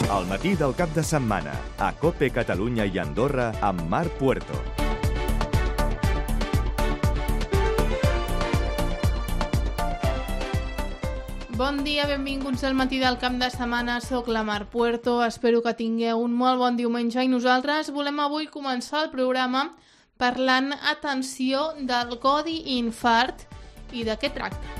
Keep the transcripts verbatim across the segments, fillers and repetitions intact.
Al matí del cap de setmana, a COPE Catalunya i Andorra amb Marc Puerto. Bon dia, benvinguts al matí del cap de setmana. Soc la Marc Puerto, espero que tingueu un molt bon diumenge i nosaltres volem avui començar el programa parlant, atenció, del codi infart i de què tracta.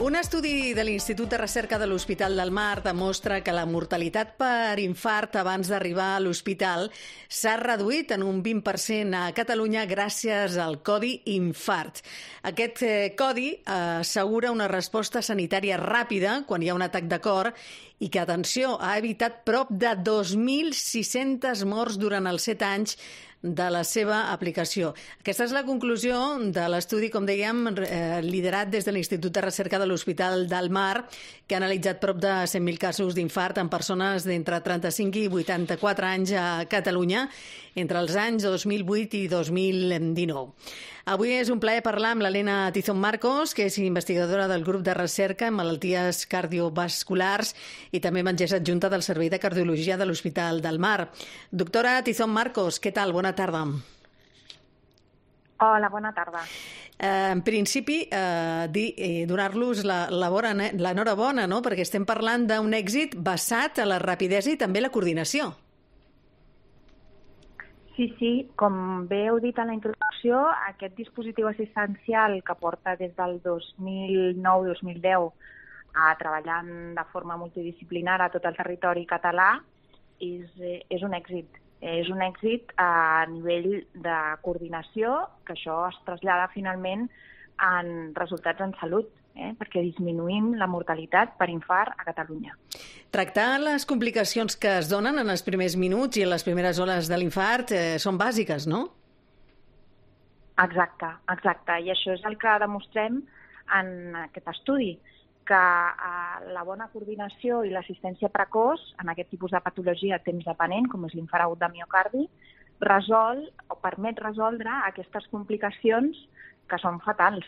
Un estudi de l'Institut de Recerca de l'Hospital del Mar demostra que la mortalitat per infart abans d'arribar a l'hospital s'ha reduït en un vint per cent a Catalunya gràcies al codi infart. Aquest eh, codi eh, assegura una resposta sanitària ràpida quan hi ha un atac de cor i que, atenció, ha evitat prop de dos mil sis-centes morts durant els set anys de la seva aplicació. Aquesta és la conclusió de l'estudi, com dèiem, eh, liderat des de l'Institut de Recerca de l'Hospital del Mar, que ha analitzat prop de cent mil casos d'infart en persones d'entre trenta-cinc i vuitanta-quatre anys a Catalunya entre els anys dos mil vuit i dos mil dinou. Avui és un plaer parlar amb l'Helena Tizón Marcos, que és investigadora del grup de recerca en malalties cardiovasculars i també metgessa adjunta del Servei de Cardiologia de l'Hospital del Mar. Doctora Tizón Marcos, què tal? Bona tarda. Hola, bona tarda. Eh, en principi, eh, dir, eh, donar-los la, la bona, l'enhorabona, no? Perquè estem parlant d'un èxit basat a la rapidesa i també la coordinació. Sí, sí, com bé heu dit en la introducció, aquest dispositiu assistencial que porta des del dos mil nou dos mil deu a treballant de forma multidisciplinar a tot el territori català és, és un èxit. És un èxit a nivell de coordinació, que això es trasllada finalment en resultats en salut, eh? perquè disminuïm la mortalitat per infart a Catalunya. Tractar les complicacions que es donen en els primers minuts i en les primeres hores de l'infart eh, són bàsiques, no? Exacte, exacte. I això és el que demostrem en aquest estudi, que eh, la bona coordinació i l'assistència precoç en aquest tipus de patologia temps dependent, com és l'infart agut de miocardi, resol o permet resoldre aquestes complicacions que són fatals,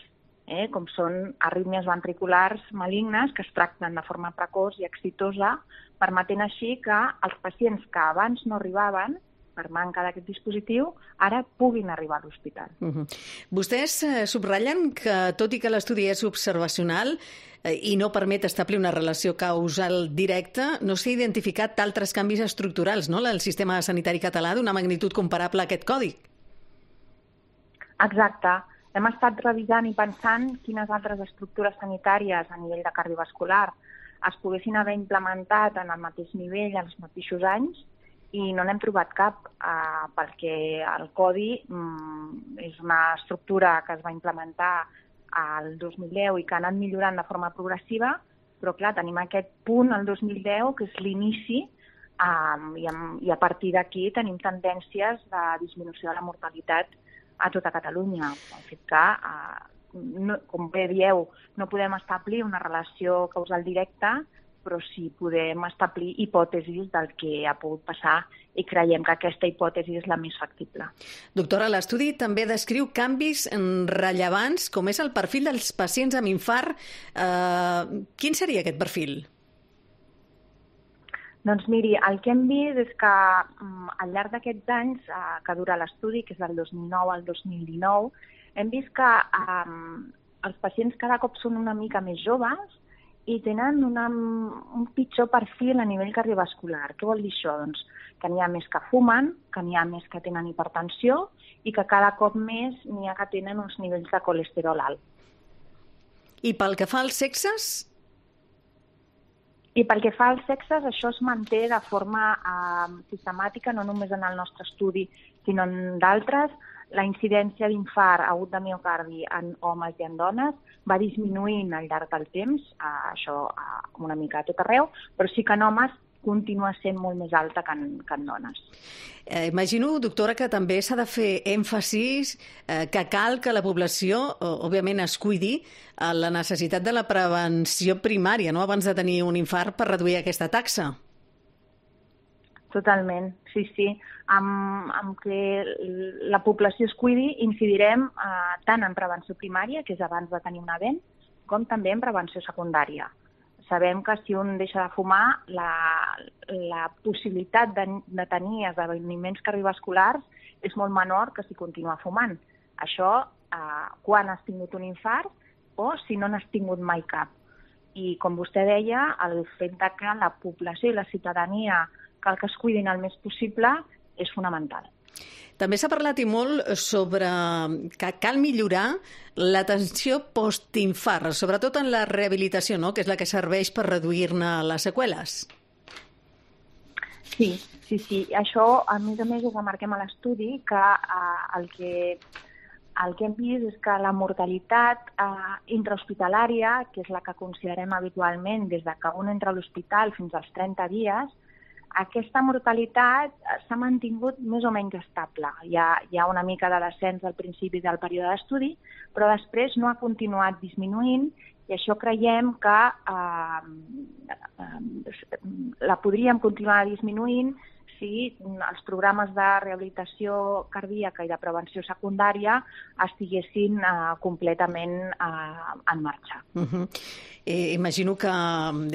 eh, com són arrítmies ventriculars malignes que es tracten de forma precoç i exitosa, permetent així que els pacients que abans no arribaven per manca d'aquest dispositiu, ara puguin arribar a l'hospital. Uh-huh. Vostès eh, subratllen que, tot i que l'estudi és observacional eh, i no permet establir una relació causal directa, no s'ha identificat altres canvis estructurals, no?, al sistema sanitari català d'una magnitud comparable a aquest codi. Exacte. Hem estat revisant i pensant quines altres estructures sanitàries a nivell de cardiovascular es poguessin haver implementat en el mateix nivell en els mateixos anys i no n'hem trobat cap, eh, perquè el codi mm, és una estructura que es va implementar al dos mil deu i que ha anat millorant de forma progressiva, però clar, tenim aquest punt al dos mil deu que és l'inici eh, i, i a partir d'aquí tenim tendències de disminució de la mortalitat a tota Catalunya. El fet que, eh, no, com bé dieu, no podem establir una relació causal directa, però sí podem establir hipòtesis del que ha pogut passar i creiem que aquesta hipòtesi és la més factible. Doctora, l'estudi també descriu canvis rellevants, com és el perfil dels pacients amb infart. Eh, quin seria aquest perfil? Doncs miri, el que hem vist és que al llarg d'aquests anys eh, que dura l'estudi, que és del dos mil nou al dos mil dinou, hem vist que eh, els pacients cada cop són una mica més joves i tenen una, un pitjor perfil a nivell cardiovascular. Què vol dir això? Doncs que n'hi ha més que fumen, que n'hi ha més que tenen hipertensió i que cada cop més n'hi ha que tenen uns nivells de colesterol alt. I pel que fa als sexes? I pel que fa als sexes, això es manté de forma eh, sistemàtica, no només en el nostre estudi, sinó en d'altres. La incidència d'infart agut de miocardi en homes i en dones va disminuint al llarg del temps, eh, això eh, una mica a tot arreu, però sí que en homes continua sent molt més alta que en, que en dones. Eh, imagino, doctora, que també s'ha de fer èmfasis eh, que cal que la població, òbviament, es cuidi a la necessitat de la prevenció primària, no?, abans de tenir un infart per reduir aquesta taxa. Totalment, sí, sí. Amb, amb que la població es cuidi incidirem eh, tant en prevenció primària, que és abans de tenir un event, com també en prevenció secundària. Sabem que si un deixa de fumar, la, la possibilitat de, de tenir esdeveniments cardiovasculars és molt menor que si continua fumant. Això eh, quan has tingut un infart o si no n'has tingut mai cap. I com vostè deia, el fet de que la població i la ciutadania cal que es cuidin el més possible és fonamental. També s'ha parlat i molt sobre que cal millorar l'atenció postinfart, sobretot en la rehabilitació, no?, que és la que serveix per reduir-ne les seqüeles. Sí, sí, sí. Això, a més a més, ho remarquem a l'estudi, que eh, el que el que hem vist és que la mortalitat eh, intrahospitalària, que és la que considerem habitualment des de que un entra a l'hospital fins als trenta dies, aquesta mortalitat s'ha mantingut més o menys estable. Hi ha, hi ha una mica de descens al principi del període d'estudi, però després no ha continuat disminuint i això creiem que eh, eh, la podríem continuar disminuint si els programes de rehabilitació cardíaca i de prevenció secundària estiguessin eh, completament eh, en marxa. Uh-huh. Eh, imagino que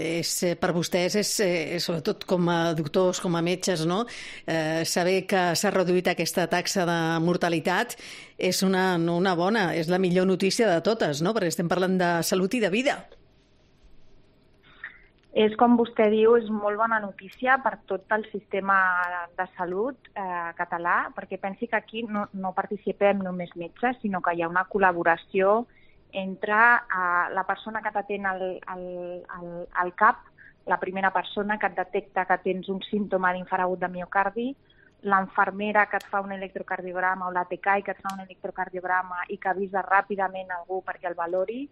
és, per vostès, és, eh, sobretot com a doctors, com a metges, no? eh, saber que s'ha reduït aquesta taxa de mortalitat és una, una bona, és la millor notícia de totes, no? Perquè estem parlant de salut i de vida. És, com vostè diu, és molt bona notícia per tot el sistema de salut eh, català, perquè pensi que aquí no, no participem només metges, sinó que hi ha una col·laboració entre eh, la persona que t'atén al, al, al, al cap, la primera persona que et detecta que tens un símptoma d'infart agut de miocardi, l'infermera que et fa un electrocardiograma o l'A T C A I que et fa un electrocardiograma i que avisa ràpidament algú perquè el valori,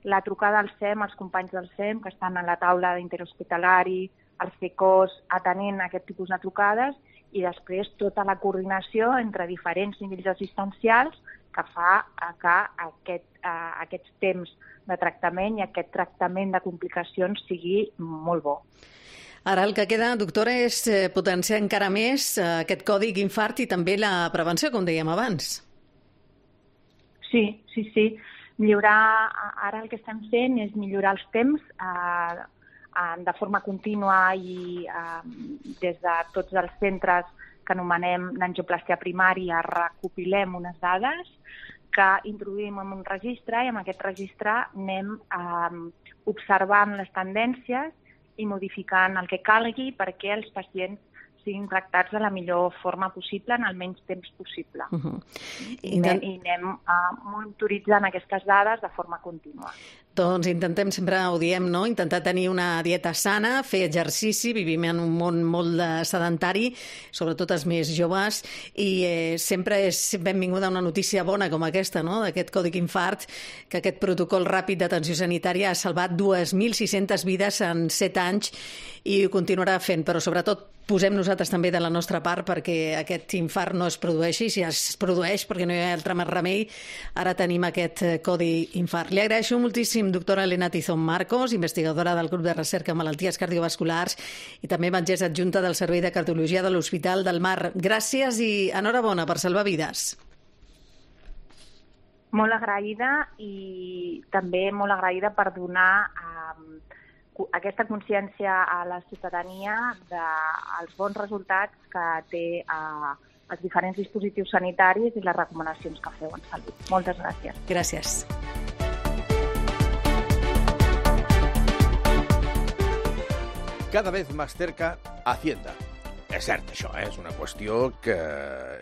la trucada al S E M, els companys del S E M que estan a la taula d'interhospitalari, els C E C O S, atenent aquest tipus de trucades i després tota la coordinació entre diferents nivells assistencials que fa que aquest, eh, aquests temps de tractament i aquest tractament de complicacions sigui molt bo. Ara el que queda, doctora, és potenciar encara més aquest codi infart i també la prevenció, com dèiem abans. Sí, sí, sí. Millorar, ara el que estem fent és millorar els temps eh, de forma contínua i eh, des de tots els centres que anomenem d'angioplastia primària recopilem unes dades que introduïm en un registre i amb aquest registre anem eh, observant les tendències i modificant el que calgui perquè els pacients siguin tractats de la millor forma possible en el menys temps possible. Uh-huh. I, Intent... I anem uh, monitoritzant aquestes dades de forma contínua. Doncs intentem, sempre ho diem, no? Intentar tenir una dieta sana, fer exercici, vivim en un món molt sedentari, sobretot els més joves, i eh, sempre és benvinguda una notícia bona com aquesta, no? D'aquest codi infart, que aquest protocol ràpid d'atenció sanitària ha salvat dues mil sis-centes vides en set anys i ho continuarà fent, però sobretot posem nosaltres també de la nostra part perquè aquest infart no es produeixi, si es produeix perquè no hi ha altre més remei, ara tenim aquest codi infart. Li agraeixo moltíssim, doctora Elena Tizón Marcos, investigadora del grup de recerca en malalties cardiovasculars i també metgessa adjunta del Servei de Cardiologia de l'Hospital del Mar. Gràcies i enhorabona per salvar vides. Molt agraïda i també molt agraïda per donar eh, aquesta consciència a la ciutadania dels bons resultats que té eh, els diferents dispositius sanitaris i les recomanacions que feu en salut. Moltes gràcies. Gràcies. Cada vez más cerca Hacienda. És cert, això, eh? És una qüestió que...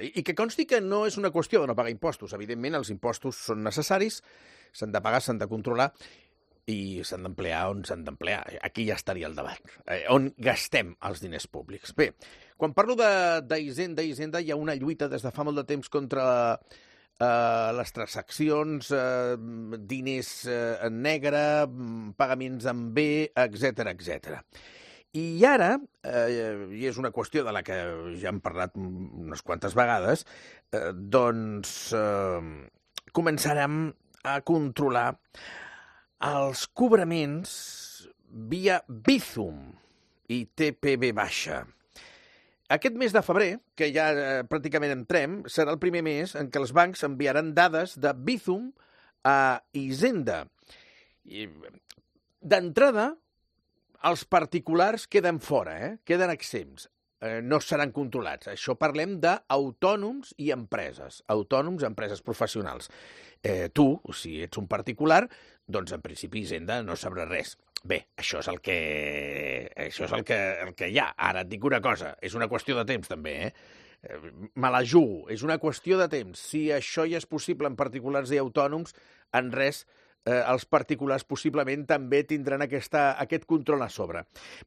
I que consti que no és una qüestió de no pagar impostos. Evidentment, els impostos són necessaris, s'han de pagar, s'han de controlar, i s'han d'emplear on s'han d'emplear. Aquí ja estaria el debat. Eh, on gastem els diners públics? Bé, quan parlo d'Hisenda, Hisenda, hi ha una lluita des de fa molt de temps contra eh, les transaccions, eh, diners eh, en negre, pagaments en B, etcètera, etcètera. I ara, eh, i és una qüestió de la que ja hem parlat unes quantes vegades, eh, doncs eh, començarem a controlar els cobraments via Bizum i T P V baixa. Aquest mes de febrer, que ja eh, pràcticament entrem, serà el primer mes en què els bancs enviaran dades de Bizum a Hisenda. D'entrada, els particulars queden fora, eh? Queden exempts. Eh, no seran controlats. Això parlem d'autònoms i empreses. Autònoms, empreses professionals. Eh, tu, si ets un particular, doncs en principi Hisenda no sabrà res. Bé, això és el que, això és el que, el que hi ha. Ara et dic una cosa, és una qüestió de temps també, eh? Me la jugo, és una qüestió de temps. Si això ja és possible en particulars i autònoms, en res eh, els particulars possiblement també tindran aquesta, aquest control a sobre.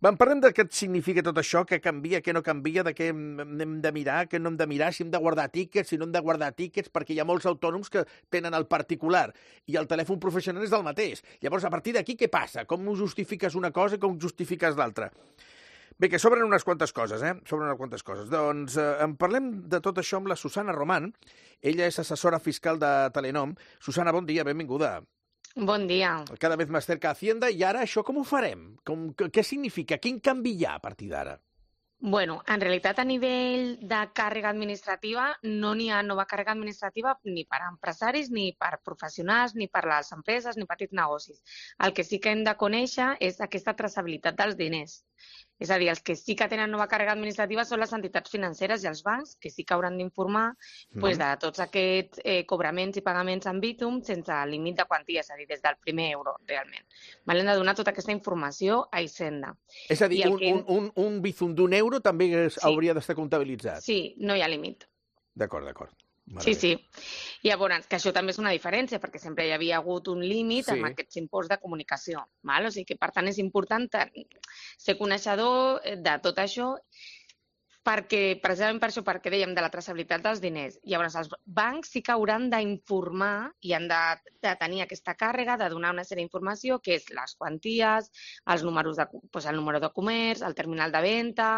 En parlem de què significa tot això, què canvia, què no canvia, de què hem de mirar, què no hem de mirar, si hem de guardar tíquets, si no hem de guardar tíquets, perquè hi ha molts autònoms que tenen el particular i el telèfon professional és del mateix. Llavors, a partir d'aquí, què passa? Com justifiques una cosa i com justifiques l'altra? Bé, que sobren unes quantes coses, eh? Sobren unes quantes coses. Doncs eh, en parlem de tot això amb la Susana Román. Ella és assessora fiscal de Telenom. Susana, bon dia, benvinguda. Bon dia. Cada vez más cerca Hacienda. I ara això com ho farem? Com, què significa? Quin canvi hi ha a partir d'ara? Bueno, en realitat a nivell de càrrega administrativa no n'hi ha nova càrrega administrativa ni per a empresaris, ni per professionals, ni per a les empreses, ni petits negocis. El que sí que hem de conèixer és aquesta traçabilitat dels diners. És a dir, els que sí que tenen nova càrrega administrativa són les entitats financeres i els bancs, que sí que hauran d'informar mm. pues, de tots aquests eh, cobraments i pagaments en Bitum sense límit de quantia, és a dir, des del primer euro, realment. Hem de donar tota aquesta informació a Hisenda. És a dir, un, que... un, un, un Bizum d'un euro també es, sí. hauria d'estar comptabilitzat? Sí, no hi ha límit. D'acord, d'acord. Sí, sí. Llavors, que això també és una diferència, perquè sempre hi havia hagut un límit sí. amb aquests imports de comunicació. Val? O sigui que, per tant, és important ser coneixedor de tot això, perquè, precisament per això, perquè dèiem de la traçabilitat dels diners. Llavors, els bancs sí que hauran d'informar i han de, de tenir aquesta càrrega de donar una sèrie d'informació, que és les quanties, els números de, doncs el número de comerç, el terminal de venda,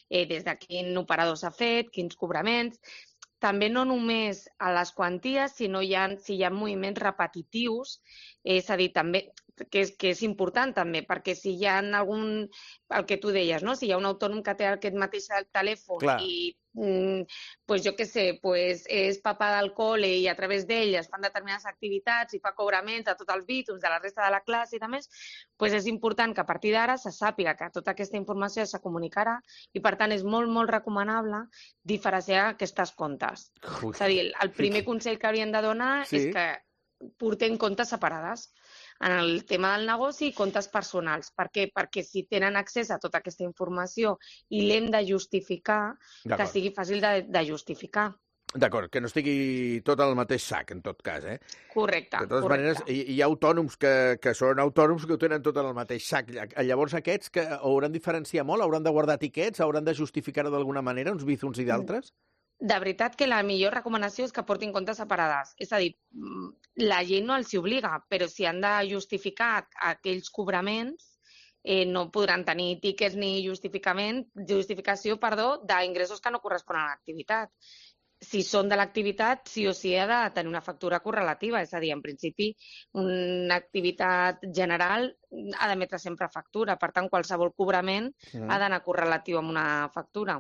eh, des de quin operador s'ha fet, quins cobraments. També no només a les quanties, sinó hi ha, si hi ha moviments repetitius, és a dir, també, que és, que és important també, perquè si hi ha algun, el que tu deies, no? Si hi ha un autònom que té aquest mateix telèfon Clar. i, mm, pues jo què sé, pues és papà del col·le i a través d'ell es fan determinades activitats i fa cobraments a tots els bítums de la resta de la classe i de més, pues és important que a partir d'ara se sàpiga que tota aquesta informació se comunicarà i, per tant, és molt, molt recomanable diferenciar aquestes comptes. Ui. És a dir, el primer consell que haurien de donar sí. és que portem comptes separades. En el tema del negoci i comptes personals. Per què? Perquè si tenen accés a tota aquesta informació i l'hem de justificar, que sigui fàcil de, de justificar. D'acord, que no estigui tot al mateix sac, en tot cas, eh? Correcte. De totes correcte. maneres, hi, hi ha autònoms que, que són autònoms que ho tenen tot en el mateix sac. Llavors aquests que hauran de diferenciar molt, hauran de guardar etiquets, hauran de justificar-ho d'alguna manera, uns bizums i d'altres? De veritat que la millor recomanació és que portin comptes separades. És a dir, la llei no els hi obliga, però si han de justificar aquells cobraments, eh, no podran tenir tíquets ni justificament, justificació perdó, d'ingressos que no corresponen a l'activitat. Si són de l'activitat, sí o sí ha de tenir una factura correlativa. És a dir, en principi, una activitat general ha d'emetre sempre factura. Per tant, qualsevol cobrament mm. ha d'anar correlatiu amb una factura.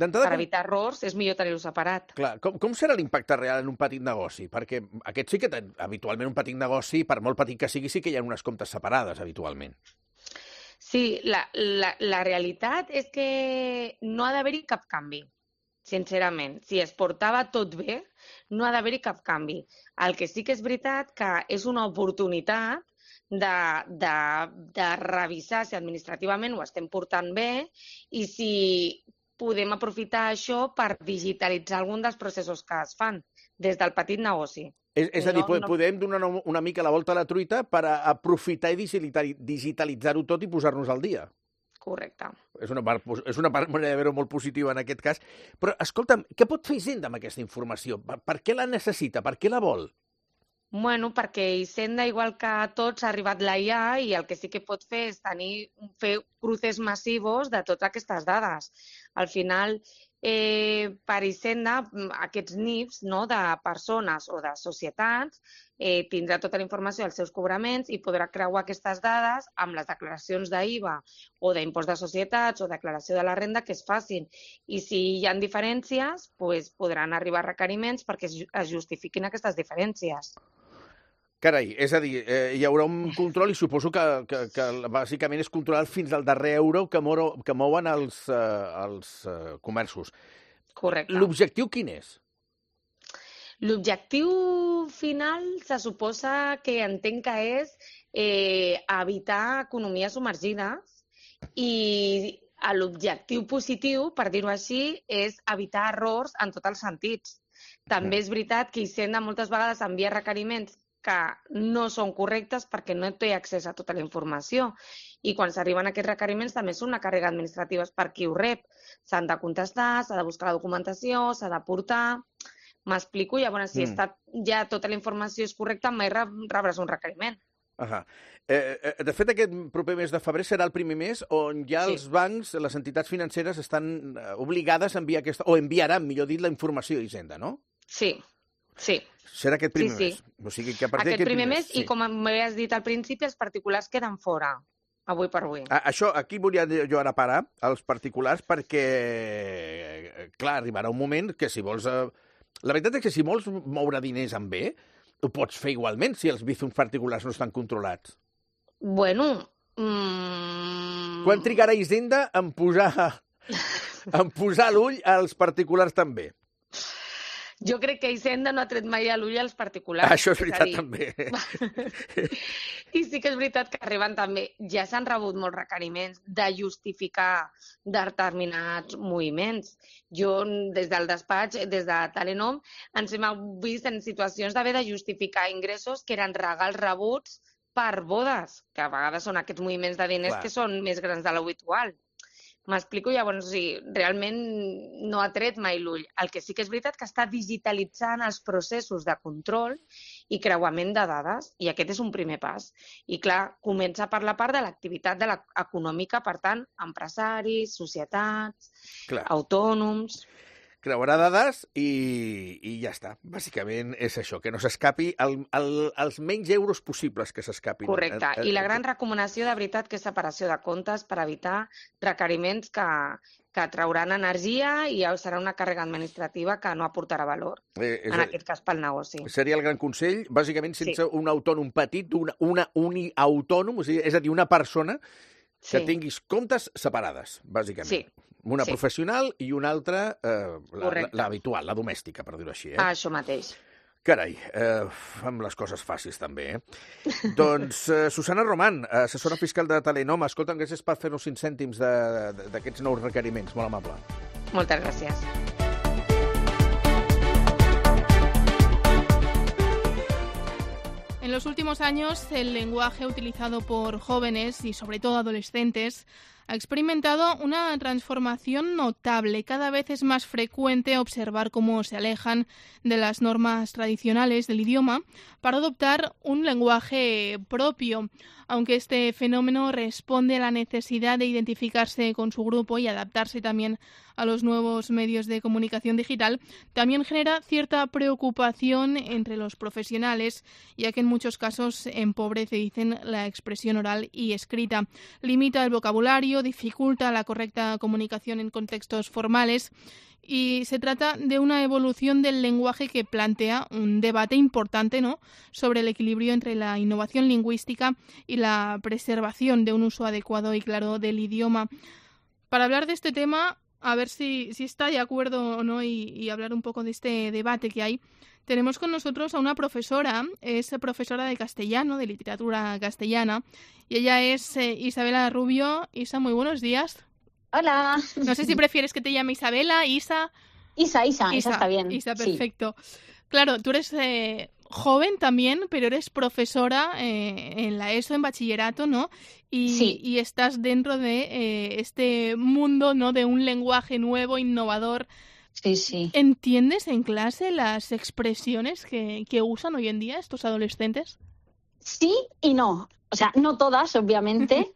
Per evitar errors, és millor tenir-ho separat. Clar, com, com serà l'impacte real en un petit negoci? Perquè aquest sí que, ten, habitualment, un petit negoci, per molt petit que sigui, sí que hi ha unes comptes separades, habitualment. Sí, la, la, la realitat és que no ha d'haver-hi cap canvi, sincerament. Si es portava tot bé, no ha d'haver-hi cap canvi. El que sí que és veritat que és una oportunitat de, de, de revisar si administrativament ho estem portant bé i si podem aprofitar això per digitalitzar algun dels processos que es fan des del petit negoci. És, és a dir, no, podem no... donar una mica la volta a la truita per a aprofitar i digitalitzar-ho tot i posar-nos al dia. Correcte. És una, part, és una part, manera de veure molt positiva en aquest cas. Però, escolta'm, què pot fer Hisenda amb aquesta informació? Per, per què la necessita? Per què la vol? Bueno, perquè Hisenda, igual que a tots, ha arribat la I A i el que sí que pot fer és tenir, fer cruces massivos de totes aquestes dades. Al final, eh, per Hisenda, aquests N I Fs no, de persones o de societats eh, tindrà tota la informació dels seus cobraments i podrà creuar aquestes dades amb les declaracions d'I V A o d'impost de societats o declaració de la renda que es facin. I si hi ha diferències, pues, podran arribar requeriments perquè es justifiquin aquestes diferències. Carai, és a dir, eh, hi haurà un control i suposo que, que, que bàsicament és controlar fins al darrer euro que, moro, que mouen els, eh, els eh, comerços. Correcte. L'objectiu quin és? L'objectiu final se suposa que entenc que és eh, evitar economies submergides i l'objectiu positiu, per dir-ho així, és evitar errors en tots els sentits. També és veritat que Hisenda moltes vegades envia requeriments que no són correctes perquè no té accés a tota la informació. I quan s'arriben aquests requeriments també són una càrrega administrativa per qui ho rep. S'han de contestar, s'ha de buscar la documentació, s'ha de portar... M'explico? Llavors, si mm. està, ja tota la informació és correcta, mai rebràs un requeriment. Ahà. Eh, de fet, aquest proper mes de febrer serà el primer mes on ja els sí. bancs, les entitats financeres, estan obligades a enviar aquesta... o enviaran, millor dit, la informació a Hisenda, no? Sí. Sí. Serà aquest primer sí, sí. mes. O sigui que a partir aquest primer mes, mes sí. I com m'havies dit al principi, els particulars queden fora, avui per avui. A, això, aquí volia jo ara parar, els particulars, perquè, clar, arribarà un moment que si vols... Eh, la veritat és que si vols moure diners amb bé, ho pots fer igualment si els bizums particulars no estan controlats. Bueno... Mm... Quan trigarà Hisenda en posar, en posar l'ull als particulars també? Jo crec que Hisenda no ha tret mai a l'ull als particulars. Això és veritat, és també. I sí que és veritat que arriben també. Ja s'han rebut molts requeriments de justificar determinats moviments. Jo, des del despatx, des de Telenom, ens hem vist en situacions d'haver de justificar ingressos que eren regals rebuts per bodes, que a vegades són aquests moviments de diners Clar. Que són més grans de l'habitual. M'explico, llavors, sí, realment no ha tret mai l'ull. El que sí que és veritat que està digitalitzant els processos de control i creuament de dades, i aquest és un primer pas. I, clar, comença per la part de l'activitat de econòmica, per tant, empresaris, societats, clar. Autònoms... Creuarà dades i, i ja està. Bàsicament és això, que no s'escapi el, el, els menys euros possibles que s'escapin. Correcte. I la gran recomanació, de veritat, que és separació de comptes per evitar requeriments que, que trauran energia i serà una càrrega administrativa que no aportarà valor, eh, en a... aquest cas pel negoci. Seria el gran consell, bàsicament sense sí. un autònom petit, una, una uniautònom, o sigui, és a dir, una persona que sí. tinguis comptes separades, bàsicament. Sí. Una sí. professional i una altra, eh, l'habitual, la, la domèstica, per dir-ho així. Eh? Ah, això mateix. Carai, eh, amb les coses fàcils també, eh? Doncs, eh, Susana Román, assessora fiscal de Telenom, escolta'm, gràcies per fer-nos cinc cèntims d'aquests nous requeriments, molt amable. Moltes gràcies. En los últimos años, el lenguaje utilizado por jóvenes y sobre todo adolescentes ha experimentado una transformación notable. Cada vez es más frecuente observar cómo se alejan de las normas tradicionales del idioma para adoptar un lenguaje propio. Aunque este fenómeno responde a la necesidad de identificarse con su grupo y adaptarse también a los nuevos medios de comunicación digital, también genera cierta preocupación entre los profesionales, ya que en muchos casos empobrece, dicen, la expresión oral y escrita, limita el vocabulario, dificulta la correcta comunicación en contextos formales. Y se trata de una evolución del lenguaje que plantea un debate importante, ¿no?, sobre el equilibrio entre la innovación lingüística y la preservación de un uso adecuado y claro del idioma. Para hablar de este tema, a ver si, si está de acuerdo o no y, y hablar un poco de este debate que hay, tenemos con nosotros a una profesora, es profesora de castellano, de literatura castellana, y ella es eh, Isabela Rubio. Isa, muy buenos días. Hola. No sé si prefieres que te llame Isabela, Isa. Isa, Isa, Isa, Isa está bien. Isa, perfecto. Sí. Claro, tú eres eh, joven también, pero eres profesora eh, en la ESO, en bachillerato, ¿no? Y, sí. y estás dentro de eh, este mundo, ¿no?, de un lenguaje nuevo, innovador. Sí, sí. ¿Entiendes en clase las expresiones que, que usan hoy en día estos adolescentes? Sí y no. O sea, no todas, obviamente.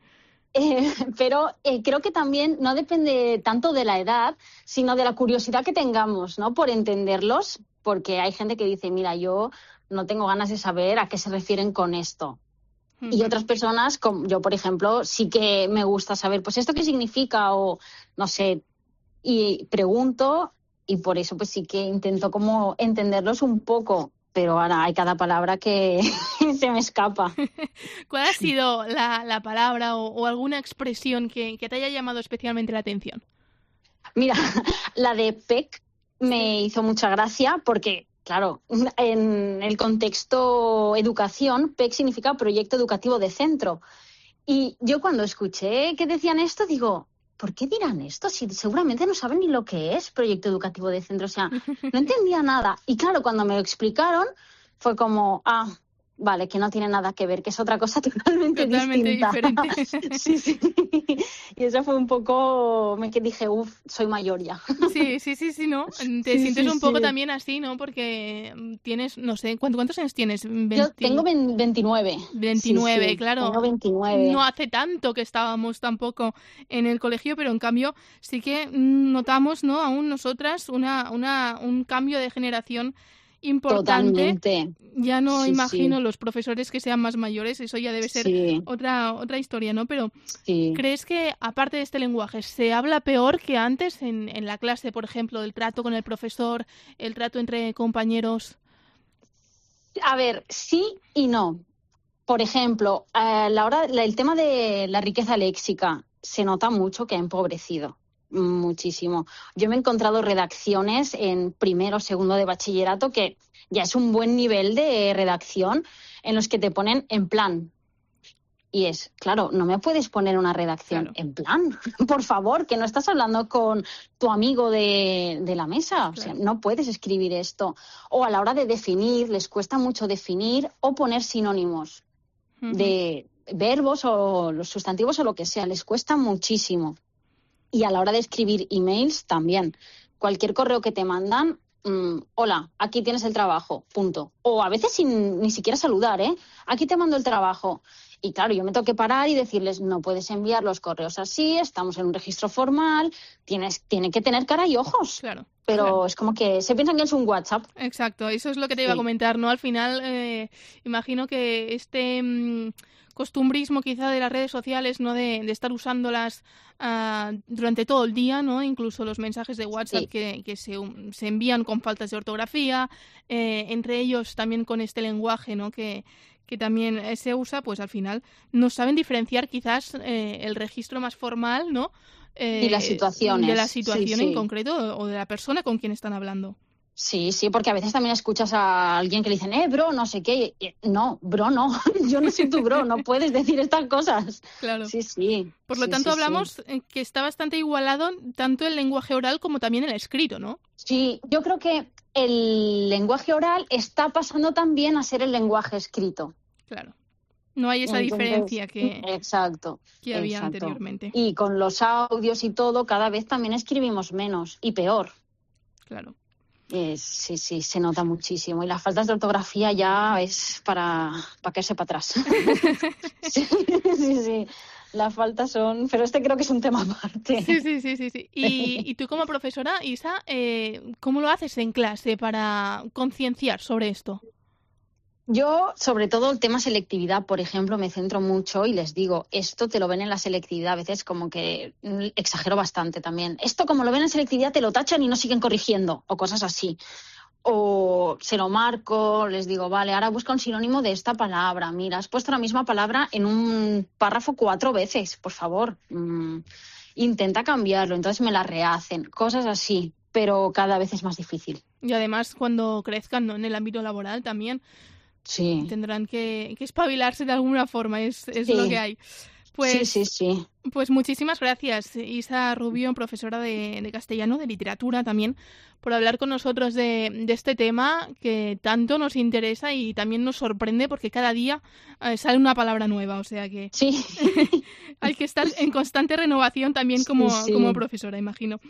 Eh, pero eh, creo que también no depende tanto de la edad, sino de la curiosidad que tengamos, ¿no?, por entenderlos, porque hay gente que dice, mira, yo no tengo ganas de saber a qué se refieren con esto. Uh-huh. Y otras personas, como yo, por ejemplo, sí que me gusta saber, pues, ¿esto qué significa? O, no sé, y pregunto, y por eso pues sí que intento como entenderlos un poco. pero ahora hay cada palabra que se me escapa. ¿Cuál ha sido la, la palabra o, o alguna expresión que, que te haya llamado especialmente la atención? Mira, la de P E C me hizo mucha gracia porque, claro, en el contexto educación, P E C significa Proyecto Educativo de Centro. Y yo cuando escuché que decían esto, digo, ¿por qué dirán esto? Si seguramente no saben ni lo que es Proyecto Educativo de Centro. O sea, no entendía nada. Y claro, cuando me lo explicaron, fue como, ah, vale, que no tiene nada que ver, que es otra cosa totalmente, totalmente distinta. diferente. Sí, sí. Y eso fue un poco, me que dije, uff, soy mayor ya. Sí, sí, sí, sí, ¿no? Te sí, sientes sí, un poco sí. también así, ¿no? Porque tienes, no sé, ¿cuántos, cuántos años tienes? veinte... Yo tengo veintinueve. veintinueve, sí, sí, claro. Tengo veintinueve. No hace tanto que estábamos tampoco en el colegio, pero en cambio sí que notamos, ¿no? Aún nosotras una, una, un cambio de generación importante. Totalmente. Ya no sí, imagino sí. los profesores que sean más mayores, eso ya debe ser sí. otra otra historia, ¿no? Pero sí. ¿crees que, aparte de este lenguaje, se habla peor que antes en, en la clase, por ejemplo, el trato con el profesor, el trato entre compañeros? A ver, sí y no. Por ejemplo, a la hora, el tema de la riqueza léxica se nota mucho que ha empobrecido. Muchísimo. Yo me he encontrado redacciones en primero o segundo de bachillerato que ya es un buen nivel de redacción en los que te ponen en plan. Y es, claro, no me puedes poner una redacción claro. en plan. Por favor, que no estás hablando con tu amigo de, de la mesa. Claro. O sea, no puedes escribir esto. O a la hora de definir, les cuesta mucho definir o poner sinónimos uh-huh. de verbos o los sustantivos o lo que sea. Les cuesta muchísimo. Y a la hora de escribir emails también. Cualquier correo que te mandan, mmm, hola, aquí tienes el trabajo, punto. O a veces sin ni siquiera saludar, ¿eh? Aquí te mando el trabajo. Y claro, yo me tengo que parar y decirles, no puedes enviar los correos así, estamos en un registro formal, tienes, tiene que tener cara y ojos. Claro. Pero claro. es como que se piensan que es un WhatsApp. Exacto, eso es lo que te iba a comentar, ¿no? Al final, eh, imagino que este mmm, costumbrismo quizá de las redes sociales, ¿no? De, de estar usándolas uh, durante todo el día, ¿no? Incluso los mensajes de WhatsApp sí. que, que se, um, se envían con faltas de ortografía, eh, entre ellos también con este lenguaje, ¿no? Que que también se usa, pues al final no saben diferenciar quizás eh, el registro más formal, ¿no? Eh, y las situaciones. De la situación sí, sí. en concreto o de la persona con quien están hablando. Sí, sí, porque a veces también escuchas a alguien que le dicen, eh, bro, no sé qué. No, bro, no. Yo no soy tu bro, no puedes decir estas cosas. Claro. Sí, sí. Por lo sí, tanto, sí, hablamos sí. que está bastante igualado tanto el lenguaje oral como también el escrito, ¿no? Sí, yo creo que el lenguaje oral está pasando también a ser el lenguaje escrito. Claro. No hay esa Entonces, diferencia que, exacto, que había exacto. anteriormente. Y con los audios y todo, cada vez también escribimos menos y peor. Claro. Eh, sí, sí, se nota muchísimo. Y las faltas de ortografía ya es para, para caerse para atrás. sí, sí, sí. Las faltas son... Pero este creo que es un tema aparte. Sí, sí, sí, sí. sí. Y, y tú como profesora, Isa, eh, ¿cómo lo haces en clase para concienciar sobre esto? Yo, sobre todo el tema selectividad, por ejemplo, me centro mucho y les digo, esto te lo ven en la selectividad, a veces como que exagero bastante también. Esto como lo ven en selectividad te lo tachan y no siguen corrigiendo o cosas así. O se lo marco, les digo, vale, ahora busca un sinónimo de esta palabra. Mira, has puesto la misma palabra en un párrafo cuatro veces, por favor. Mm, intenta cambiarlo, entonces me la rehacen, cosas así, pero cada vez es más difícil. Y además cuando crezcan, ¿no? En el ámbito laboral también sí. tendrán que, que espabilarse de alguna forma, es, es sí. lo que hay. Pues, sí, sí, sí. Pues muchísimas gracias, Isa Rubio, profesora de, de castellano, de literatura también, por hablar con nosotros de, de este tema que tanto nos interesa y también nos sorprende porque cada día eh, sale una palabra nueva, o sea que sí. hay que estar en constante renovación también como, sí, sí. como profesora, imagino.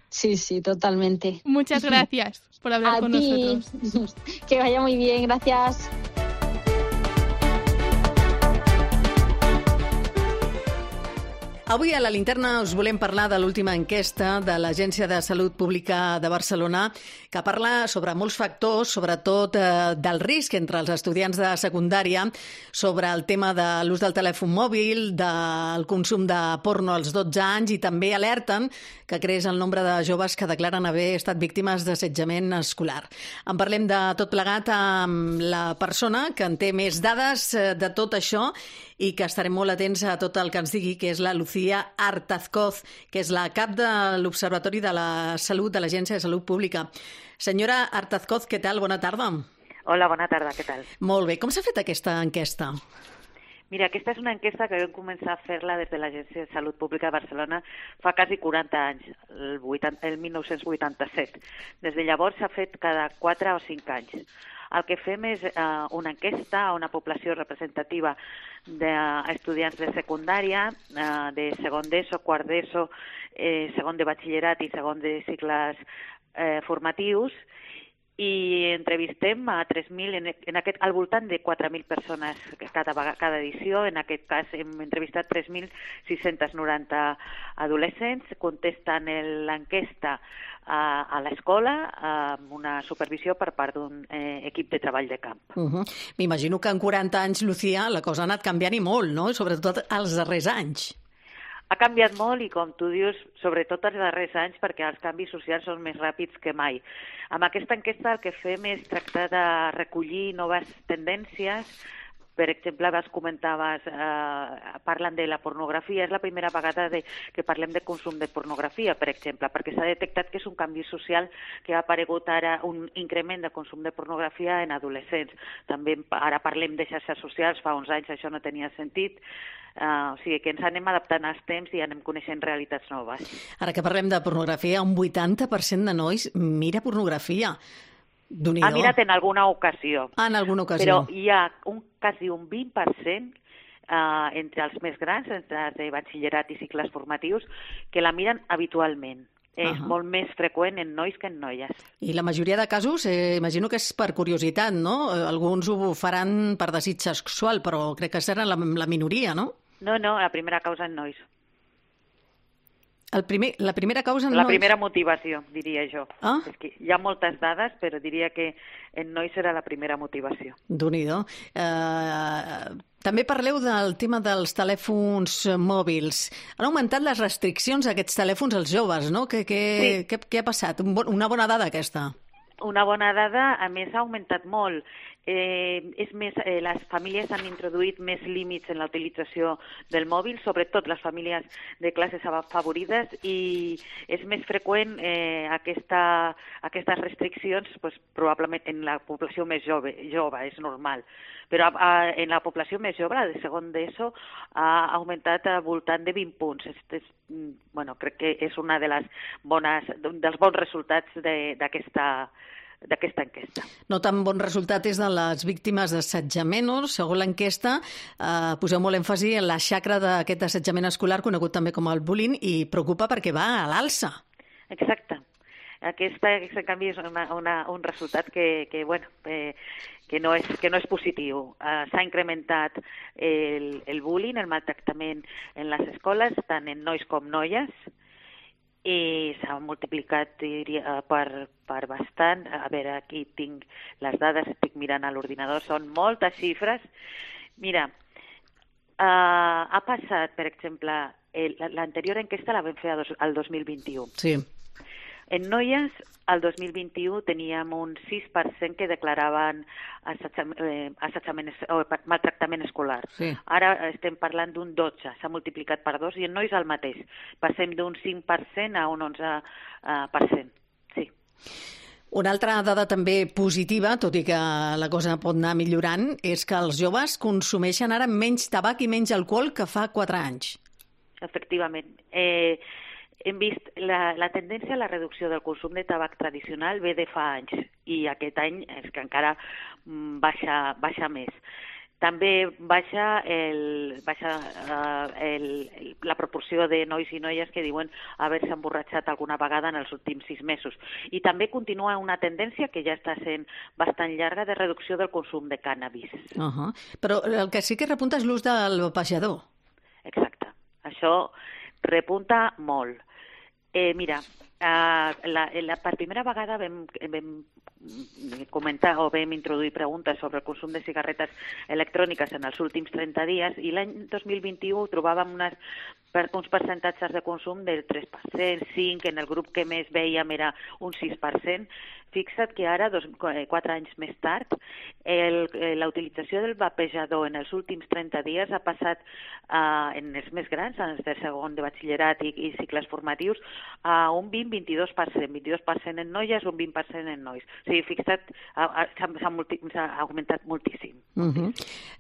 Sí, sí, totalmente. Muchas gracias por hablar A con ti. nosotros. Que vaya muy bien, gracias. Avui a la Linterna us volem parlar de l'última enquesta de l'Agència de Salut Pública de Barcelona, que parla sobre molts factors, sobretot eh, del risc entre els estudiants de secundària, sobre el tema de l'ús del telèfon mòbil, del consum de porno als dotze anys, i també alerten que creix el nombre de joves que declaren haver estat víctimes d'assetjament escolar. En parlem de tot plegat amb la persona que en té més dades de tot això i que estarem molt atents a tot el que ens digui, que és la Lucía Artazcoz, que és la cap de l'Observatori de la Salut de l'Agència de Salut Pública. Senyora Artazcoz, què tal? Bona tarda. Hola, bona tarda, què tal? Molt bé. Com s'ha fet aquesta enquesta? Mira, aquesta és una enquesta que vam començar a fer-la des de l'Agència de Salut Pública de Barcelona fa quasi quaranta anys, el, vuitanta, el mil nou-cents vuitanta-set. Des de llavors s'ha fet cada quatre o cinc anys. El que fem és eh, una enquesta a una població representativa d'estudiants de secundària, eh, de segon d'ESO, quart d'ESO, eh, segon de batxillerat i segon de cicles eh, formatius, i entrevistem a tres mil, en, en aquest, al voltant de quatre mil persones cada, cada edició. En aquest cas hem entrevistat tres mil sis-cents noranta adolescents, contesten l'enquesta a, a l'escola amb una supervisió per part d'un eh, equip de treball de camp. Uh-huh. M'imagino que en quaranta anys, Lucía, la cosa ha anat canviant i molt, no? Sobretot els darrers anys. Ha canviat molt i, com tu dius, sobretot els darrers anys, perquè els canvis socials són més ràpids que mai. Amb aquesta enquesta el que fem és tractar de recollir noves tendències. Per exemple, vas comentaves, eh, parlen de la pornografia. És la primera vegada de, que parlem de consum de pornografia, per exemple, perquè s'ha detectat que és un canvi social que ha aparegut ara un increment de consum de pornografia en adolescents. També ara parlem de xarxes socials, fa uns anys això no tenia sentit. Uh, o sigui que ens anem adaptant als temps i anem coneixent realitats noves. Ara que parlem de pornografia, un vuitanta per cent de nois mira pornografia. Ha mirat en alguna ocasió. Ah, en alguna ocasió. Però hi ha un, quasi un vint per cent uh, entre els més grans, entre els de batxillerat i cicles formatius, que la miren habitualment. És uh-huh. molt més freqüent en nois que en noies. I la majoria de casos, eh, imagino que és per curiositat, no? Alguns ho faran per desig sexual, però crec que serà la, la minoria, no? No, no, la primera causa en nois. El primer, la primera causa en la nois? La primera motivació, diria jo. Ah? És que hi ha moltes dades, però diria que en nois serà la primera motivació. Déu-n'hi-do. Eh, també parleu del tema dels telèfons mòbils. Han augmentat les restriccions a aquests telèfons als joves, no? Què, què, sí. què, què ha passat? Un bon, una bona dada, aquesta. Una bona dada, a més, ha augmentat molt. Eh, és més, eh, les famílies han introduït més límits en la utilització del mòbil, sobretot les famílies de classes afavorides, i és més freqüent eh, aquesta, aquestes restriccions pues, probablement en la població més jove, jove és normal. Però a, en la població més jove, la de segon d'ESO, ha augmentat al voltant de vint punts. És, és, bueno, crec que és una de les bones, dels bons resultats d'aquesta d'aquesta enquesta. No tan bon resultat és de les víctimes d'assetjament, no? Segons l'enquesta, eh, poseu molt èmfasi en la xacra d'aquest assetjament escolar, conegut també com el bullying, i preocupa perquè va a l'alça. Exacte. Aquesta, aquest canvi és una, una, un resultat que, que, bueno, eh, que, no és, que no és positiu. Eh, s'ha incrementat el, el bullying, el maltractament en les escoles, tant en nois com noies, i s'ha multiplicat, diria, per, per bastant. A veure, aquí tinc les dades, estic mirant a l'ordinador, són moltes xifres. Mira, uh, ha passat, per exemple, l'anterior enquesta la vam fer al dos mil vint-i-u. Sí. En noies, al dos mil vint-i-u teníem un sis per cent que declaraven assetjament, eh, assetjament o maltractament escolar. Sí. Ara estem parlant d'un dotze, s'ha multiplicat per dos, i en nois el mateix. Passem d'un cinc per cent a un onze per cent. Sí. Una altra dada també positiva, tot i que la cosa pot anar millorant, és que els joves consumeixen ara menys tabac i menys alcohol que fa quatre anys. Efectivament. Eh, Hem vist la, la tendència a la reducció del consum de tabac tradicional ve de fa anys, i aquest any és que encara baixa, baixa més. També baixa, el, baixa uh, el, la proporció de nois i noies que diuen haver-se emborratxat alguna vegada en els últims sis mesos. I també continua una tendència que ja està sent bastant llarga de reducció del consum de cànnabis. Uh-huh. Però el que sí que repunta és l'ús del vapejador. Exacte. això repunta molt. Eh, mira, Uh, la, la, per primera vegada vam, vam comentar o vam introduir preguntes sobre el consum de cigarretes electròniques en els últims trenta dies i l'any dos mil vint-i-u trobàvem unes, per, uns percentatges de consum del tres per cent, cinc per cent, en el grup que més veiem era un sis per cent. Fixa't que ara, dos, quatre anys més tard, la utilització del vapejador en els últims trenta dies ha passat uh, en els més grans, en els de segon de batxillerat i, i cicles formatius, a un vint a vint-i-dos per cent, vint-i-dos per cent en noies, un vint per cent en nois. O sigui, fixa't, s'ha multi, augmentat moltíssim. Uh -huh.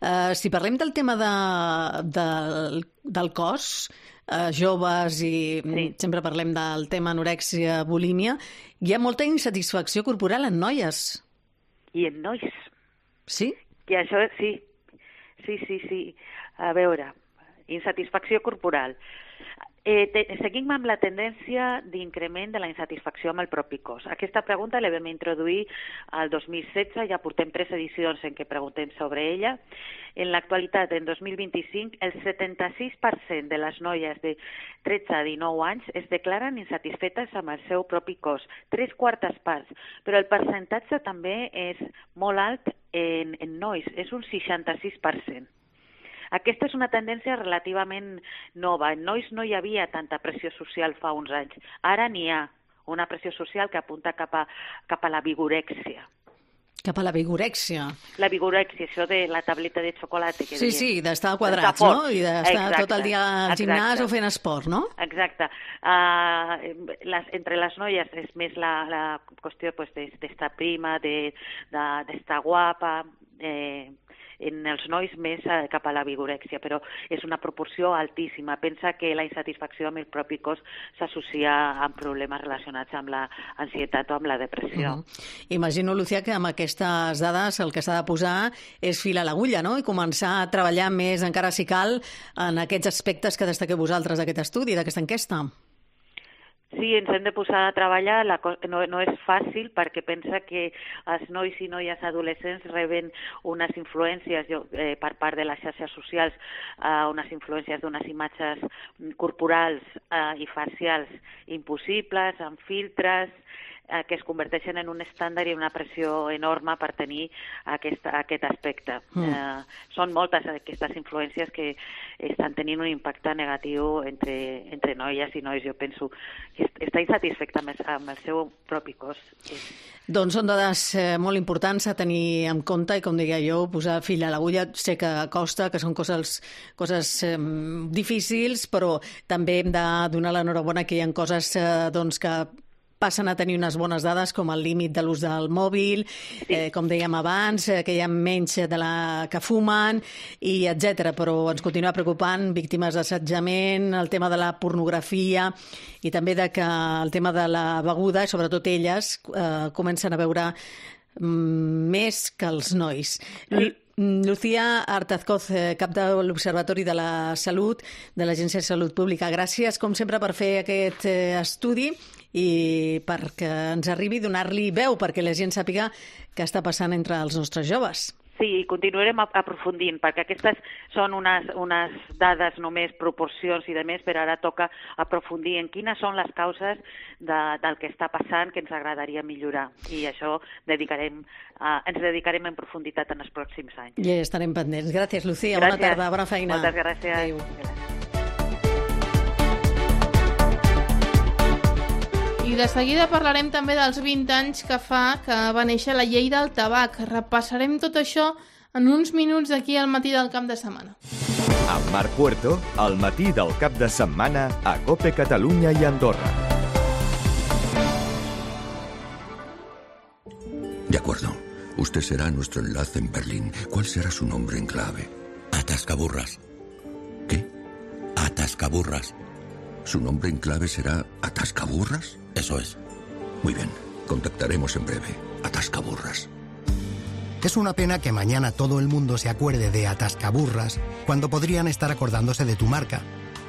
uh, si parlem del tema de, de, del cos, uh, joves i sí. sempre parlem del tema anorèxia, bulímia, hi ha molta insatisfacció corporal en noies. I en nois. Sí? I això, sí. Sí, sí, sí. A veure, insatisfacció corporal. Eh, te, seguim amb la tendència d'increment de la insatisfacció amb el propi cos. Aquesta pregunta la vam introduir al dos mil setze, ja portem tres edicions en què preguntem sobre ella. En l'actualitat, en dos mil vint-i-cinc, el setanta-sis per cent de les noies de tretze a dinou anys es declaren insatisfetes amb el seu propi cos, tres quartes parts, però el percentatge també és molt alt en, en nois, és un seixanta-sis per cent. Aquesta és una tendència relativament nova. En nois no hi havia tanta pressió social fa uns anys. Ara n'hi ha una pressió social que apunta cap a, cap a la vigorèxia. Cap a la vigorèxia. La vigorèxia, això de la tableta de xocolata. Que sí, diem. Sí, d'estar quadrats, no? I d'estar exacte, tot el dia al gimnàs exacte. O fent esport, no? Exacte. Uh, les, entre les noies és més la, la qüestió pues, d'estar prima, d'estar de, de, guapa, eh, en els nois més cap a la vigorèxia, però és una proporció altíssima. Pensa que la insatisfacció amb el propi cos s'associa amb problemes relacionats amb l'ansietat o amb la depressió. Uh -huh. Imagino, Lucía, que amb aquestes dades el que s'ha de posar és fil a l'agulla, no? I començar a treballar més, encara si cal, en aquests aspectes que destaqueu vosaltres d'aquest estudi, d'aquesta enquesta. Sí, ens hem de posar a treballar, la co- no, no és fàcil perquè pensa que els nois i noies adolescents reben unes influències eh, per part de les xarxes socials, eh, unes influències d'unes imatges corporals eh, i facials impossibles, amb filtres, eh, que es converteixen en un estàndard i una pressió enorme per tenir aquest, aquest aspecte. Mm. Eh, són moltes aquestes influències que estan tenint un impacte negatiu entre, entre noies i nois. Jo penso que està insatisfecte amb, amb el seu propi cos. Doncs són dades eh, molt importants a tenir en compte i, com deia jo, posar fil a l'agulla. Sé que costa, que són coses, coses eh, difícils, però també hem de donar l'enhorabona que hi ha coses eh, doncs, que passen a tenir unes bones dades, com el límit de l'ús del mòbil, eh, com dèiem abans, eh, que hi ha menys de la que fumen, i etcètera. Però ens continua preocupant víctimes d'assetjament, el tema de la pornografia i també de que el tema de la beguda, sobretot elles, eh, comencen a veure mm, més que els nois. Sí. Lucía Artazcoz, cap de l'Observatori de la Salut, de l'Agència de Salut Pública. Gràcies, com sempre, per fer aquest estudi i perquè ens arribi a donar-li veu, perquè la gent sàpiga què està passant entre els nostres joves. Sí, continuarem aprofundint, perquè aquestes són unes, unes dades només, proporcions i demés, però ara toca aprofundir en quines són les causes de, del que està passant que ens agradaria millorar. I això dedicarem, uh, ens dedicarem en profunditat en els pròxims anys. I estarem pendents. Gràcies, Lucía. Gràcies. Bona tarda, bona feina. Moltes gràcies. Adéu. I de seguida parlarem també dels vint anys que fa que va néixer la llei del tabac. Repassarem tot això en uns minuts d'aquí al matí del cap de setmana. Amb Marc Puerto, al matí del cap de setmana a COPE Catalunya i Andorra. De acuerdo. Usted será nuestro enlace en Berlín. ¿Cuál será su nombre en clave? Atascaburras. ¿Qué? Atascaburras. ¿Su nombre en clave será Atascaburras? Eso es. Muy bien. Contactaremos en breve. Atascaburras. Es una pena que mañana todo el mundo se acuerde de Atascaburras cuando podrían estar acordándose de tu marca.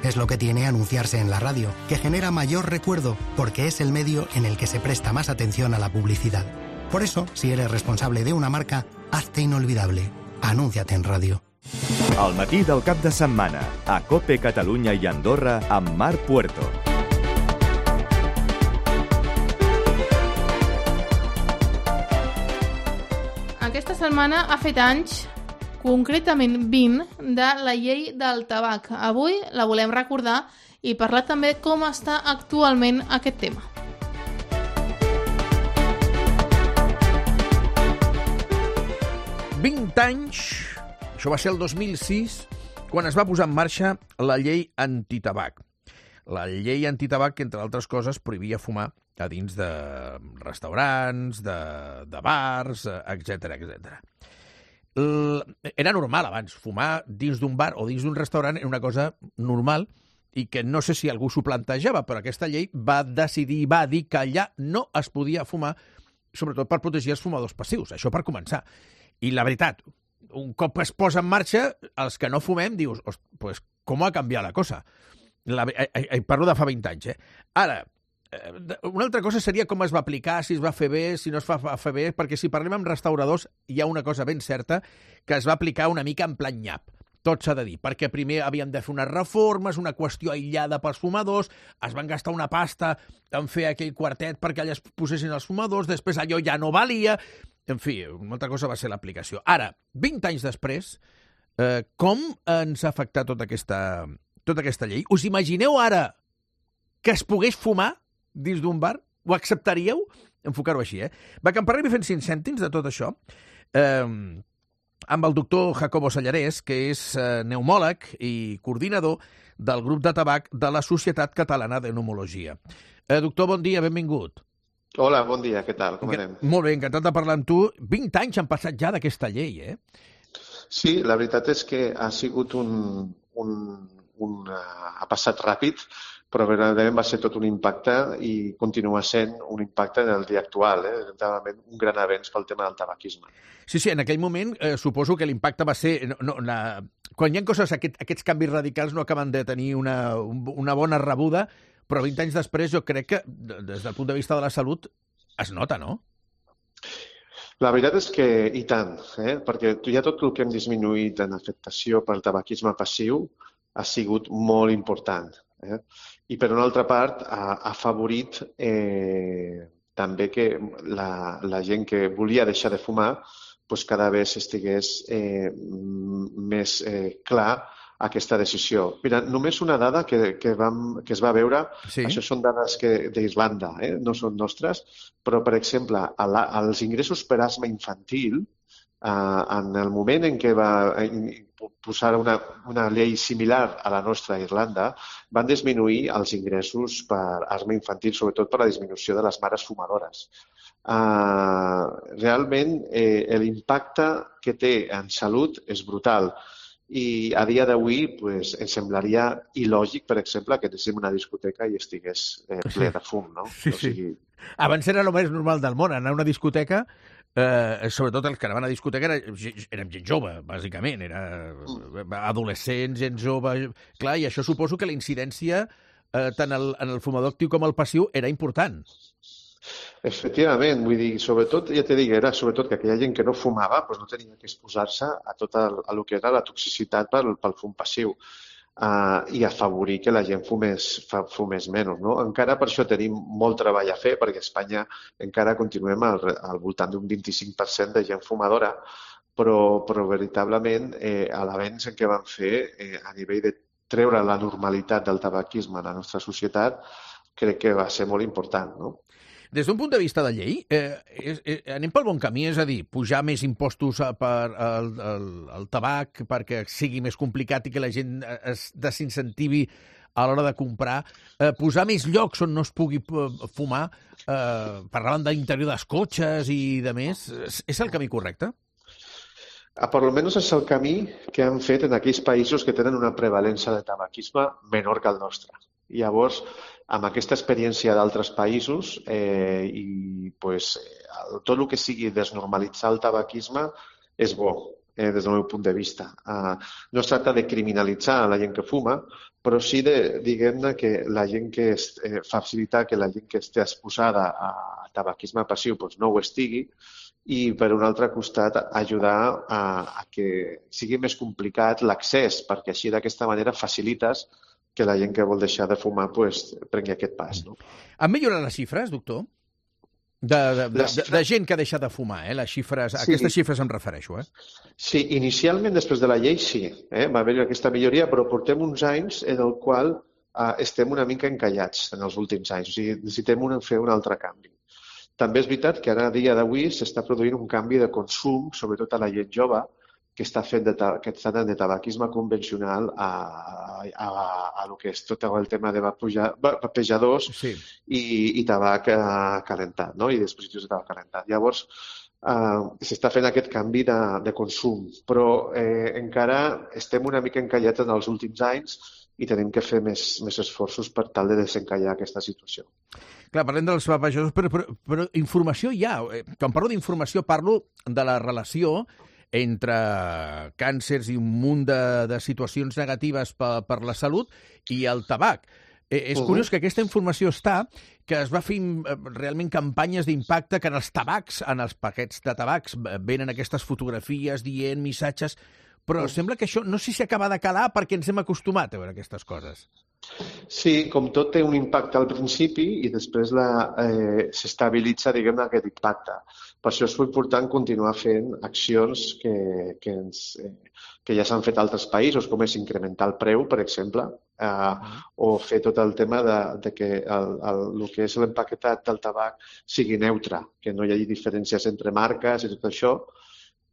Es lo que tiene anunciarse en la radio, que genera mayor recuerdo porque es el medio en el que se presta más atención a la publicidad. Por eso, si eres responsable de una marca, hazte inolvidable. Anúnciate en radio. El matí del cap de setmana, a COPE Catalunya i Andorra, amb Marc Puerto. Aquesta setmana ha fet anys, concretament vint, de la llei del tabac. Avui la volem recordar i parlar també com està actualment aquest tema. vint anys, això va ser el dos mil sis, quan es va posar en marxa la llei antitabac. La llei antitabac, que, entre altres coses, prohibia fumar a dins de restaurants, de, de bars, etcètera, etcètera. Era normal abans, fumar dins d'un bar o dins d'un restaurant era una cosa normal i que no sé si algú s'ho plantejava, però aquesta llei va decidir, va dir que allà no es podia fumar, sobretot per protegir els fumadors passius, això per començar. I la veritat, un cop es posa en marxa, els que no fumem dius, pues, com ha canviat la cosa? La, eh, eh, parlo de fa vint anys, eh? Ara, eh, una altra cosa seria com es va aplicar, si es va fer bé, si no es va fer bé, perquè si parlem amb restauradors hi ha una cosa ben certa, que es va aplicar una mica en plan nyap. Tot s'ha de dir, perquè primer havien de fer unes reformes, una qüestió aïllada pels fumadors, es van gastar una pasta en fer aquell quartet perquè allà es posessin els fumadors, després allò ja no valia. En fi, una altra cosa va ser l'aplicació. Ara, vint anys després, eh, com ens ha afectat tota aquesta, tota aquesta llei? Us imagineu ara que es pogués fumar dins d'un bar? Ho acceptaríeu? Enfocar-ho així, eh? Va, que en parlem fent cinc cèntims de tot això, eh, amb el doctor Jacobo Sallarès, que és eh, pneumòleg i coordinador del grup de tabac de la Societat Catalana de Pneumologia. Eh, doctor, bon dia, benvingut. Hola, bon dia, què tal? Com anem? Molt bé, encantat de parlar amb tu. vint anys han passat ja d'aquesta llei, eh? Sí, la veritat és que ha sigut un... un, un ha passat ràpid, però verdaderament va ser tot un impacte i continua sent un impacte en el dia actual, eh? Realment un gran avenç pel tema del tabaquisme. Sí, sí, en aquell moment eh, suposo que l'impacte va ser... No, no, la... Quan hi ha coses, aquest, aquests canvis radicals no acaben de tenir una, una bona rebuda, però vint anys després jo crec que, des del punt de vista de la salut, es nota, no? La veritat és que i tant, eh? Perquè ja tot el que hem disminuït en afectació pel tabaquisme passiu ha sigut molt important. Eh? I per una altra part ha afavorit eh, també que la, la gent que volia deixar de fumar pues cada vegada estigués eh, més eh, clar aquesta decisió. Mira, només una dada que, que, vam, que es va veure, sí. Això són dades d'Irlanda, eh? No són nostres, però, per exemple, la, els ingressos per asma infantil, eh, en el moment en què va posar una, una llei similar a la nostra a Irlanda, van disminuir els ingressos per asma infantil, sobretot per la disminució de les mares fumadores. Eh, realment, eh, l'impacte que té en salut és brutal. I a dia d'avui pues, ens semblaria il·lògic, per exemple, que anéssim a una discoteca i estigués eh, ple de fum, no? Sí, o sigui... sí. Abans era el més normal del món, anar a una discoteca, eh, sobretot els que anaven a discoteca eren, eren gent jove, bàsicament, era adolescents, gent jove... Clar, i això suposo que la incidència eh, tant el, en el fumador actiu com el passiu era important. Efectivament, vull dir, sobretot, ja t'he dit, era sobretot que aquella gent que no fumava doncs no tenia que exposar-se a tot el, a lo que era la toxicitat pel, pel fum passiu uh, i afavorir que la gent fumés, fumés menys. No? Encara per això tenim molt treball a fer, perquè a Espanya encara continuem al, al voltant d'un vint-i-cinc per cent de gent fumadora, però, però veritablement eh, l'avenç en què vam fer eh, a nivell de treure la normalitat del tabaquisme a la nostra societat crec que va ser molt important, no? Des d'un punt de vista de llei, eh, és, eh, anem pel bon camí, és a dir, pujar més impostos per al, al, al tabac perquè sigui més complicat i que la gent es desincentivi a l'hora de comprar, eh, posar més llocs on no es pugui fumar, eh, parlaven de l'interior dels cotxes i de més, és, és el camí correcte? A per almenys és el camí que han fet en aquells països que tenen una prevalència de tabaquisme menor que el nostre. I llavors, amb aquesta experiència d'altres països eh, i pues, tot el que sigui desnormalitzar el tabaquisme és bo, eh, des del meu punt de vista. Uh, no es tracta de criminalitzar la gent que fuma, però sí de, diguem-ne, que la gent que es, eh, facilitar que la gent que esté exposada a tabaquisme passiu pues, no ho estigui i, per un altre costat, ajudar a, a que sigui més complicat l'accés, perquè així d'aquesta manera facilites que la gent que vol deixar de fumar pues, prengui aquest pas. No? Han millorat les xifres, doctor? De, de, de, de, de gent que ha deixat de fumar, eh? Les xifres, sí. Aquestes xifres em refereixo. Eh? Sí, inicialment, després de la llei, sí. Eh? Va haver aquesta milloria, però portem uns anys en el qual eh, estem una mica encallats en els últims anys. O sigui, necessitem un, fer un altre canvi. També és veritat que ara, a dia d'avui, s'està produint un canvi de consum, sobretot a la gent jove, que està fent de, que està de tabaquisme convencional a, a, a, a lo que és tot el tema de vapejadors sí. i, i tabac eh, calentat, no? I dispositius de tabac calentat. Llavors, eh, s'està fent aquest canvi de, de consum, però eh, encara estem una mica encallats en els últims anys i tenim que fer més, més esforços per tal de desencallar aquesta situació. Clar, parlem dels vapejadors, però, però, però informació hi ha. Quan parlo d'informació parlo de la relació entre càncers i un munt de, de situacions negatives per, per la salut i el tabac. Eh, és uh-huh. curiós que aquesta informació està, que es va fer realment campanyes d'impacte, que en els tabacs, en els paquets de tabacs, venen aquestes fotografies dient missatges, però uh-huh. sembla que això no sé si acaba de calar perquè ens hem acostumat a veure aquestes coses. Sí, com tot té un impacte al principi i després la, eh, s'estabilitza, diguem-ne, aquest impacte. Per això és important continuar fent accions que, que, ens, eh, que ja s'han fet a altres països, com és incrementar el preu, per exemple, eh, uh-huh. o fer tot el tema de, de que el, el, el que és l'empaquetat del tabac sigui neutre, que no hi hagi diferències entre marques i tot això.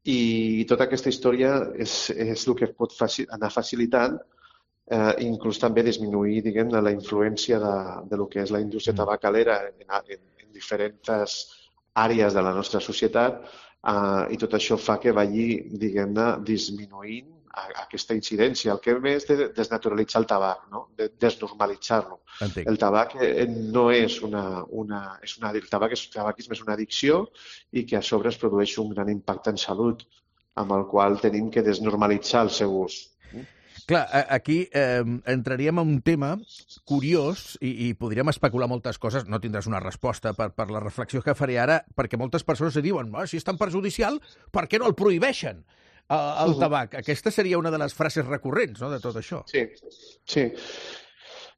I tota aquesta història és, és el que pot faci, anar facilitant Eh, inclús també disminuir, diguem, la influència de, de lo que és la indústria tabacalera en, en, en diferents àrees de la nostra societat eh, i tot això fa que vagi, diguem-ne, disminuint a, a aquesta incidència. El que és de desnaturalitzar el tabac, no? De desnormalitzar-lo. Entenc. El tabac eh, no és una... una, és una el tabac és, el tabaquisme és una addicció i que a sobre es produeix un gran impacte en salut, amb el qual tenim que desnormalitzar el seu ús. Clar, aquí eh, entraríem en un tema curiós i, i podríem especular moltes coses. No tindràs una resposta per, per la reflexió que faré ara, perquè moltes persones se diuen oh, si és tan perjudicial, per què no el prohibeixen, el, el uh-huh. tabac? Aquesta seria una de les frases recurrents, no?, de tot això. Sí, sí.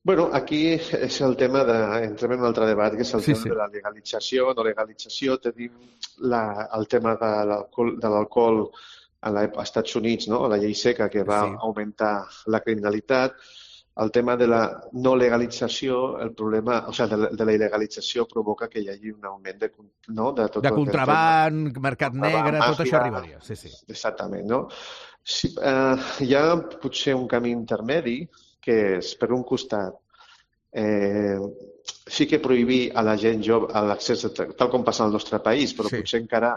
Bueno, aquí és el tema de... Entrem en un altre debat, que és el sí, tema sí. de la legalització, no legalització. Tenim la, el tema de l'alcohol, de l'alcohol als Estats Units, no? La llei seca que va sí. augmentar la criminalitat, el tema de la no legalització, el problema, o sigui, de, de la il·legalització provoca que hi hagi un augment de, no? de, tot de contraban, mercat negre, tot això arribaria. Sí, sí. Exactament, no? Sí, eh, hi ha potser un camí intermedi que és, per un costat, eh, sí que prohibir a la gent jove l'accés, tal com passa al nostre país, però sí. potser encara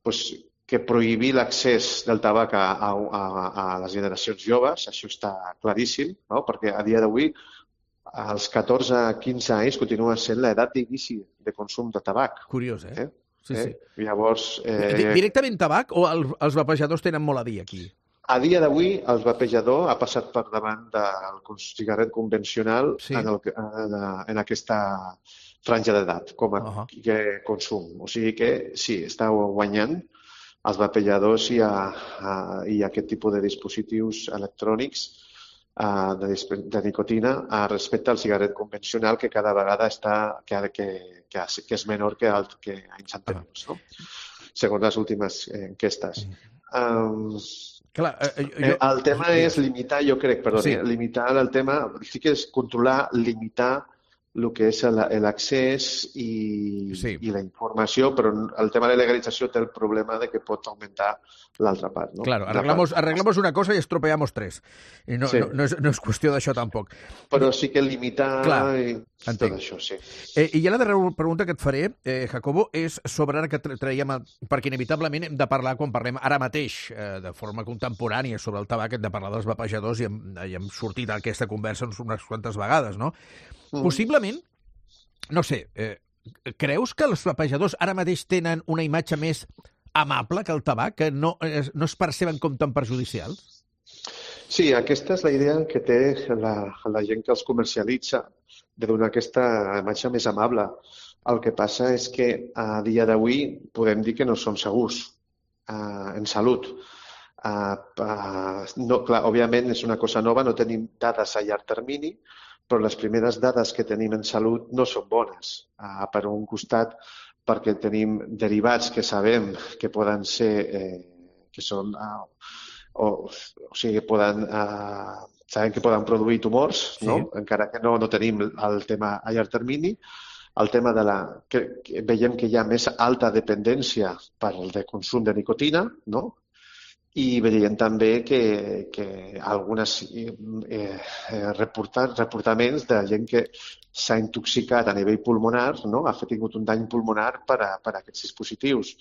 pues, que prohibir l'accés del tabac a, a, a, a les generacions joves, això està claríssim, no? Perquè a dia d'avui, als catorze a quinze anys, continua sent l'edat d'inici de consum de tabac. Curiós, eh? eh? Sí, eh? sí. Llavors... Eh... Directament tabac o el, els vapejadors tenen molt a dir aquí? A dia d'avui, el vapejador ha passat per davant del cigarret convencional sí. en, el, en, en aquesta franja d'edat, com a uh-huh. que consum. O sigui que sí, està guanyant els vapejadors i, a, a, i aquest tipus de dispositius electrònics a, de, de nicotina a respecte al cigarret convencional que cada vegada està, que, que, que, que és menor que, el, que anys anteriors, no? Segons les últimes enquestes. Um, Clar, eh, jo... El tema és limitar, jo crec, perdó, sí. limitar el tema, sí que és controlar, limitar el que és l'accés i, sí. i la informació, però el tema de la legalització té el problema de que pot augmentar l'altra part. No? Claro, arreglamos, arreglamos una cosa y estropeamos tres. I no, sí. no, no, és, no és qüestió d'això tampoc. Però sí que limitar Clar, i tot això, sí. Eh, I ja la darrera pregunta que et faré, eh, Jacobo, és sobre ara que traiem, perquè inevitablement hem de parlar, quan parlem ara mateix, eh, de forma contemporània sobre el tabac, hem de parlar dels vapejadors i hem, i hem sortit d'aquesta conversa unes quantes vegades, no? Mm. Possiblement, no sé, eh, creus que els vapejadors ara mateix tenen una imatge més amable que el tabac, que no, eh, no es perceben com tan perjudicials? Sí, aquesta és la idea que té la, la gent que els comercialitza, de donar aquesta imatge més amable. El que passa és que a dia d'avui podem dir que no som segurs uh, en salut. Uh, uh, no, clar, òbviament és una cosa nova, no tenim dades a llarg termini, però les primeres dades que tenim en salut no són bones. Uh, per un costat, perquè tenim derivats que sabem que poden ser, eh, que són, uh, o, o sigui, poden, uh, sabem que poden produir tumors, sí. No? Encara que no, no tenim el tema a llarg termini. El tema de la... Que, que veiem que hi ha més alta dependència per el de consum de nicotina, no? I veiem també que, que algunes eh, eh, reportar, reportaments de gent que s'ha intoxicat a nivell pulmonar, no? Ha tingut un dany pulmonar per a, per a aquests dispositius,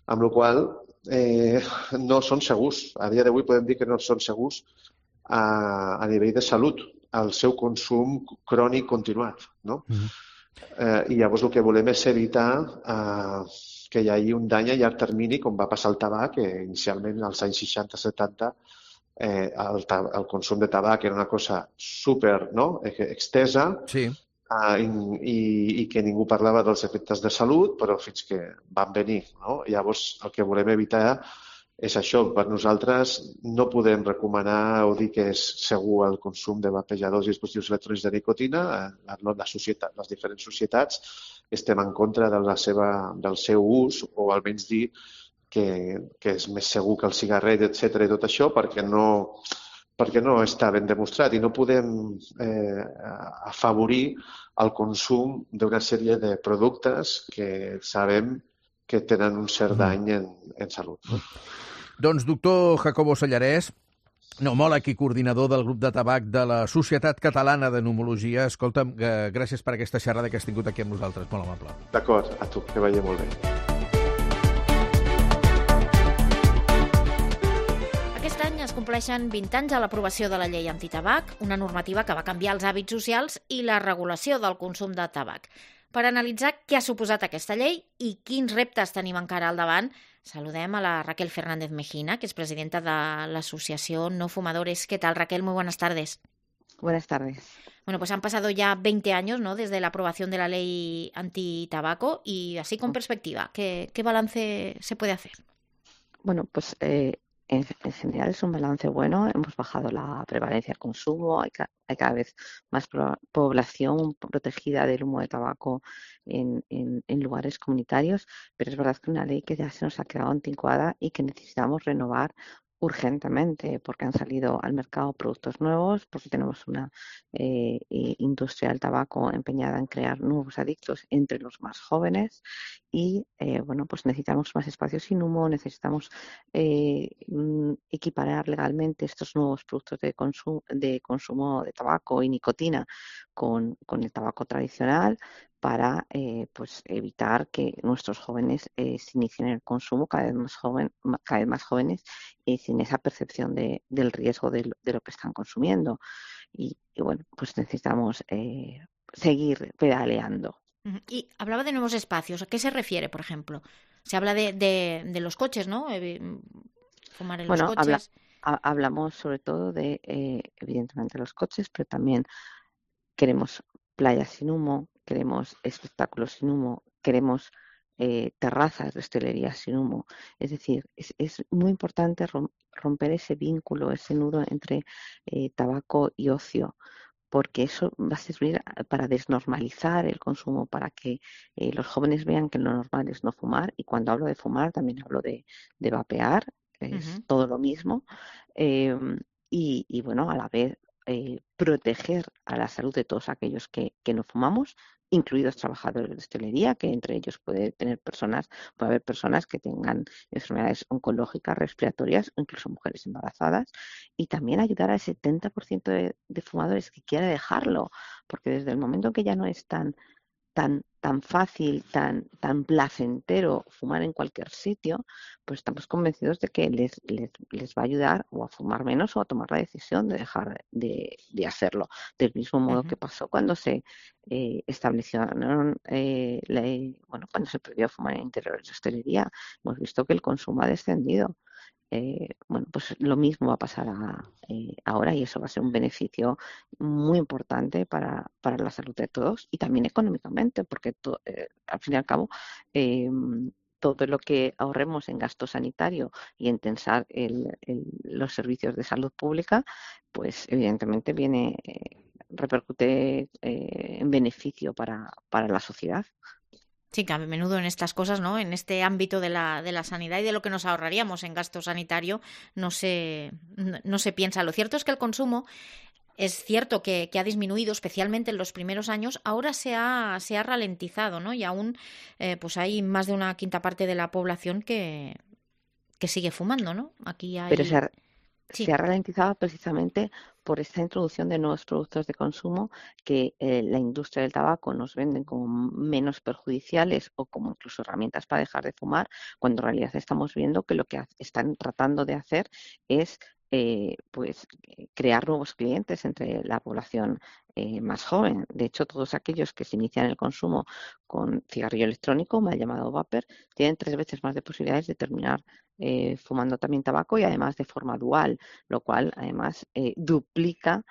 amb la qual eh, no són segurs. A dia d'avui podem dir que no són segurs a, a nivell de salut, el seu consum crònic continuat, no? Mm-hmm. Eh, I llavors el que volem és evitar eh, que hi hagi un dany a llarg termini, com va passar el tabac, que inicialment als anys seixanta setanta eh, el, el consum de tabac era una cosa super, no? extesa, sí. eh, i, i que ningú parlava dels efectes de salut, però fins que van venir. No? Llavors el que volem evitar és això. Per nosaltres no podem recomanar o dir que és segur el consum de vapejadors i dispositius electrònics de nicotina. La, la societat, les diferents societats estem en contra de la seva, del seu ús, o almenys dir que, que és més segur que el cigarret, etcètera, i tot això, perquè no, perquè no està ben demostrat i no podem eh, afavorir el consum d'una sèrie de productes que sabem que tenen un cert dany en, en salut. Doncs, doctor Jacobo Sallarès, pneumòleg i coordinador del grup de tabac de la Societat Catalana de Pneumologia, escolta'm, gràcies per aquesta xerrada que has tingut aquí amb nosaltres, molt amable. D'acord, a tu, que vagi molt bé. Aquest any es compleixen vint anys a l'aprovació de la llei antitabac, una normativa que va canviar els hàbits socials i la regulació del consum de tabac. Per analitzar què ha suposat aquesta llei i quins reptes tenim encara al davant, saludem a la Raquel Fernández Mejina, que es presidenta de l'Asociación No Fumadores. ¿Qué tal, Raquel? Muy buenas tardes. Buenas tardes. Bueno, pues han pasado ya veinte años, ¿no?, desde la aprobación de la ley antitabaco y así con perspectiva, ¿qué, qué balance se puede hacer? Bueno, pues eh, en, en general es un balance bueno. Hemos bajado la prevalencia del consumo, hay, ca hay cada vez más pro población protegida del humo de tabaco en, en, en lugares comunitarios, pero es verdad que es una ley que ya se nos ha quedado anticuada y que necesitamos renovar urgentemente, porque han salido al mercado productos nuevos, porque tenemos una eh, industria del tabaco empeñada en crear nuevos adictos entre los más jóvenes y eh, bueno, pues necesitamos más espacios sin humo, necesitamos eh, equiparar legalmente estos nuevos productos de consumo de, consumo de tabaco y nicotina con, con el tabaco tradicional, para eh, pues evitar que nuestros jóvenes eh, se inicien en el consumo cada vez más, joven, cada vez más jóvenes y sin esa percepción de, del riesgo de lo, de lo que están consumiendo. Y, y bueno, pues necesitamos eh, seguir pedaleando. Y hablaba de nuevos espacios. ¿A qué se refiere, por ejemplo? Se habla de, de, de los coches, ¿no? Fumar en bueno, los coches. Habla, hablamos sobre todo de, eh, evidentemente, los coches, pero también queremos playas sin humo, queremos espectáculos sin humo, queremos eh, terrazas de hostelería sin humo. Es decir, es, es muy importante romper ese vínculo, ese nudo entre eh, tabaco y ocio, porque eso va a servir para desnormalizar el consumo, para que eh, los jóvenes vean que lo normal es no fumar. Y cuando hablo de fumar también hablo de, de vapear, que uh-huh. es todo lo mismo. Eh, y, y bueno, a la vez Eh, proteger a la salud de todos aquellos que, que no fumamos, incluidos trabajadores de hostelería, que entre ellos puede tener personas, puede haber personas que tengan enfermedades oncológicas, respiratorias o incluso mujeres embarazadas, y también ayudar al setenta por ciento de, de fumadores que quiera dejarlo, porque desde el momento que ya no es tan tan tan fácil, tan tan placentero fumar en cualquier sitio, pues estamos convencidos de que les, les, les va a ayudar o a fumar menos o a tomar la decisión de dejar de, de hacerlo. Del mismo modo uh-huh. que pasó cuando se eh, establecieron, eh, la, bueno, cuando se prohibió fumar en interiores de hostelería, hemos visto que el consumo ha descendido. Eh, bueno, pues lo mismo va a pasar a, eh, ahora y eso va a ser un beneficio muy importante para, para la salud de todos y también económicamente, porque to, eh, al fin y al cabo eh, todo lo que ahorremos en gasto sanitario y en tensar el, el, los servicios de salud pública, pues evidentemente viene, eh, repercute eh, en beneficio para, para la sociedad. Sí, que a menudo en estas cosas, ¿no? En este ámbito de la, de la sanidad y de lo que nos ahorraríamos en gasto sanitario, no se, no, no se piensa. Lo cierto es que el consumo es cierto que, que ha disminuido, especialmente en los primeros años. Ahora se ha, se ha ralentizado, ¿no? Y aún eh, pues hay más de una quinta parte de la población que, que sigue fumando, ¿no? Aquí hay... Pero se ha, sí. se ha ralentizado precisamente por esta introducción de nuevos productos de consumo que eh, la industria del tabaco nos venden como menos perjudiciales o como incluso herramientas para dejar de fumar, cuando en realidad estamos viendo que lo que están tratando de hacer es eh, pues crear nuevos clientes entre la población eh, más joven. De hecho, todos aquellos que se inician el consumo con cigarrillo electrónico, mal llamado vapor, tienen tres veces más de posibilidades de terminar Eh, fumando también tabaco y además de forma dual, lo cual además eh, duplica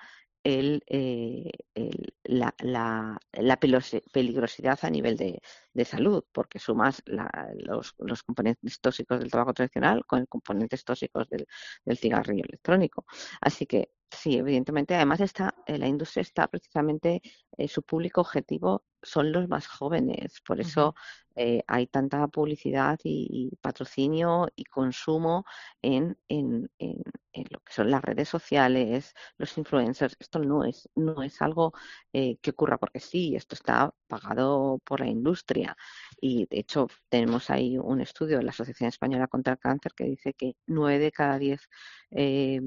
el, eh, el, la, la, la peligrosidad a nivel de, de salud, porque sumas la, los, los componentes tóxicos del tabaco tradicional con los componentes tóxicos del, del cigarrillo electrónico. Así que sí, evidentemente, además está, eh, la industria está precisamente, eh, su público objetivo son los más jóvenes, por eso eh, hay tanta publicidad y, y patrocinio y consumo en, en, en, en lo que son las redes sociales, los influencers. Esto no es, no es algo eh, que ocurra porque sí, esto está pagado por la industria y de hecho tenemos ahí un estudio de la Asociación Española contra el Cáncer que dice que nueve de cada diez eh,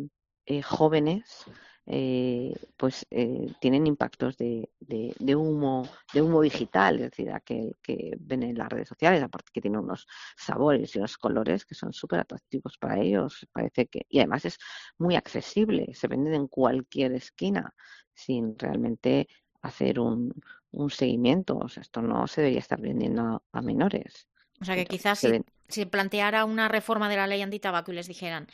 eh, jóvenes Eh, pues eh, tienen impactos de, de, de humo de humo digital, es decir, aquel que ven en las redes sociales, aparte que tiene unos sabores y unos colores que son súper atractivos para ellos, parece que, y además es muy accesible, se venden en cualquier esquina sin realmente hacer un, un seguimiento, o sea, esto no se debería estar vendiendo a, a menores. O sea que quizás si, si planteara una reforma de la ley antitabaco y les dijeran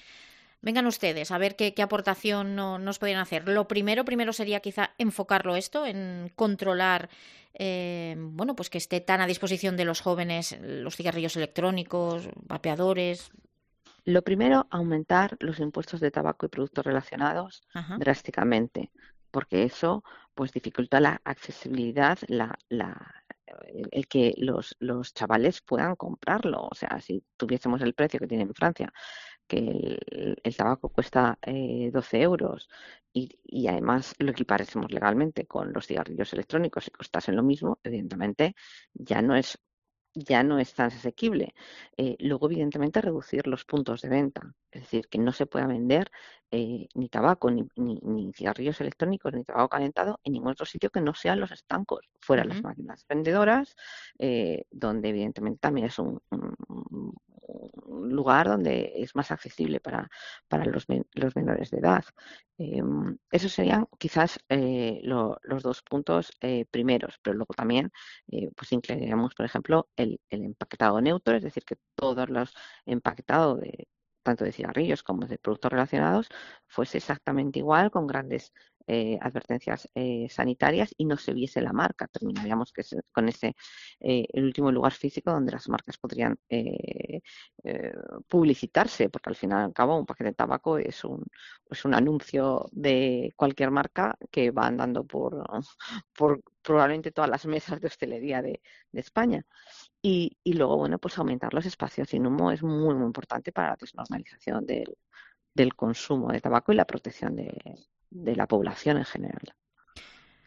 vengan ustedes a ver qué, qué aportación no, nos podrían hacer. Lo primero, primero sería quizá enfocarlo esto, en controlar, eh, bueno, pues que esté tan a disposición de los jóvenes los cigarrillos electrónicos, vapeadores. Lo primero, aumentar los impuestos de tabaco y productos relacionados Ajá. drásticamente, porque eso pues dificulta la accesibilidad, la, la el, el que los, los chavales puedan comprarlo. O sea, si tuviésemos el precio que tiene en Francia, que el, el tabaco cuesta eh, doce euros y, y además lo equiparésemos legalmente con los cigarrillos electrónicos y costasen lo mismo, evidentemente ya no es ya no es tan asequible. Eh, luego, evidentemente, reducir los puntos de venta, es decir, que no se pueda vender eh, ni tabaco, ni, ni, ni cigarrillos electrónicos, ni tabaco calentado en ningún otro sitio que no sean los estancos, fuera uh-huh. las máquinas vendedoras, eh, donde evidentemente también es un, un, un lugar donde es más accesible para, para los, los menores de edad. Eh, esos serían quizás eh, lo, los dos puntos eh, primeros, pero luego también eh, pues incluiríamos, por ejemplo, el, el empaquetado neutro, es decir, que todos los empaquetados de tanto de cigarrillos como de productos relacionados fuese exactamente igual, con grandes eh, advertencias eh, sanitarias y no se viese la marca. Terminaríamos que se, con ese eh, el último lugar físico donde las marcas podrían eh, eh, publicitarse, porque al final y al cabo un paquete de tabaco es un, es un anuncio de cualquier marca que va andando por, por probablemente todas las mesas de hostelería de, de España. Y, y luego, bueno, pues aumentar los espacios sin humo es muy, muy importante para la desnormalización del, del consumo de tabaco y la protección de, de la población en general.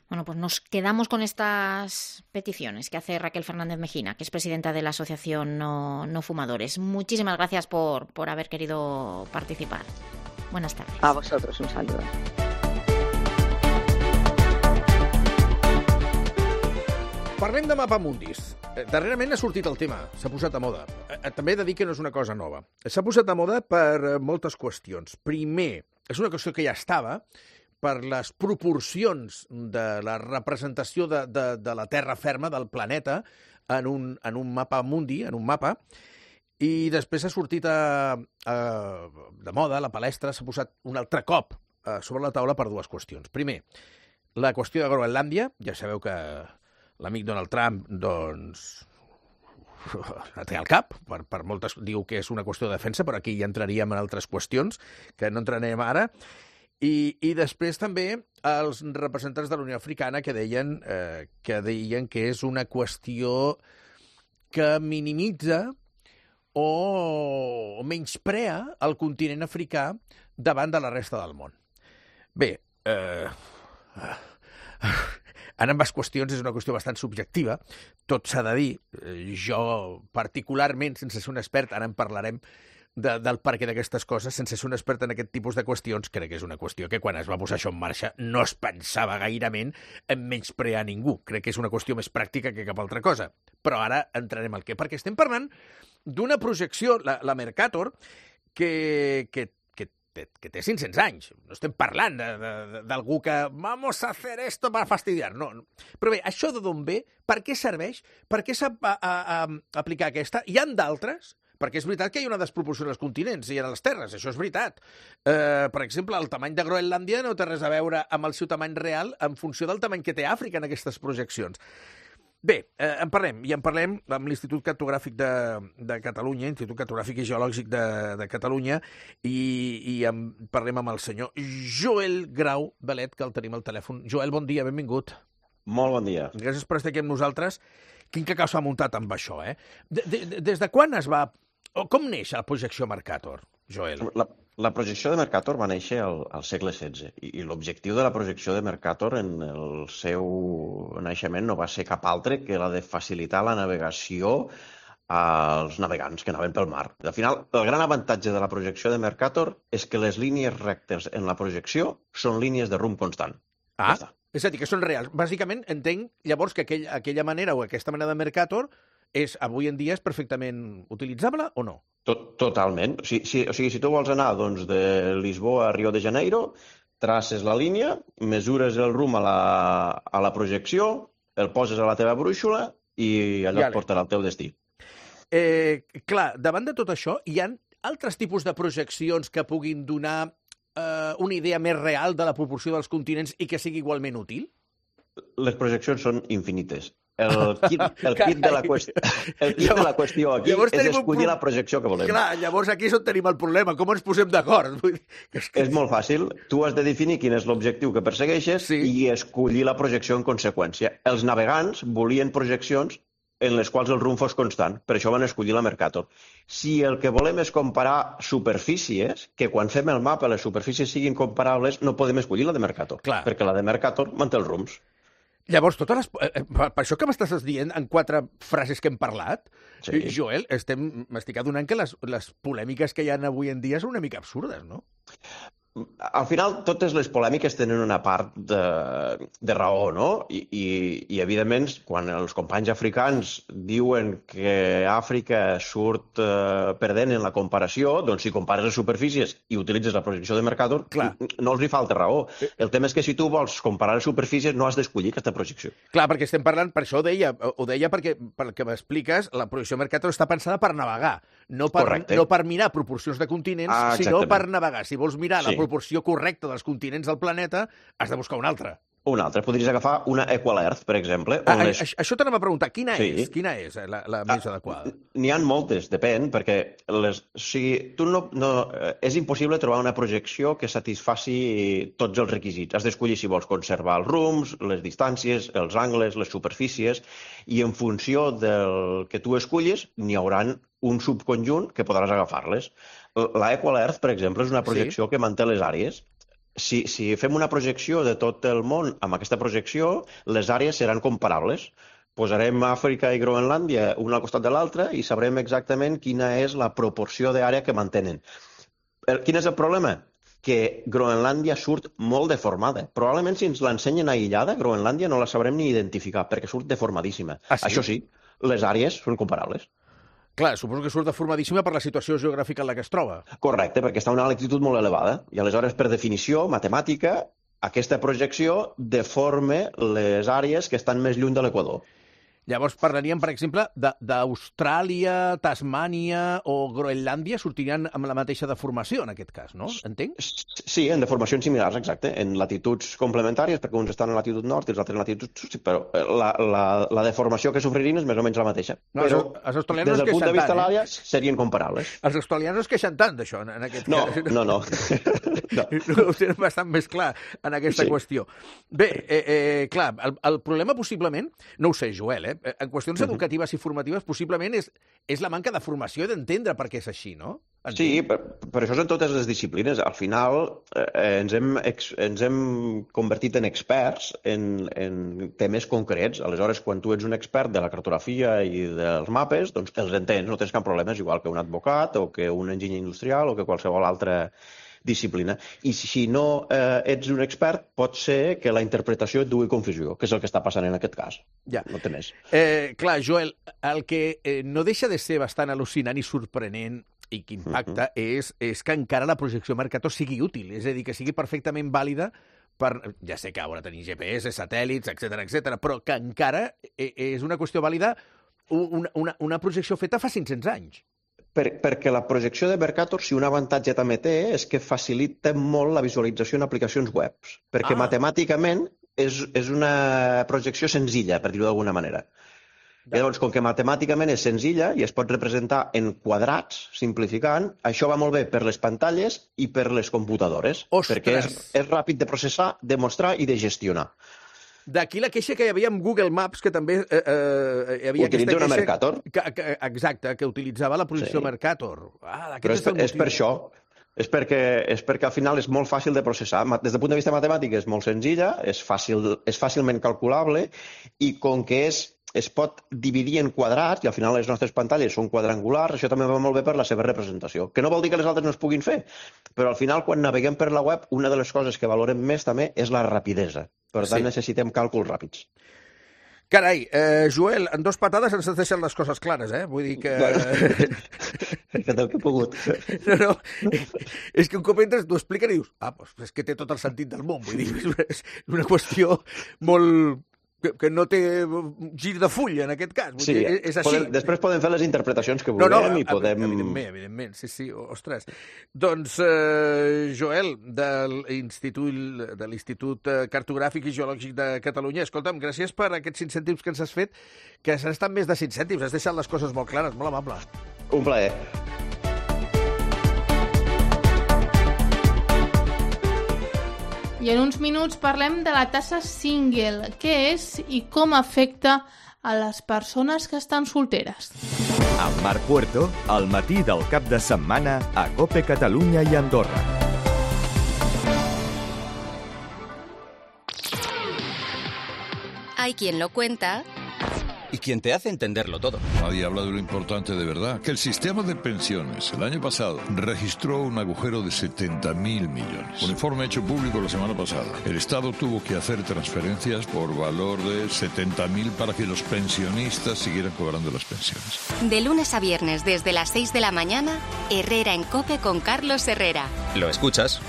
Bueno, pues nos quedamos con estas peticiones que hace Raquel Fernández Mejina, que es presidenta de la Asociación No, No Fumadores. Muchísimas gracias por, por haber querido participar. Buenas tardes. A vosotros, un saludo. Parlem de mapamundis. Darrerament ha sortit el tema, s'ha posat a moda. També he de dir que no és una cosa nova. S'ha posat a moda per moltes qüestions. Primer, és una qüestió que ja estava, per les proporcions de la representació de, de, de la terra ferma, del planeta, en un, en un mapa mundi, en un mapa, I després s'ha sortit a, a, de moda, la palestra s'ha posat un altre cop a, sobre la taula per dues qüestions. Primer, la qüestió de Groenlàndia. Ja sabeu que l'amic Donald Trump, doncs, la té al cap, per, per moltes, diu que és una qüestió de defensa, però aquí ja entraríem en altres qüestions, que no entrarem ara. I, i després també els representants de la Unió Africana que deien, eh, que deien que és una qüestió que minimitza o menysprea el continent africà davant de la resta del món. Bé, eh, en ambes qüestions és una qüestió bastant subjectiva, tot s'ha de dir. Jo, particularment, sense ser un expert, ara en parlarem de, del perquè d'aquestes coses, sense ser un expert en aquest tipus de qüestions, crec que és una qüestió que quan es va posar això en marxa no es pensava gairement en menysprear ningú. Crec que és una qüestió més pràctica que cap altra cosa. Però ara entrarem al què, perquè estem parlant d'una projecció, la, la Mercator, que, que, que, que té cinc-cents anys. No estem parlant d'algú que vamos a hacer esto para fastidiar. No. Però bé, això de d'on ve? Per què serveix? Per què s'ha d'aplicar aquesta? Hi ha d'altres? Perquè és veritat que hi ha una desproporció en els continents i en les terres, això és veritat. Eh, per exemple, el tamany de Groenlàndia no té res a veure amb el seu tamany real en funció del tamany que té Àfrica en aquestes projeccions. Bé, eh, en parlem, i en parlem amb l'Institut Cartogràfic de, de Catalunya, Institut Cartogràfic i Geològic de, de Catalunya, i, i en parlem amb el senyor Joel Grau Belet, que el tenim al telèfon. Joel, bon dia, benvingut. Molt bon dia. Gràcies per estar aquí amb nosaltres. Quin cacau s'ha muntat amb això, eh? De, de, des de quan es va... O com neix la projecció Mercator, Joel? La, la projecció de Mercator va néixer al, al segle setze i, i l'objectiu de la projecció de Mercator en el seu naixement no va ser cap altre que la de facilitar la navegació als navegants que anaven pel mar. Al final, el gran avantatge de la projecció de Mercator és que les línies rectes en la projecció són línies de rumb constant. Ah, ja és a dir, que són reals. Bàsicament, entenc llavors que aquell, aquella manera o aquesta manera de Mercator és, avui en dia és perfectament utilitzable o no? Tot, totalment. Si, si, o sigui, si tu vols anar doncs, de Lisboa a Rio de Janeiro, traces la línia, mesures el rumb a la, a la projecció, el poses a la teva brúixola i allò ja et portarà al teu destí. Eh, clar, davant de tot això, hi ha altres tipus de projeccions que puguin donar eh, una idea més real de la proporció dels continents i que sigui igualment útil? Les projeccions són infinites. El kit, el kit, de, la qüestió, el kit llavors, de la qüestió aquí és escollir pro... la projecció que volem. Clar, llavors aquí és on tenim el problema. Com ens posem d'acord? És, que... és molt fàcil. Tu has de definir quin és l'objectiu que persegueixes sí. i escollir la projecció en conseqüència. Els navegants volien projeccions en les quals el rumb fos constant. Per això van escollir la Mercator. Si el que volem és comparar superfícies, que quan fem el mapa les superfícies siguin comparables, no podem escollir la de Mercator. Clar. Perquè la de Mercator manté els rumbs. Llavors, totes les... per això que m'estàs dient en quatre frases que hem parlat, sí. Joel, m'estic adonant que les, les polèmiques que hi ha avui en dia són una mica absurdes, no? Al final, totes les polèmiques tenen una part de, de raó, no? I, i, i, evidentment, quan els companys africans diuen que Àfrica surt eh, perdent en la comparació, doncs si compares les superfícies i utilitzes la projecció de Mercator, Clar. no els hi falta raó. El tema és que si tu vols comparar les superfícies no has d'escollir aquesta projecció. Clar, perquè estem parlant, per això ho deia, ho deia perquè, pel que m'expliques, la projecció Mercator està pensada per navegar, no per, no per mirar proporcions de continents, ah, sinó per navegar. Si vols mirar sí. la proporció correcta dels continents del planeta, has de buscar una altra. Una altra. Podries agafar una Equal Earth, per exemple. Ah, les... Això t'anem a preguntar. Quina sí. és? Quina és la, la més ah, adequada? N'hi ha moltes, depèn, perquè les... o sigui, tu no, no... és impossible trobar una projecció que satisfaci tots els requisits. Has d'escollir si vols conservar els rumbs, les distàncies, els angles, les superfícies, i en funció del que tu escollis, n'hi haurà un subconjunt que podràs agafar-les. La Equal Earth, per exemple, és una projecció sí. que manté les àrees. Si, si fem una projecció de tot el món amb aquesta projecció, les àrees seran comparables. Posarem Àfrica i Groenlàndia una al costat de l'altra i sabrem exactament quina és la proporció d'àrea que mantenen. El, quin és el problema? Que Groenlàndia surt molt deformada. Probablement si ens l'ensenyen aïllada, Groenlàndia no la sabrem ni identificar, perquè surt deformadíssima. Ah, sí? Això sí, les àrees són comparables. Clar, suposo que surt deformadíssima per la situació geogràfica en la que es troba. Correcte, perquè està a una altitud molt elevada. I aleshores, per definició matemàtica, aquesta projecció deforma les àrees que estan més lluny de l'equador. Llavors parlaríem, per exemple, d'Austràlia, Tasmània o Groenlàndia sortirien amb la mateixa deformació, en aquest cas, no? Entenc? Sí, en deformacions similars, exacte, en latituds complementàries, perquè uns estan en latitud nord i els altres en latitud sud, però la, la, la deformació que sofririen és més o menys la mateixa. No, però els australians des del no punt de vista tant, de l'àrea eh? serien comparables. Els australians no es queixen tant d'això, en aquest no, cas. No, no, no. Ho tenen bastant més clar en aquesta sí. qüestió. Bé, eh, eh, clar, el, el problema possiblement, no ho sé, Joel, eh? en qüestions uh-huh. educatives i formatives possiblement és, és la manca de formació i d'entendre per què és així, no? Entenc. Sí, per, per això és en totes les disciplines. Al final eh, ens, hem, ex, ens hem convertit en experts en, en temes concrets. Aleshores, quan tu ets un expert de la cartografia i dels mapes, doncs els entens, no tens cap problema, és igual que un advocat o que un enginyer industrial o que qualsevol altra disciplina. I si no eh, ets un expert, pot ser que la interpretació et dugui confusió, que és el que està passant en aquest cas. Ja. No té més. Eh, clar, Joel, el que eh, no deixa de ser bastant al·lucinant i sorprenent i que impacta uh-huh. és, és que encara la projecció Mercator sigui útil, és a dir, que sigui perfectament vàlida per, ja sé que ara tenim G P S, satèl·lits, etcètera, etcètera, però que encara és una qüestió vàlida, una, una, una projecció feta fa cinc-cents anys. Per, perquè la projecció de Mercator, si un avantatge també té, és que facilita molt la visualització en aplicacions webs, perquè ah. matemàticament és, és una projecció senzilla, per dir-ho d'alguna manera. I llavors, com que matemàticament és senzilla i es pot representar en quadrats, simplificant, això va molt bé per les pantalles i per les computadores, Ostres. perquè és, és ràpid de processar, de mostrar i de gestionar. D'aquí la queixa que hi havia amb Google Maps, que també eh, eh, hi havia Utilitza aquesta una queixa... Mercator. Que, que, exacte, que utilitzava la projecció sí. Mercator. Ah, Però és, és, és per això. És perquè, és perquè al final és molt fàcil de processar. Des del punt de vista matemàtic és molt senzilla, és, fàcil, és fàcilment calculable i com que és, es pot dividir en quadrats i al final les nostres pantalles són quadrangulars, això també va molt bé per la seva representació. Que no vol dir que les altres no es puguin fer, però al final quan naveguem per la web una de les coses que valorem més també és la rapidesa. Per tant, sí. necessitem càlculs ràpids. Carai, eh, Joel, en dos patades ens deixen les coses clares, eh? Vull dir que... He fet el que he pogut. No, no, és que un cop entres t'ho expliquen i dius, ah, doncs és que té tot el sentit del món, vull dir, és una qüestió molt... Que, que no té gir de full, en aquest cas. Vull sí, dir, és així. Podem, després podem fer les interpretacions que vulguem no, no, i podem... Evidentment, evidentment, sí, sí, ostres. Doncs, eh, Joel, de l'Institut de l'Institut Cartogràfic i Geològic de Catalunya, escolta'm, gràcies per aquests cinc cèntims que ens has fet, que s'han estat més de cinc cèntims, has deixat les coses molt clares, molt amable. Un plaer. I en uns minuts parlem de la tassa single, què és i com afecta a les persones que estan solteres. Amb Marc Puerto, al matí del cap de setmana a COPE Catalunya i Andorra. Hay quien lo cuenta... y quien te hace entenderlo todo. Nadie habla de lo importante de verdad, que el sistema de pensiones el año pasado registró un agujero de setenta mil millones. Un informe hecho público la semana pasada. El Estado tuvo que hacer transferencias por valor de setenta mil para que los pensionistas siguieran cobrando las pensiones. De lunes a viernes desde las seis de la mañana, Herrera en COPE con Carlos Herrera. Lo escuchas,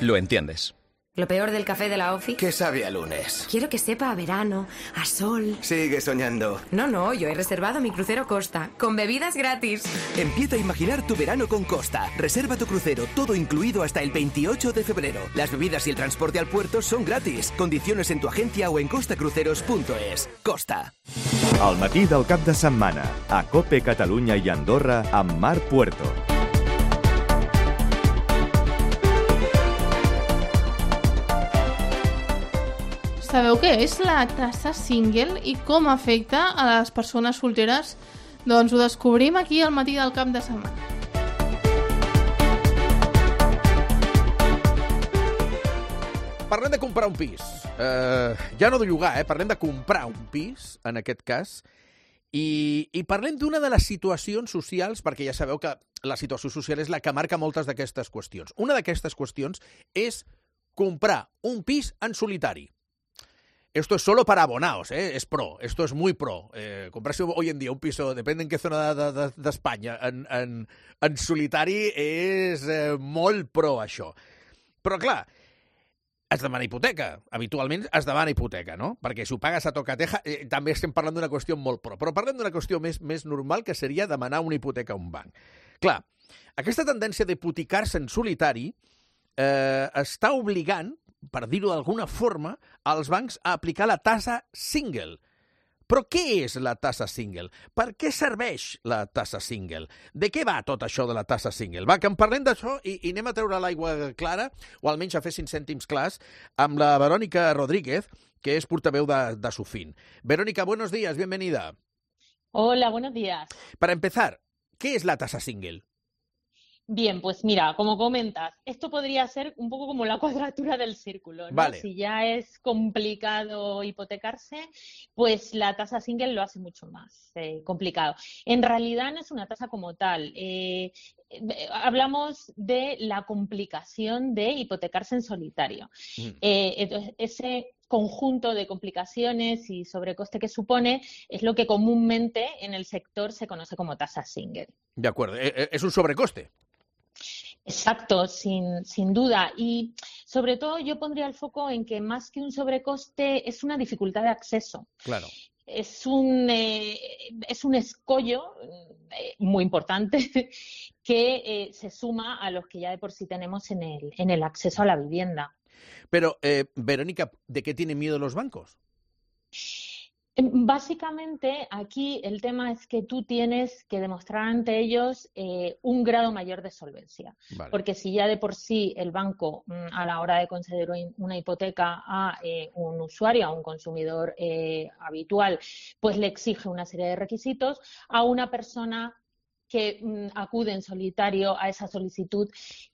lo entiendes. Lo peor del café de la ofi. Que sabe a lunes. Quiero que sepa a verano, a sol. Sigue soñando. No, no, yo he reservado mi crucero Costa, con bebidas gratis. Empieza a imaginar tu verano con Costa. Reserva tu crucero, todo incluido hasta el veintiocho de febrero. Las bebidas y el transporte al puerto son gratis. Condiciones en tu agencia o en costacruceros punto es. Costa. Al matí del cap de setmana, a COPE Catalunya i Andorra amb Marc Puerto. Sabeu què és la tassa single i com afecta a les persones solteres? Doncs ho descobrim aquí al matí del cap de setmana. Parlem de comprar un pis. Uh, ja no de llogar, eh? Parlem de comprar un pis, en aquest cas. I, i parlem d'una de les situacions socials, perquè ja sabeu que la situació social és la que marca moltes d'aquestes qüestions. Una d'aquestes qüestions és comprar un pis en solitari. Esto es solo para abonados, ¿eh? Es pro, esto es muy pro. Eh, comprarse hoy en día un piso, depende en qué zona d'Espanya, de, de, en, en, en solitari és eh, molt pro, això. Però, clar, es demana hipoteca. Habitualment es demana hipoteca, no? Perquè si ho pagues a tocateja, eh, també estem parlant d'una qüestió molt pro. Però parlem d'una qüestió més, més normal, que seria demanar una hipoteca a un banc. Clar, aquesta tendència d'hipotecar-se en solitari eh, està obligant, per dir-ho d'alguna forma, als bancs a aplicar la tassa single. Però què és la tassa single? Per què serveix la tassa single? De què va tot això de la tassa single? Va, que en parlem d'això i, i anem a treure l'aigua clara, o almenys a fer cinc cèntims clars, amb la Verónica Rodríguez, que és portaveu de, de Sofin. Verónica, buenos días, bienvenida. Hola, buenos días. Para empezar, ¿qué es la tasa single? Bien, pues mira, como comentas, esto podría ser un poco como la cuadratura del círculo, ¿no? Vale. Si ya es complicado hipotecarse, pues la tasa single lo hace mucho más eh, complicado. En realidad no es una tasa como tal. Eh, eh, hablamos de la complicación de hipotecarse en solitario. Mm. Eh, entonces, ese conjunto de complicaciones y sobrecoste que supone es lo que comúnmente en el sector se conoce como tasa single. De acuerdo, es un sobrecoste. Exacto, sin, sin duda. Y sobre todo yo pondría el foco en que más que un sobrecoste es una dificultad de acceso. Claro. Es un, eh, es un escollo eh, muy importante que eh, se suma a los que ya de por sí tenemos en el, en el acceso a la vivienda. Pero, eh, Verónica, ¿de qué tienen miedo los bancos? Básicamente, aquí el tema es que tú tienes que demostrar ante ellos eh, un grado mayor de solvencia. Vale. Porque si ya de por sí el banco, a la hora de conceder una hipoteca a eh, un usuario, a un consumidor eh, habitual, pues le exige una serie de requisitos, a una persona que mm, acude en solitario a esa solicitud,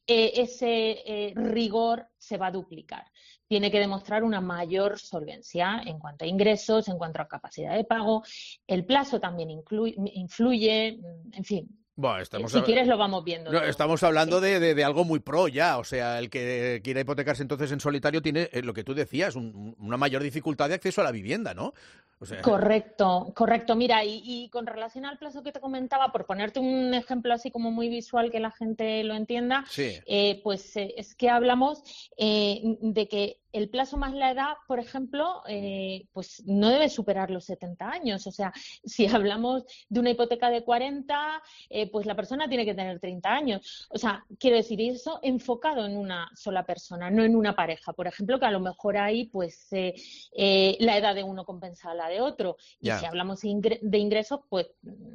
eh, ese eh, rigor se va a duplicar. Tiene que demostrar una mayor solvencia en cuanto a ingresos, en cuanto a capacidad de pago. El plazo también incluye, influye, en fin. Bueno, estamos si quieres lo vamos viendo. No, estamos hablando de, de, de algo muy pro ya, o sea, el que quiera hipotecarse entonces en solitario tiene, eh, lo que tú decías, un, una mayor dificultad de acceso a la vivienda, ¿no? O sea... Correcto, correcto. Mira, y, y con relación al plazo que te comentaba, por ponerte un ejemplo así como muy visual que la gente lo entienda, sí. eh, pues eh, es que hablamos eh, de que el plazo más la edad, por ejemplo, eh, pues no debe superar los setenta años. O sea, si hablamos de una hipoteca de cuarenta, eh, pues la persona tiene que tener treinta años. O sea, quiero decir, eso enfocado en una sola persona, no en una pareja. Por ejemplo, que a lo mejor ahí, pues, eh, eh, la edad de uno compensa a la de otro. Y yeah. si hablamos de ingresos, pues,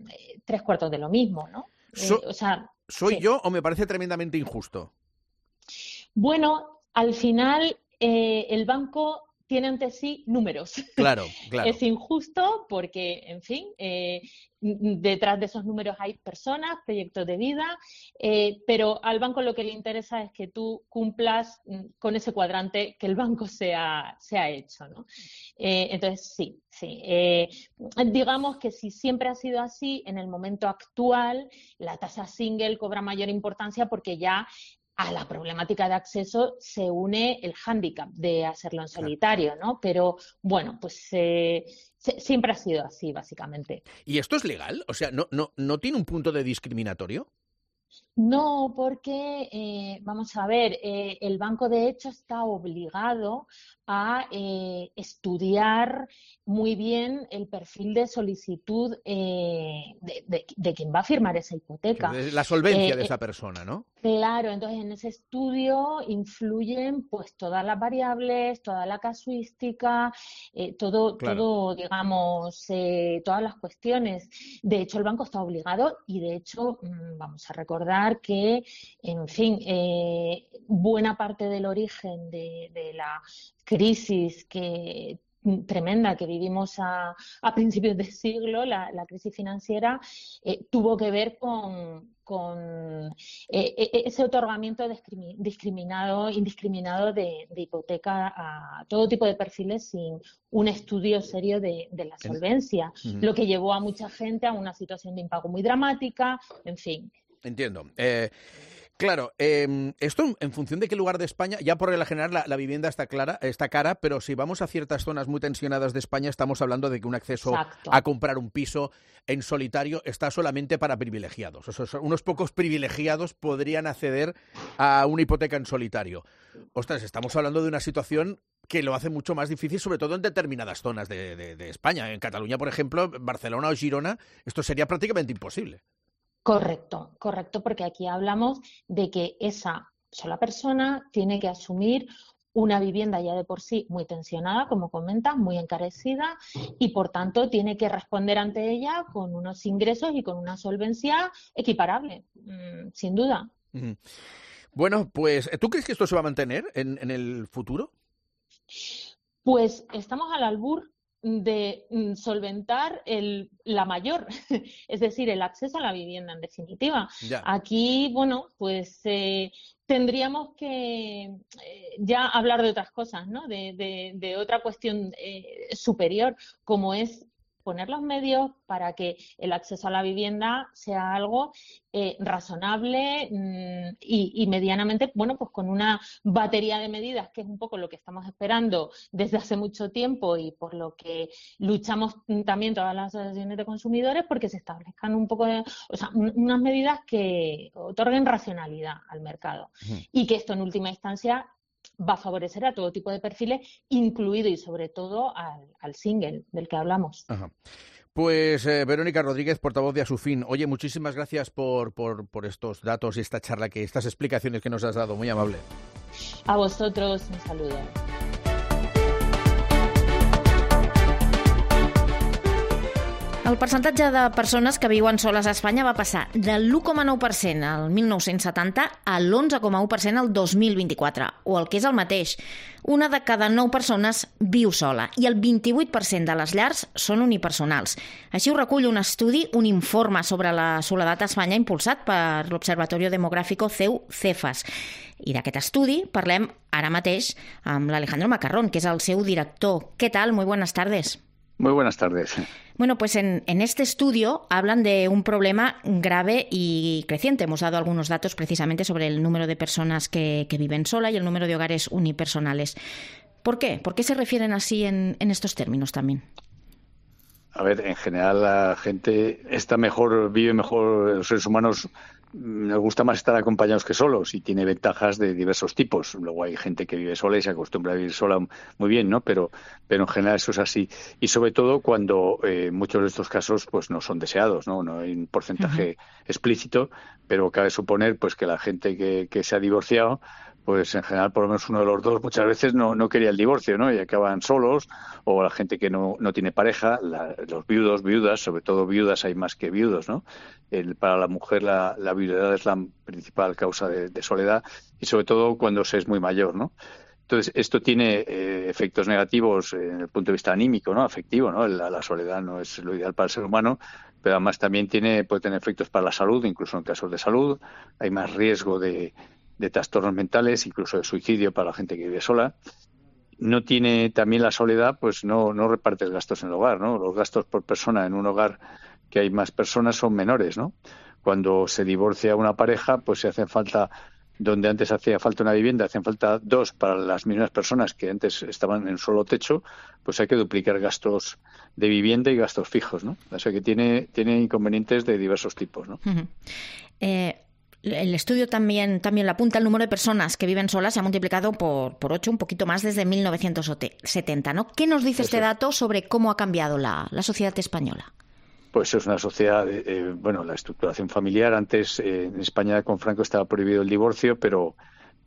eh, tres cuartos de lo mismo, ¿no? So, eh, o sea, ¿Soy sí. yo o me parece tremendamente injusto? Bueno, al final... Eh, el banco tiene ante sí números. Claro, claro. Es injusto porque, en fin, eh, detrás de esos números hay personas, proyectos de vida, eh, pero al banco lo que le interesa es que tú cumplas con ese cuadrante que el banco se ha, se ha hecho, ¿no? Eh, entonces, sí, sí. Eh, digamos que si siempre ha sido así, en el momento actual la tasa single cobra mayor importancia porque ya a la problemática de acceso se une el hándicap de hacerlo en solitario, ¿no? Pero, bueno, pues eh, se, siempre ha sido así, básicamente. ¿Y esto es legal? O sea, ¿no, no, no tiene un punto de discriminatorio? No, porque, eh, vamos a ver, eh, el banco de hecho está obligado a eh, estudiar muy bien el perfil de solicitud eh, de, de, de quien va a firmar esa hipoteca. La solvencia eh, de esa persona, ¿no? Claro, entonces en ese estudio influyen pues todas las variables, toda la casuística, eh, todo, claro. todo, digamos, eh, todas las cuestiones. De hecho, el banco está obligado y de hecho, mmm, vamos a recordar que, en fin, eh, buena parte del origen de, de la crisis que tremenda que vivimos a, a principios de siglo, la, la crisis financiera, eh, tuvo que ver con, con eh, ese otorgamiento discriminado, indiscriminado de, de hipoteca a todo tipo de perfiles sin un estudio serio de, de la solvencia, uh-huh. lo que llevó a mucha gente a una situación de impago muy dramática, en fin. Entiendo. Eh... Claro, eh, esto en función de qué lugar de España, ya por regla general la, la vivienda está clara, está cara, pero si vamos a ciertas zonas muy tensionadas de España, estamos hablando de que un acceso Exacto. a comprar un piso en solitario está solamente para privilegiados. O sea, unos pocos privilegiados podrían acceder a una hipoteca en solitario. Ostras, estamos hablando de una situación que lo hace mucho más difícil, sobre todo en determinadas zonas de, de, de España. En Cataluña, por ejemplo, Barcelona o Girona, esto sería prácticamente imposible. Correcto, correcto, porque aquí hablamos de que esa sola persona tiene que asumir una vivienda ya de por sí muy tensionada, como comentas, muy encarecida, y por tanto tiene que responder ante ella con unos ingresos y con una solvencia equiparable, mmm, sin duda. Uh-huh. Bueno, pues, ¿tú crees que esto se va a mantener en, en el futuro? Pues estamos al albur de solventar el, la mayor, es decir, el acceso a la vivienda en definitiva. Ya. Aquí, bueno, pues eh, tendríamos que eh, ya hablar de otras cosas, ¿no? De, de, de otra cuestión eh, superior, como es poner los medios para que el acceso a la vivienda sea algo eh, razonable mmm, y, y medianamente, bueno, pues con una batería de medidas, que es un poco lo que estamos esperando desde hace mucho tiempo y por lo que luchamos también todas las asociaciones de consumidores, porque se establezcan un poco de, o sea, un, unas medidas que otorguen racionalidad al mercado. Uh-huh. Y que esto en última instancia va a favorecer a todo tipo de perfiles, incluido y sobre todo al, al single del que hablamos. Ajá. Pues eh, Verónica Rodríguez, portavoz de Asufin. Oye, muchísimas gracias por, por, por estos datos y esta charla, que estas explicaciones que nos has dado. Muy amable. A vosotros, un saludo. El percentatge de persones que viuen soles a Espanya va passar de l'u coma nou per cent al mil nou-cents setanta a l'onze coma u per cent al dos mil vint-i-quatre, o el que és el mateix. Una de cada nou persones viu sola i el vint-i-vuit per cent de les llars són unipersonals. Així ho recull un estudi, un informe sobre la soledat a Espanya impulsat per l'Observatorio Demográfico C E U Cefas. I d'aquest estudi parlem ara mateix amb l'Alejandro Macarrón, que és el seu director. Què tal? Muy buenas tardes. Muy buenas tardes. Bueno, pues en, en este estudio hablan de un problema grave y creciente. Hemos dado algunos datos precisamente sobre el número de personas que, que viven sola y el número de hogares unipersonales. ¿Por qué? ¿Por qué se refieren así en, en estos términos también? A ver, en general la gente está mejor, vive mejor, los seres humanos nos gusta más estar acompañados que solos y tiene ventajas de diversos tipos. Luego hay gente que vive sola y se acostumbra a vivir sola muy bien, ¿no? Pero, pero en general eso es así. Y sobre todo cuando eh, muchos de estos casos pues no son deseados, ¿no? No hay un porcentaje uh-huh. explícito, pero cabe suponer pues que la gente que, que se ha divorciado, pues en general por lo menos uno de los dos muchas veces no, no quería el divorcio, ¿no? Y acaban solos, o la gente que no, no tiene pareja, la, los viudos, viudas, sobre todo viudas hay más que viudos, ¿no? El, para la mujer la, la viudedad es la principal causa de, de soledad, y sobre todo cuando se es muy mayor, ¿no? Entonces, esto tiene eh, efectos negativos en el punto de vista anímico, ¿no? Afectivo, ¿no? La, la soledad no es lo ideal para el ser humano, pero además también tiene, puede tener efectos para la salud, incluso en casos de salud. Hay más riesgo de de trastornos mentales, incluso de suicidio para la gente que vive sola. No tiene también la soledad, pues no, no repartes gastos en el hogar, ¿no? Los gastos por persona en un hogar que hay más personas son menores, ¿no? Cuando se divorcia una pareja, pues se hacen falta, donde antes hacía falta una vivienda, hacen falta dos para las mismas personas que antes estaban en un solo techo, pues hay que duplicar gastos de vivienda y gastos fijos, ¿no? O sea que tiene, tiene inconvenientes de diversos tipos, ¿no? Uh-huh. Eh... El estudio también, también lo apunta, el número de personas que viven solas se ha multiplicado por, por ocho, un poquito más desde mil novecientos setenta, ¿no? ¿Qué nos dice Eso. este dato sobre cómo ha cambiado la, la sociedad española? Pues es una sociedad, eh, bueno, la estructuración familiar. Antes eh, en España con Franco estaba prohibido el divorcio, pero,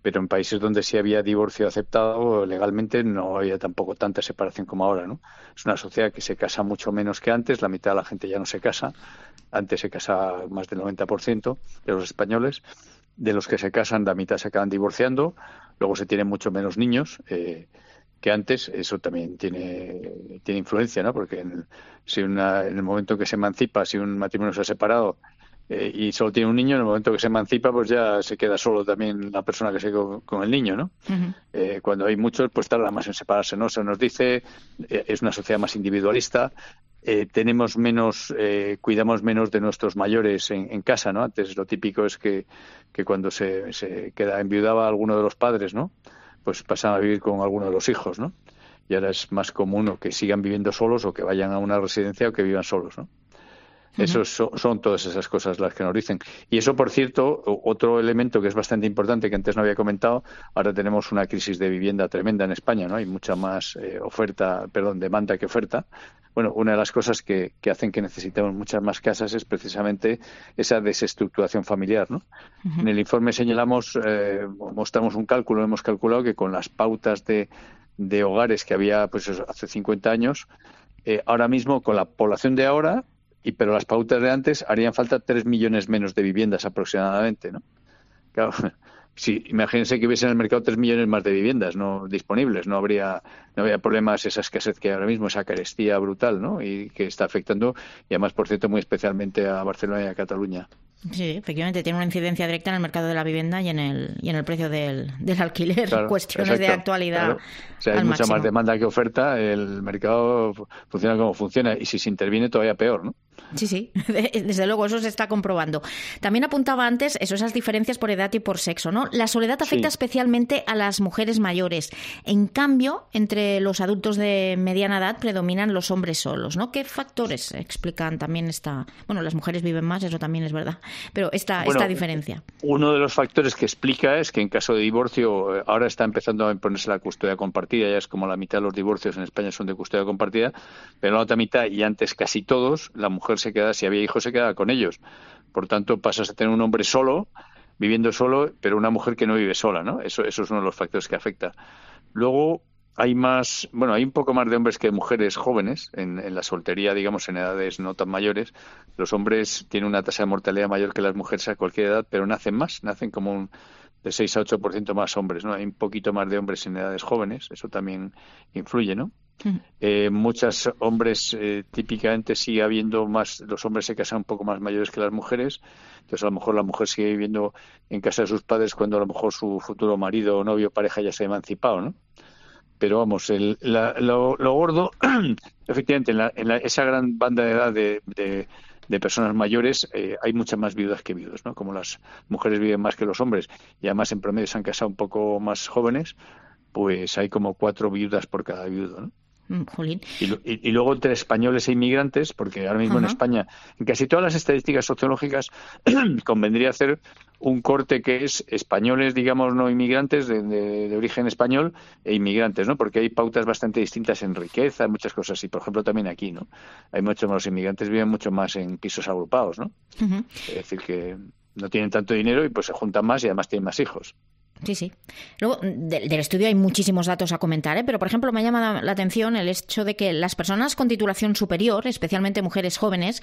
pero en países donde sí había divorcio aceptado legalmente no había tampoco tanta separación como ahora, ¿no? Es una sociedad que se casa mucho menos que antes, la mitad de la gente ya no se casa. Antes se casa más del noventa por ciento de los españoles. De los que se casan, la mitad se acaban divorciando. Luego se tienen mucho menos niños eh, que antes. Eso también tiene, tiene influencia, ¿no? Porque en, si una, en el momento que se emancipa, si un matrimonio se ha separado eh, y solo tiene un niño, en el momento que se emancipa, pues ya se queda solo también la persona que se quedó con, con el niño, ¿no? Uh-huh. Eh, cuando hay muchos, pues tarda más en separarse, ¿no? Se nos dice, eh, es una sociedad más individualista. eh, tenemos menos, eh, cuidamos menos de nuestros mayores en, en casa, ¿no? Antes lo típico es que, que cuando se, se queda enviudaba alguno de los padres, ¿no? Pues pasaban a vivir con alguno de los hijos, ¿no? Y ahora es más común o que sigan viviendo solos o que vayan a una residencia o que vivan solos, ¿no? Eso son, son todas esas cosas las que nos dicen. Y eso, por cierto, otro elemento que es bastante importante que antes no había comentado, ahora tenemos una crisis de vivienda tremenda en España, ¿no? Hay mucha más eh, oferta, perdón, demanda que oferta. Bueno, una de las cosas que, que hacen que necesitemos muchas más casas es precisamente esa desestructuración familiar, ¿no? Uh-huh. En el informe señalamos, eh, mostramos un cálculo, hemos calculado que con las pautas de, de hogares que había pues hace cincuenta años, eh, ahora mismo con la población de ahora, y pero las pautas de antes harían falta tres millones menos de viviendas aproximadamente, ¿no? Claro, si imagínense que hubiese en el mercado tres millones más de viviendas no disponibles, no habría no habría problemas, esa escasez que ahora mismo, esa carestía brutal, ¿no? Y que está afectando, y además, por cierto, muy especialmente a Barcelona y a Cataluña. Sí, efectivamente, tiene una incidencia directa en el mercado de la vivienda y en el y en el precio del, del alquiler. Claro, cuestiones exacto, de actualidad. Claro. O sea, hay mucha máximo. Más demanda que oferta, el mercado funciona como funciona, y si se interviene todavía peor, ¿no? Sí, sí, desde luego, eso se está comprobando. También apuntaba antes eso, esas diferencias por edad y por sexo, ¿no? La soledad afecta sí. especialmente a las mujeres mayores. En cambio, entre los adultos de mediana edad predominan los hombres solos, ¿no? ¿Qué factores explican también esta... Bueno, las mujeres viven más, eso también es verdad, pero esta, bueno, esta diferencia. Uno de los factores que explica es que en caso de divorcio, ahora está empezando a imponerse la custodia compartida, ya es como la mitad de los divorcios en España son de custodia compartida, pero la otra mitad, y antes casi todos, la mujer se queda, si había hijos, se quedaba con ellos. Por tanto, pasas a tener un hombre solo, viviendo solo, pero una mujer que no vive sola, ¿no? Eso, eso es uno de los factores que afecta. Luego, hay más, bueno, hay un poco más de hombres que de mujeres jóvenes en, en la soltería, digamos, en edades no tan mayores. Los hombres tienen una tasa de mortalidad mayor que las mujeres a cualquier edad, pero nacen más, nacen como un de seis a ocho por ciento más hombres, ¿no? Hay un poquito más de hombres en edades jóvenes, eso también influye, ¿no? Uh-huh. Eh, muchos hombres, eh, típicamente sigue habiendo más, los hombres se casan un poco más mayores que las mujeres, entonces a lo mejor la mujer sigue viviendo en casa de sus padres cuando a lo mejor su futuro marido o novio o pareja ya se ha emancipado, ¿no? Pero vamos, el, la, lo, lo gordo, efectivamente, en, la, en la, esa gran banda de edad de, de, de personas mayores eh, hay muchas más viudas que viudos, ¿no? Como las mujeres viven más que los hombres y además en promedio se han casado un poco más jóvenes, pues hay como cuatro viudas por cada viudo, ¿no? Jolín. Y, y, y luego entre españoles e inmigrantes, porque ahora mismo uh-huh. en España, en casi todas las estadísticas sociológicas, convendría hacer un corte que es españoles, digamos, no inmigrantes, de, de, de origen español, e inmigrantes, ¿no? Porque hay pautas bastante distintas en riqueza, muchas cosas, y por ejemplo también aquí, ¿no? Hay muchos más, los inmigrantes viven mucho más en pisos agrupados, ¿no? Uh-huh. Es decir, que no tienen tanto dinero y pues se juntan más y además tienen más hijos. Sí, sí. Luego, de, del estudio hay muchísimos datos a comentar, ¿eh? Pero, por ejemplo, me llama la atención el hecho de que las personas con titulación superior, especialmente mujeres jóvenes,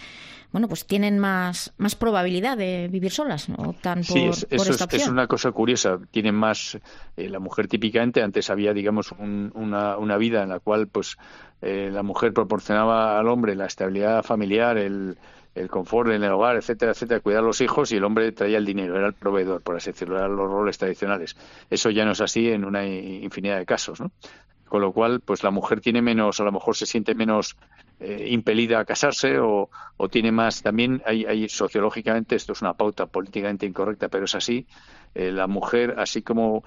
bueno, pues tienen más, más probabilidad de vivir solas, ¿no? Optan por, sí, es, por eso esta es, es una cosa curiosa. Tienen más, eh, la mujer típicamente, antes había, digamos, un, una, una vida en la cual, pues, eh, la mujer proporcionaba al hombre la estabilidad familiar, el el confort en el hogar, etcétera, etcétera, cuidar a los hijos, y el hombre traía el dinero, era el proveedor, por así decirlo, eran los roles tradicionales. Eso ya no es así en una infinidad de casos, ¿no? Con lo cual, pues la mujer tiene menos, a lo mejor se siente menos eh, impelida a casarse o, o tiene más, también hay, hay sociológicamente, esto es una pauta políticamente incorrecta, pero es así, eh, la mujer, así como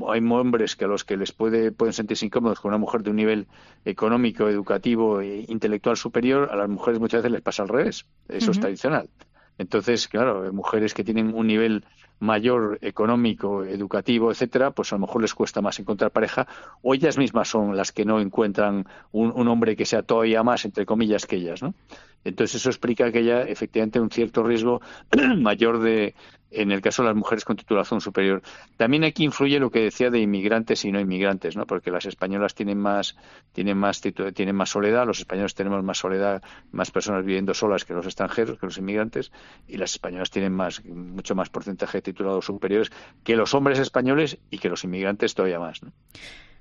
hay hombres que a los que les puede pueden sentirse incómodos con una mujer de un nivel económico, educativo e intelectual superior, a las mujeres muchas veces les pasa al revés, eso uh-huh. es tradicional. Entonces, claro, mujeres que tienen un nivel mayor económico, educativo, etcétera, pues a lo mejor les cuesta más encontrar pareja, o ellas mismas son las que no encuentran un, un hombre que sea todavía más, entre comillas, que ellas, ¿no? Entonces eso explica que haya efectivamente un cierto riesgo mayor de, en el caso de las mujeres con titulación superior. También aquí influye lo que decía de inmigrantes y no inmigrantes, ¿no? Porque las españolas tienen más, tienen más titu- tienen más soledad, los españoles tenemos más soledad, más personas viviendo solas que los extranjeros, que los inmigrantes, y las españolas tienen más, mucho más porcentaje de titulados superiores que los hombres españoles y que los inmigrantes todavía más, ¿no?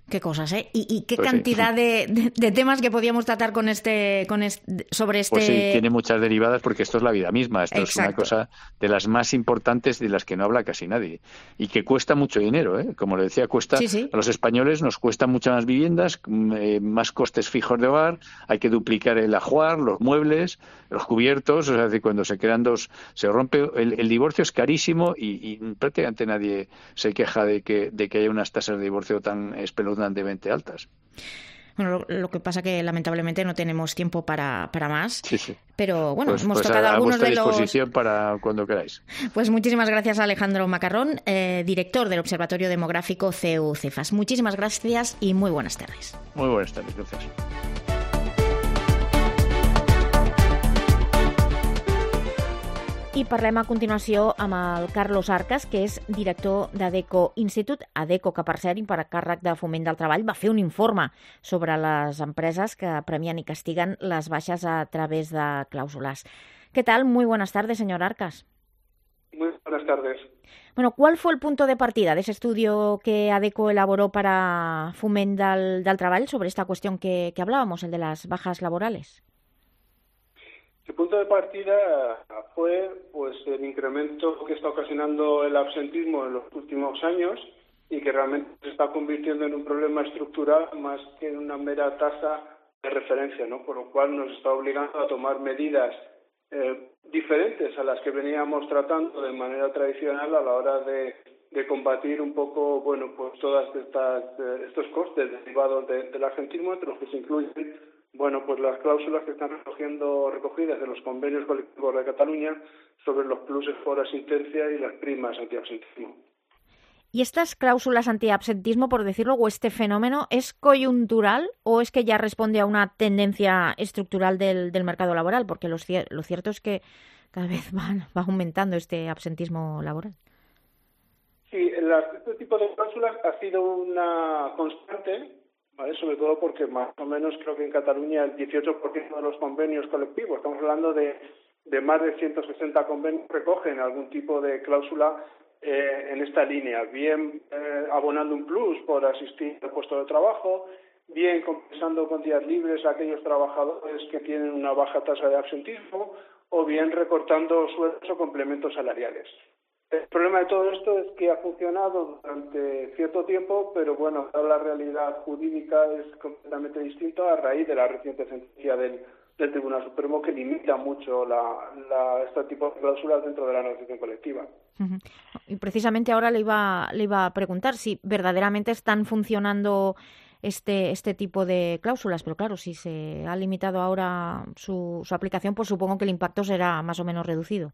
Qué cosas, ¿eh? ¿Y, y qué Pues cantidad sí. de, de, de temas que podíamos tratar con este, con este, sobre este... Pues sí, tiene muchas derivadas porque esto es la vida misma. Esto es una Exacto. cosa de las más importantes de las que no habla casi nadie. Y que cuesta mucho dinero, ¿eh? Como le decía, cuesta Sí, sí. a los españoles nos cuestan muchas más viviendas, eh, más costes fijos de hogar, hay que duplicar el ajuar, los muebles, los cubiertos, o sea, de cuando se crean dos, se rompe, el, el divorcio es carísimo y, y prácticamente nadie se queja de que, de que haya unas tasas de divorcio tan espeluznantemente altas. Bueno, lo, lo que pasa que lamentablemente no tenemos tiempo para, para más. Sí, sí. Pero bueno, pues, hemos pues tocado a, a algunos vuestra de los... disposición para cuando queráis. Pues muchísimas gracias a Alejandro Macarrón, eh, director del Observatorio Demográfico C E U Cefas. Muchísimas gracias y muy buenas tardes. Muy buenas tardes, gracias. I parlem a continuació amb el Carlos Arcas, que és director d'Adeco Institute. Adeco, que per cert, per càrrec de Foment del Treball, va fer un informe sobre les empreses que premien i castiguen les baixes a través de clàusules. ¿Qué tal? Muy buenas tardes, señor Arcas. Muy buenas tardes. Bueno, ¿cuál fue el punto de partida de ese estudio que Adeco elaboró para Foment del, del Treball sobre esta cuestión que, que hablábamos, el de las bajas laborales? El punto de partida fue pues el incremento que está ocasionando el absentismo en los últimos años y que realmente se está convirtiendo en un problema estructural más que en una mera tasa de referencia, ¿no? Por lo cual nos está obligando a tomar medidas eh, diferentes a las que veníamos tratando de manera tradicional a la hora de, de combatir un poco, bueno, pues todas estas eh, estos costes derivados de, del absentismo, entre los que se incluyen, bueno, pues las cláusulas que están recogiendo, recogidas en los convenios colectivos de Cataluña sobre los pluses por asistencia y las primas antiabsentismo. ¿Y estas cláusulas antiabsentismo, por decirlo, o este fenómeno, es coyuntural o es que ya responde a una tendencia estructural del, del mercado laboral? Porque lo, lo cierto es que cada vez van, va aumentando este absentismo laboral. Sí, la, este tipo de cláusulas ha sido una constante, ¿vale? Sobre todo porque más o menos creo que en Cataluña el dieciocho por ciento de los convenios colectivos, estamos hablando de, de más de ciento sesenta convenios, recogen algún tipo de cláusula eh, en esta línea, bien eh, abonando un plus por asistir al puesto de trabajo, bien compensando con días libres a aquellos trabajadores que tienen una baja tasa de absentismo, o bien recortando sueldos o complementos salariales. El problema de todo esto es que ha funcionado durante cierto tiempo, pero bueno, la realidad jurídica es completamente distinta a raíz de la reciente sentencia del, del Tribunal Supremo que limita mucho la, la, este tipo de cláusulas dentro de la negociación colectiva. Uh-huh. Y precisamente ahora le iba, le iba a preguntar si verdaderamente están funcionando este, este tipo de cláusulas, pero claro, si se ha limitado ahora su, su aplicación, pues supongo que el impacto será más o menos reducido.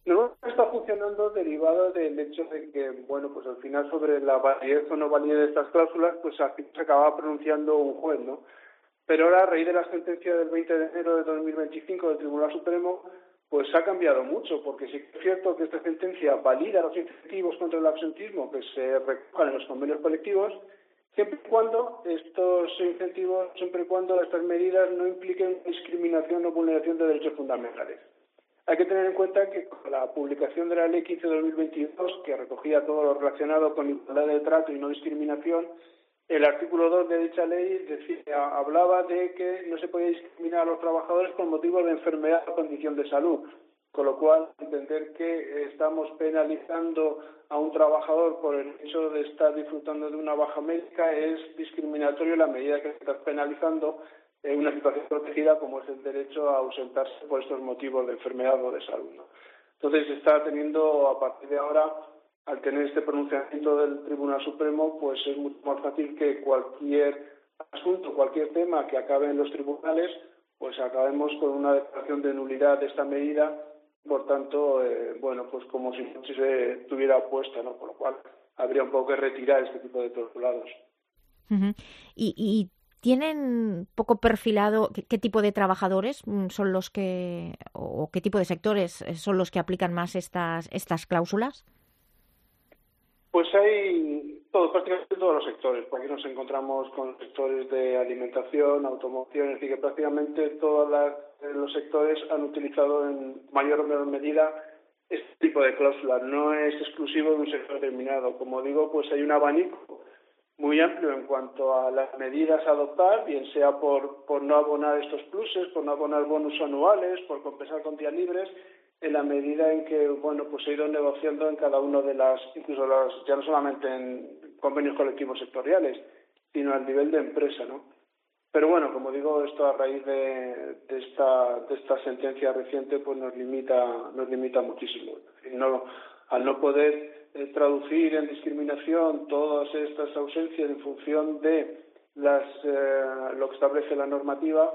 No está funcionando derivado del hecho de que, bueno, pues al final sobre la validez o no validez de estas cláusulas, pues al final se acaba pronunciando un juez, ¿no? Pero ahora, a raíz de la sentencia del veinte de enero de dos mil veinticinco del Tribunal Supremo, pues ha cambiado mucho, porque sí que es cierto que esta sentencia valida los incentivos contra el absentismo que se recojan en los convenios colectivos, siempre y cuando estos incentivos, siempre y cuando estas medidas no impliquen discriminación o vulneración de derechos fundamentales. Hay que tener en cuenta que con la publicación de la Ley quince barra dos mil veintidós, que recogía todo lo relacionado con igualdad de trato y no discriminación, el artículo dos de dicha ley decía, hablaba de que no se podía discriminar a los trabajadores por motivos de enfermedad o condición de salud, con lo cual entender que estamos penalizando a un trabajador por el hecho de estar disfrutando de una baja médica es discriminatorio en la medida que se está penalizando en una situación protegida como es el derecho a ausentarse por estos motivos de enfermedad o de salud, ¿no? Entonces se está teniendo, a partir de ahora, al tener este pronunciamiento del Tribunal Supremo, pues es mucho más fácil que cualquier asunto, cualquier tema que acabe en los tribunales, pues acabemos con una declaración de nulidad de esta medida, por tanto, eh, bueno, pues como si no se tuviera puesta, ¿no? Por lo cual habría un poco que retirar este tipo de postulados. Uh-huh. Y, y ¿tienen poco perfilado qué, qué tipo de trabajadores son los que, o qué tipo de sectores son los que aplican más estas, estas cláusulas? Pues hay todo, prácticamente todos los sectores, porque aquí nos encontramos con sectores de alimentación, automoción, es decir, que prácticamente todos los sectores han utilizado en mayor o menor medida este tipo de cláusulas. No es exclusivo de un sector determinado. Como digo, pues hay un abanico muy amplio en cuanto a las medidas a adoptar, bien sea por, por no abonar estos pluses, por no abonar bonus anuales, por compensar con días libres, en la medida en que, bueno, pues se ha ido negociando en cada uno de las, incluso las, ya no solamente en convenios colectivos sectoriales, sino al nivel de empresa, ¿no? Pero bueno, como digo, esto a raíz de, de esta de esta sentencia reciente, pues nos limita nos limita muchísimo. No, al no poder eh, traducir en discriminación todas estas ausencias en función de las eh, lo que establece la normativa,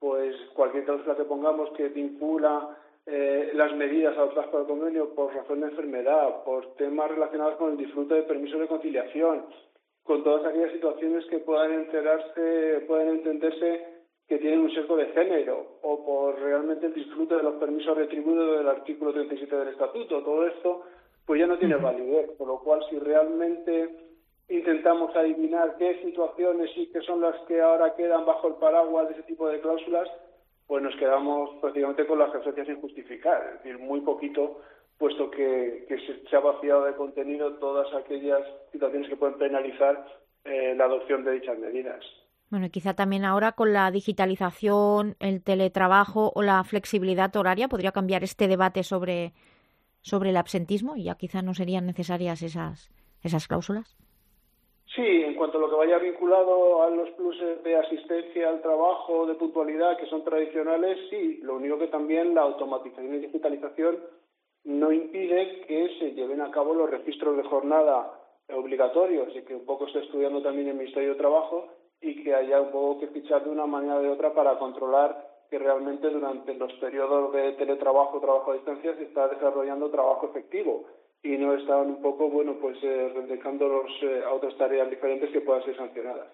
pues cualquier cláusula que pongamos que vincula eh, las medidas adoptadas por el convenio por razón de enfermedad, por temas relacionados con el disfrute de permisos de conciliación, con todas aquellas situaciones que puedan enterarse, pueden entenderse que tienen un sesgo de género, o por realmente el disfrute de los permisos retribuidos del artículo treinta y siete del Estatuto. Todo esto pues ya no tiene validez, por lo cual si realmente intentamos adivinar qué situaciones y qué son las que ahora quedan bajo el paraguas de ese tipo de cláusulas, pues nos quedamos prácticamente con las referencias sin justificar, es decir, muy poquito, puesto que, que se, se ha vaciado de contenido todas aquellas situaciones que pueden penalizar eh, la adopción de dichas medidas. Bueno, y quizá también ahora con la digitalización, el teletrabajo o la flexibilidad horaria podría cambiar este debate sobre, sobre el absentismo y ya quizá no serían necesarias esas, esas cláusulas. Sí, en cuanto a lo que vaya vinculado a los pluses de asistencia al trabajo, de puntualidad, que son tradicionales, sí. Lo único que también la automatización y digitalización no impide que se lleven a cabo los registros de jornada obligatorios y que un poco esté estudiando también el Ministerio de Trabajo y que haya un poco que fichar de una manera o de otra para controlar que realmente durante los periodos de teletrabajo o trabajo a distancia se está desarrollando trabajo efectivo y no están un poco, bueno, pues eh, dedicándolos eh, a otras tareas diferentes que puedan ser sancionadas.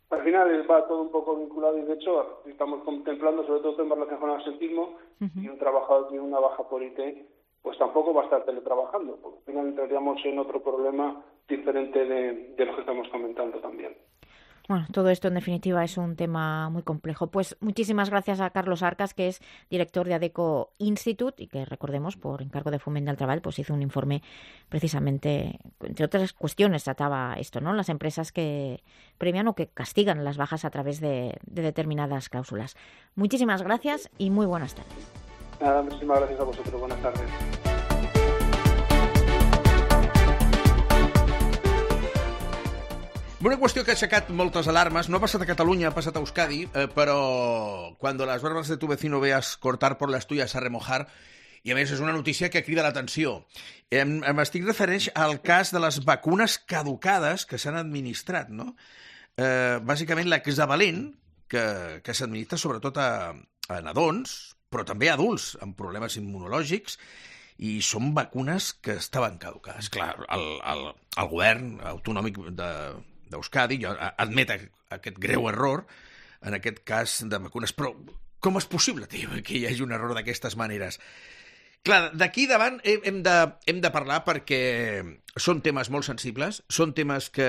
Al final va todo un poco vinculado y de hecho estamos contemplando sobre todo temas relacionados con el absentismo uh-huh. y un trabajador tiene una baja por I T, pues tampoco va a estar teletrabajando, porque al final entraríamos en otro problema diferente de, de lo que estamos comentando también. Bueno, todo esto en definitiva es un tema muy complejo. Pues muchísimas gracias a Carlos Arcas, que es director de ADECO Institute y que, recordemos, por encargo de Foment del Treball, pues hizo un informe precisamente, entre otras cuestiones, trataba esto, ¿no? Las empresas que premian o que castigan las bajas a través de, de determinadas cláusulas. Muchísimas gracias y muy buenas tardes. Nada, muchísimas gracias a vosotros. Buenas tardes. Una qüestió que ha aixecat moltes alarmes, no ha passat a Catalunya, ha passat a Euskadi, eh, però cuando las barbas de tu vecino veas cortar por las tuyas a remojar, i a més és una notícia que crida l'atenció. Em, em estic referint al cas de les vacunes caducades que s'han administrat, no? Eh, bàsicament l'hexavalent, que, que s'administra sobretot a, a nadons, però també a adults amb problemes immunològics, i són vacunes que estaven caducades. Clar, el, el, el govern autonòmic de, d'Euskadi admet aquest greu error, en aquest cas de vacunes. Però com és possible, tio, que hi hagi un error d'aquestes maneres? Clar, d'aquí davant hem de, hem de parlar perquè són temes molt sensibles, són temes que,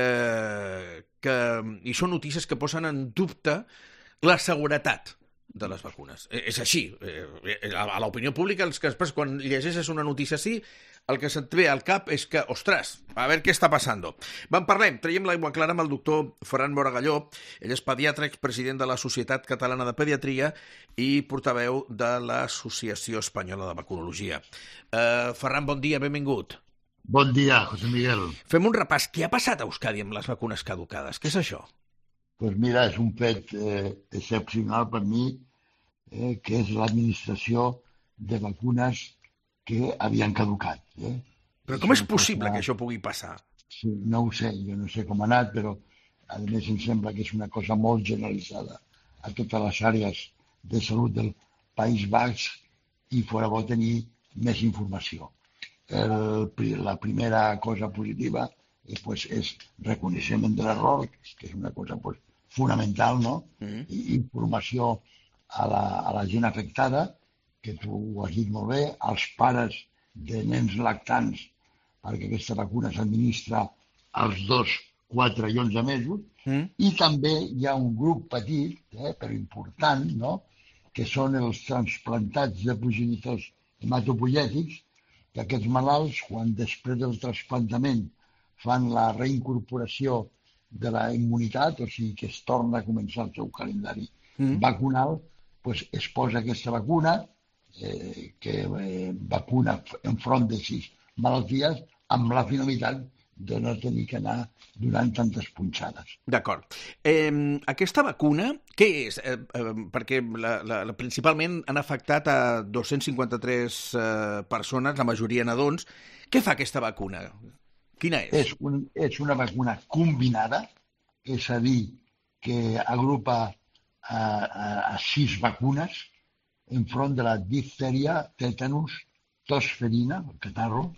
que... i són notícies que posen en dubte la seguretat de les vacunes. És així. A l'opinió pública, els que després, quan llegeixes una notícia així, el que se't ve al cap és que, ostres, a veure què està passant. En parlem, traiem l'aigua clara amb el doctor Ferran Moragalló. Ell és pediatre, expresident de la Societat Catalana de Pediatria i portaveu de l'Associació Espanyola de Vacunologia. Uh, Ferran, bon dia, benvingut. Bon dia, José Miguel. Fem un repàs. Què ha passat a Euskadi amb les vacunes caducades? Què és això? Pues mira, és un fet eh, excepcional per mi, eh, que és l'administració de vacunes que havien caducat. Eh? Però com és possible cosa... que això pugui passar? Sí, no ho sé, jo no sé com ha anat, però a més em sembla que és una cosa molt generalitzada a totes les àrees de salut del País Basc i fora bo tenir més informació. El, la primera cosa positiva eh, pues, és reconeixement de l'error, que és una cosa pues, fonamental, no? Mm. I informació a la, a la gent afectada, que tu ho has dit molt bé, als pares de nens lactants, perquè aquesta vacuna s'administra als dos, quatre i onze mesos, mm. i també hi ha un grup petit, eh, però important, no?, que són els transplantats de progenitors hematopoiètics, que aquests malalts, quan després del trasplantament fan la reincorporació de la immunitat, o sigui que es torna a començar el seu calendari mm. vacunal, pues es posa aquesta vacuna, eh, que eh, vacuna enfront de sis malalties, amb la finalitat de no tenir que anar donant tantes punxades. D'acord. Eh, aquesta vacuna, què és? Eh, eh, perquè la, la, la, principalment han afectat a dos-cents cinquanta-tres eh, persones, la majoria nadons. Què fa aquesta vacuna? Quina és? És, un, és una vacuna combinada, és a dir, que agrupa a, a, a sis vacunes enfront de la difteria, tètanus, tosferina, el catarro,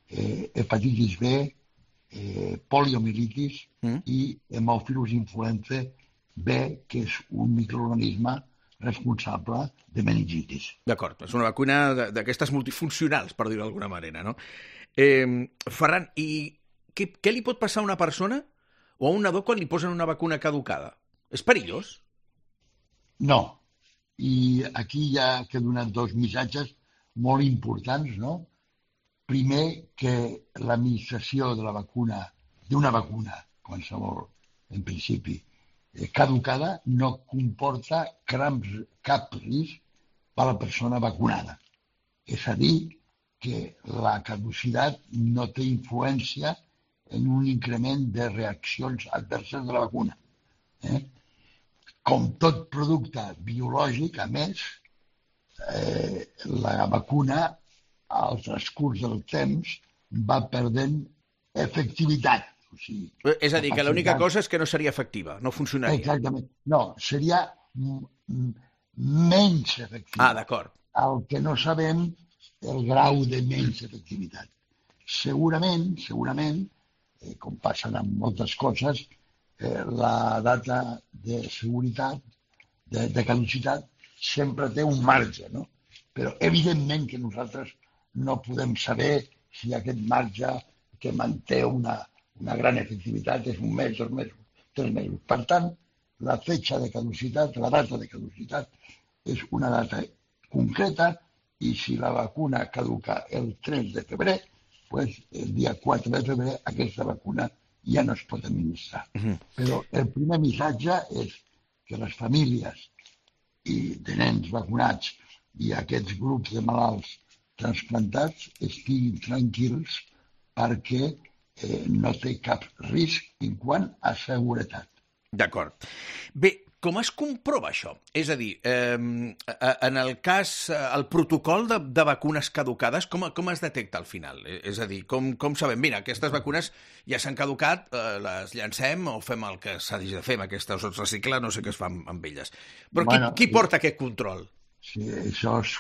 eh, hepatitis B, eh, poliomielitis mm. i hemòfilus influenza B, que és un microorganisme responsable de meningitis. D'acord, és una vacuna d'aquestes multifuncionals, per dir-ho d'alguna manera, no? Eh, Ferran, i què, què li pot passar a una persona o a un nadó quan li posen una vacuna caducada? És perillós? No. I aquí ja que he donat dos missatges molt importants, no? Primer, que l'administració de la vacuna, d'una vacuna, qualsevol, en principi, caducada, no comporta cap risc per a la persona vacunada. És a dir, que la caducitat no té influència en un increment de reaccions adverses de la vacuna. Eh? Com tot producte biològic, a més, eh, la vacuna al transcurs del temps va perdent efectivitat. O sigui, és a dir, que l'única cosa és que no seria efectiva, no funcionaria. Exactament. No, seria menys efectiva. Ah, d'acord. El que no sabem el grau de menys efectivitat. Segurament, segurament, eh, com passen amb moltes coses, eh, la data de seguretat, de, de caducitat, sempre té un marge, no? Però evidentment que nosaltres no podem saber si aquest marge que manté una, una gran efectivitat és un mes, dos mesos, tres mesos. Per tant, la fetxa de caducitat, la data de caducitat, és una data concreta i si la vacuna caduca el tres de febrer, pues el dia quatre de febrer aquesta vacuna ja no es pot administrar. Uh-huh. Però el primer missatge és que les famílies i de nens vacunats i aquests grups de malalts transplantats estiguin tranquils perquè eh, no té cap risc en quant a seguretat. D'acord. Bé, com es comprova això? És a dir, eh, en el cas, el protocol de, de vacunes caducades, com, com es detecta al final? És a dir, com, com sabem, mira, aquestes vacunes ja s'han caducat, eh, les llancem o fem el que s'ha de fer amb aquestes, o es recicla, no sé què es fa amb, amb elles. Però bueno, qui, qui porta aquest control? Sí, això es,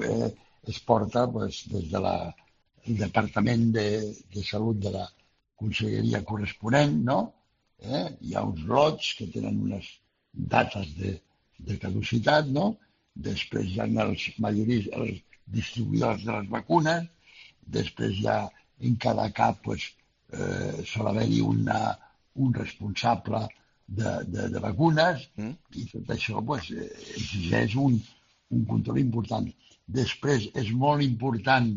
eh, es porta pues, des del de Departament de, de Salut de la Conselleria corresponent, no? Eh? Hi ha uns lots que tenen unes dates de, de caducitat, no? Després hi ha els majoris, els distribuïdors de les vacunes, després hi ha en cada cap pues, eh, sol haver-hi una, un responsable de, de, de vacunes mm. i tot això pues, exigeix un, un control important. Després és molt important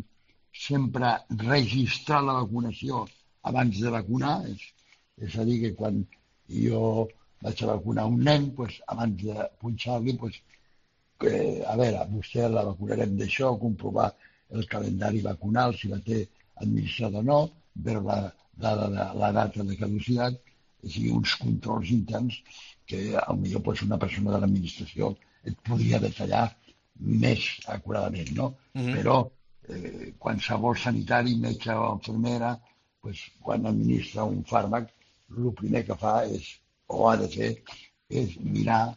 sempre registrar la vacunació abans de vacunar, és, és a dir, que quan jo vaig a vacunar un nen, pues, abans de punxar-li, pues, que, a veure, vostè la vacunarem d'això, comprovar el calendari vacunal, si la té administrada o no, veure la, la, la, la data de caducitat, és a dir, uns controls interns que potser pues, una persona de l'administració et podria detallar més acuradament, no? Mm-hmm. Però eh, qualsevol sanitari, metge o infermera, pues, quan administra un fàrmac, el primer que fa és, o ha de fer, és mirar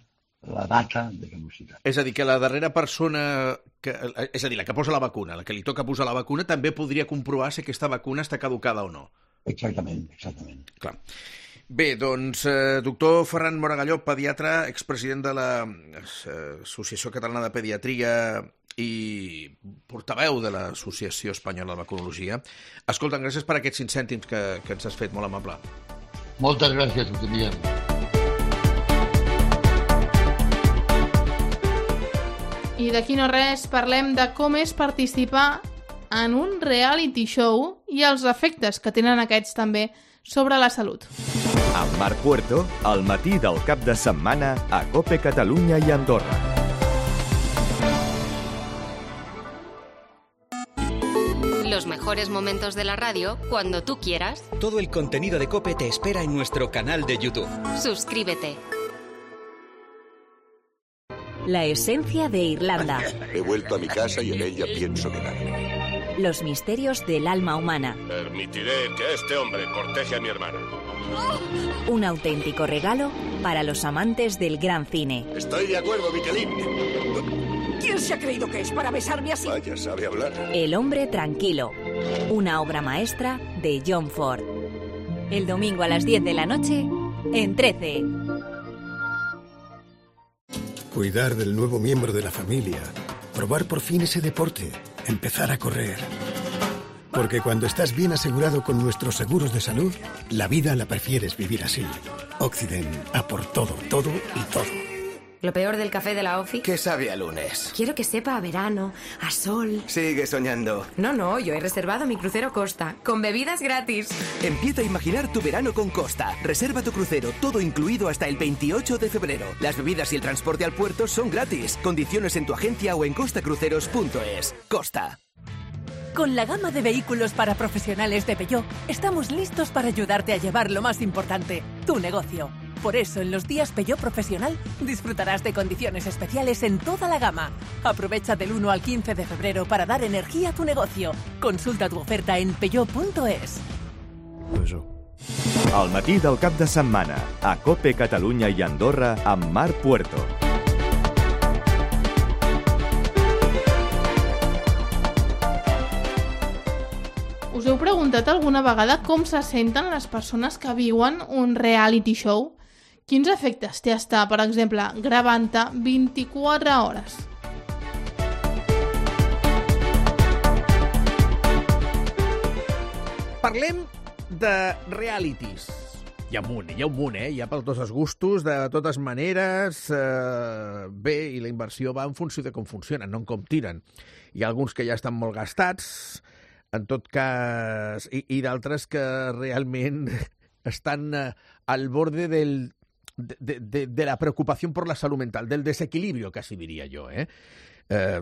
la data de caducitat. És a dir, que la darrera persona, que, és a dir, la que posa la vacuna, la que li toca posar la vacuna, també podria comprovar si aquesta vacuna està caducada o no. Exactament, exactament. Clar. Bé, doncs, eh, doctor Ferran Moragalló, pediatre, expresident de l'Associació Catalana de Pediatria i portaveu de l'Associació Espanyola de Vacunologia. Escolta, gràcies per aquests cinc cèntims que, que ens has fet, molt amable. Moltes gràcies, ho teníem. I d'aquí no res, parlem de com és participar en un reality show i els efectes que tenen aquests també sobre la salut. A Amb Marc Puerto, al matí del cap de setmana a COPE Catalunya i Andorra. Los mejores momentos de la radio cuando tú quieras. Todo el contenido de COPE te espera en nuestro canal de YouTube. Suscríbete. La esencia de Irlanda. He vuelto a mi casa y en ella pienso quedarme. Los misterios del alma humana. Permitiré que este hombre corteje a mi hermana. Un auténtico regalo para los amantes del gran cine. Estoy de acuerdo, Michelin. ¿Quién se ha creído que es para besarme así? Vaya, sabe hablar. El hombre tranquilo. Una obra maestra de John Ford. El domingo a las diez de la noche en trece. Cuidar del nuevo miembro de la familia. Probar por fin ese deporte. Empezar a correr. Porque cuando estás bien asegurado con nuestros seguros de salud, la vida la prefieres vivir así. Occident, a por todo, todo y todo. Lo peor del café de la OFI. ¿Qué sabe a lunes? Quiero que sepa a verano, a sol. Sigue soñando. No, no, yo he reservado mi crucero Costa, con bebidas gratis. Empieza a imaginar tu verano con Costa. Reserva tu crucero, todo incluido hasta el veintiocho de febrero. Las bebidas y el transporte al puerto son gratis. Condiciones en tu agencia o en costa cruceros punto es. Costa. Con la gama de vehículos para profesionales de Peugeot, estamos listos para ayudarte a llevar lo más importante, tu negocio. Por eso, en los días Peugeot Profesional, disfrutarás de condiciones especiales en toda la gama. Aprovecha del uno al quince de febrero para dar energía a tu negocio. Consulta tu oferta en peugeot punto es. Al matí del cap de setmana, a COPE Catalunya i Andorra, amb Marc Puerto. Us heu preguntat alguna vegada com se senten les persones que viuen un reality show? Quins efectes té estar, per exemple, gravant-te vint-i-quatre hores? Parlem de realities. Hi ha un munt, hi ha un munt, eh? Hi ha per tots els gustos, de totes maneres. Eh, bé, i la inversió va en funció de com funcionen, no en com tiren. Hi ha alguns que ja estan molt gastats, en tot cas, i, i d'altres que realment estan eh, al borde del, de, de, de la preocupació per la salut mental, del desequilibrio, quasi diria jo, eh? Eh,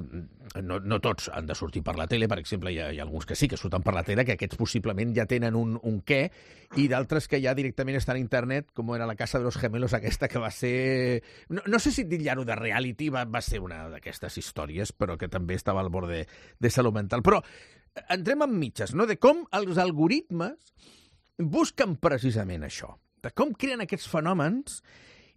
no, no tots han de sortir per la tele, per exemple, hi ha, hi ha alguns que sí que surten per la tele, que aquests possiblement ja tenen un, un què, i d'altres que ja directament estan a internet, com era la Casa de los Gemelos aquesta, que va ser... No, no sé si dir-ho de reality, va, va ser una d'aquestes històries, però que també estava al bord de, de salut mental. Però entrem en mitges, no?, de com els algoritmes busquen precisament això, de com creen aquests fenòmens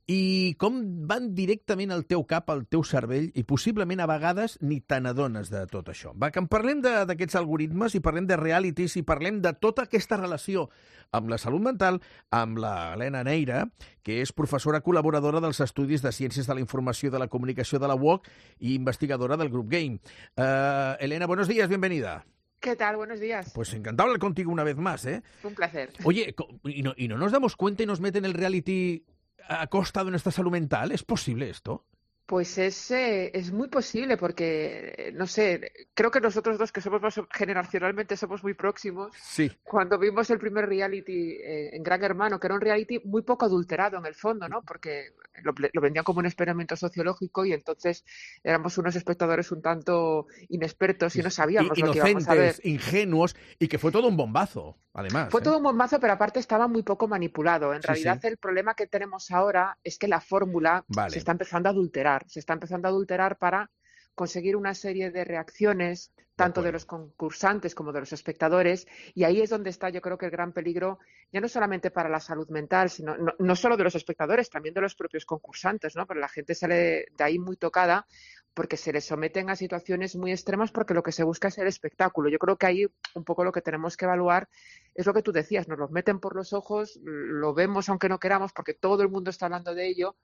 i com van directament al teu cap, al teu cervell, i possiblement a vegades ni te n'adones de tot això. Va, que en parlem d'aquests algoritmes i parlem de realities i parlem de tota aquesta relació amb la salut mental amb la Helena Neira, que és professora col·laboradora dels Estudis de Ciències de la Informació i de la Comunicació de la U O C i investigadora del Grup Game. Uh, Elena, buenos días, bienvenida. ¿Qué tal? Buenos días. Pues encantado hablar contigo una vez más, ¿eh? Un placer. Oye, ¿y no, y no nos damos cuenta y nos meten el reality a costa de nuestra salud mental? ¿Es posible esto? Pues es, eh, es muy posible porque, no sé, creo que nosotros dos, que somos más generacionalmente somos muy próximos, sí. Cuando vimos el primer reality eh, en Gran Hermano, que era un reality muy poco adulterado en el fondo, ¿no? Porque lo, lo vendían como un experimento sociológico y entonces éramos unos espectadores un tanto inexpertos y no sabíamos I, lo que íbamos a ver. Inocentes, ingenuos, y que fue todo un bombazo, además. Fue ¿eh? todo un bombazo, pero aparte estaba muy poco manipulado. En sí, realidad sí. El problema que tenemos ahora es que la fórmula vale. se está empezando a adulterar. Se está empezando a adulterar para conseguir una serie de reacciones, tanto de, de los concursantes como de los espectadores, y ahí es donde está, yo creo, que el gran peligro, ya no solamente para la salud mental, sino no, no solo de los espectadores, también de los propios concursantes, ¿no? Pero la gente sale de ahí muy tocada porque se les someten a situaciones muy extremas porque lo que se busca es el espectáculo. Yo creo que ahí un poco lo que tenemos que evaluar es lo que tú decías, nos lo meten por los ojos, lo vemos aunque no queramos porque todo el mundo está hablando de ello,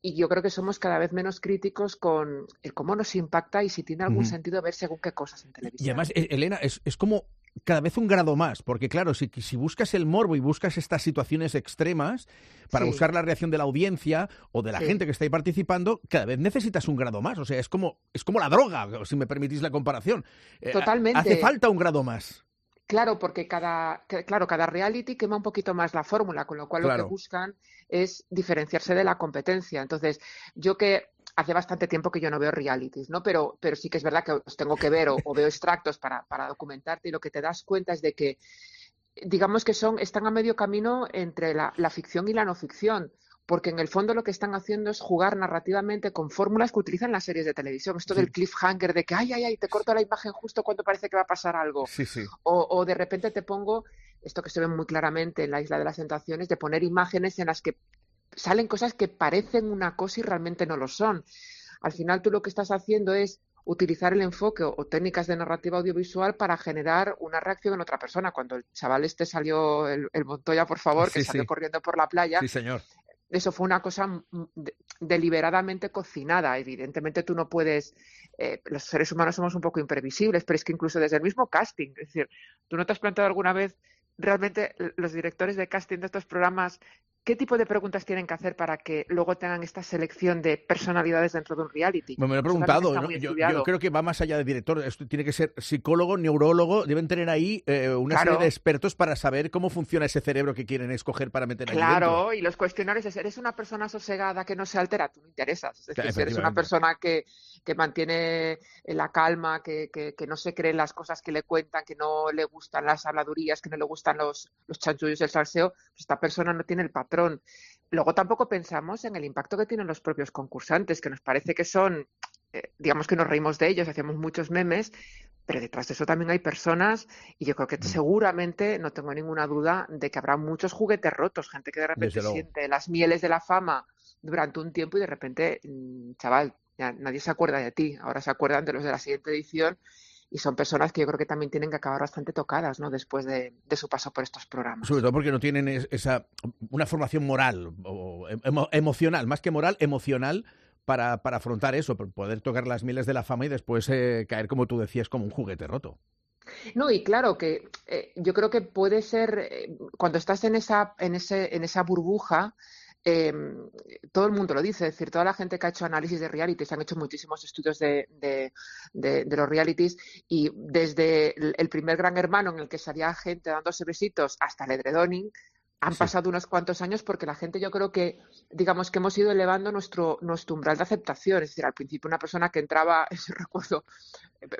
y yo creo que somos cada vez menos críticos con el cómo nos impacta y si tiene algún uh-huh. sentido ver según qué cosas en televisión. Y además, Elena, es, es como cada vez un grado más, porque claro, si, si buscas el morbo y buscas estas situaciones extremas para sí. buscar la reacción de la audiencia o de la sí. gente que está ahí participando, cada vez necesitas un grado más. O sea, es como, es como la droga, si me permitís la comparación. Totalmente. Hace falta un grado más. Claro, porque cada, claro, cada reality quema un poquito más la fórmula, con lo cual claro. Lo que buscan es diferenciarse de la competencia. Entonces, yo que hace bastante tiempo que yo no veo realities, ¿no? Pero, pero sí que es verdad que os tengo que ver o, o veo extractos para, para documentarte, y lo que te das cuenta es de que, digamos que son, están a medio camino entre la, la ficción y la no ficción. Porque en el fondo lo que están haciendo es jugar narrativamente con fórmulas que utilizan las series de televisión. Esto sí. Del cliffhanger, de que ay, ay, ay, te corto la imagen justo cuando parece que va a pasar algo. Sí, sí. O, o de repente te pongo, esto que se ve muy claramente en la Isla de las Tentaciones, de poner imágenes en las que salen cosas que parecen una cosa y realmente no lo son. Al final tú lo que estás haciendo es utilizar el enfoque o, o técnicas de narrativa audiovisual para generar una reacción en otra persona. Cuando el chaval este salió, el, el Montoya, por favor, sí, que salió sí. corriendo por la playa. Sí, señor. Eso fue una cosa de, deliberadamente cocinada. Evidentemente tú no puedes... Eh, los seres humanos somos un poco imprevisibles, pero es que incluso desde el mismo casting, es decir, ¿tú no te has planteado alguna vez realmente los directores de casting de estos programas qué tipo de preguntas tienen que hacer para que luego tengan esta selección de personalidades dentro de un reality? Bueno, me lo he preguntado, ¿no? yo, yo creo que va más allá de director, esto tiene que ser psicólogo, neurólogo, deben tener ahí eh, una claro. serie de expertos para saber cómo funciona ese cerebro que quieren escoger para meter ahí Claro, dentro. Y los cuestionarios es, ¿eres una persona sosegada que no se altera? Tú no interesas, es decir, si eres una persona que, que mantiene la calma, que, que, que no se cree las cosas que le cuentan, que no le gustan las habladurías, que no le gustan los, los chanchullos del salseo, pues esta persona no tiene el patrón. Luego tampoco pensamos en el impacto que tienen los propios concursantes, que nos parece que son, eh, digamos que nos reímos de ellos, hacemos muchos memes, pero detrás de eso también hay personas y yo creo que seguramente, no tengo ninguna duda, de que habrá muchos juguetes rotos, gente que de repente siente las mieles de la fama durante un tiempo y de repente, chaval, ya nadie se acuerda de ti, ahora se acuerdan de los de la siguiente edición. Y son personas que yo creo que también tienen que acabar bastante tocadas, ¿no? Después de, de su paso por estos programas. Sobre todo porque no tienen esa una formación moral o emo, emocional, más que moral, emocional, para, para afrontar eso, para poder tocar las mieles de la fama y después eh, caer, como tú decías, como un juguete roto. No, y claro que eh, yo creo que puede ser, eh, cuando estás en esa, en ese, en esa burbuja, Eh, todo el mundo lo dice, es decir, toda la gente que ha hecho análisis de realities, han hecho muchísimos estudios de, de, de, de los realities y desde el primer Gran Hermano en el que salía gente dándose besitos hasta el edredoning, han sí. pasado unos cuantos años porque la gente yo creo que, digamos que hemos ido elevando nuestro, nuestro umbral de aceptación, es decir, al principio una persona que entraba, yo recuerdo,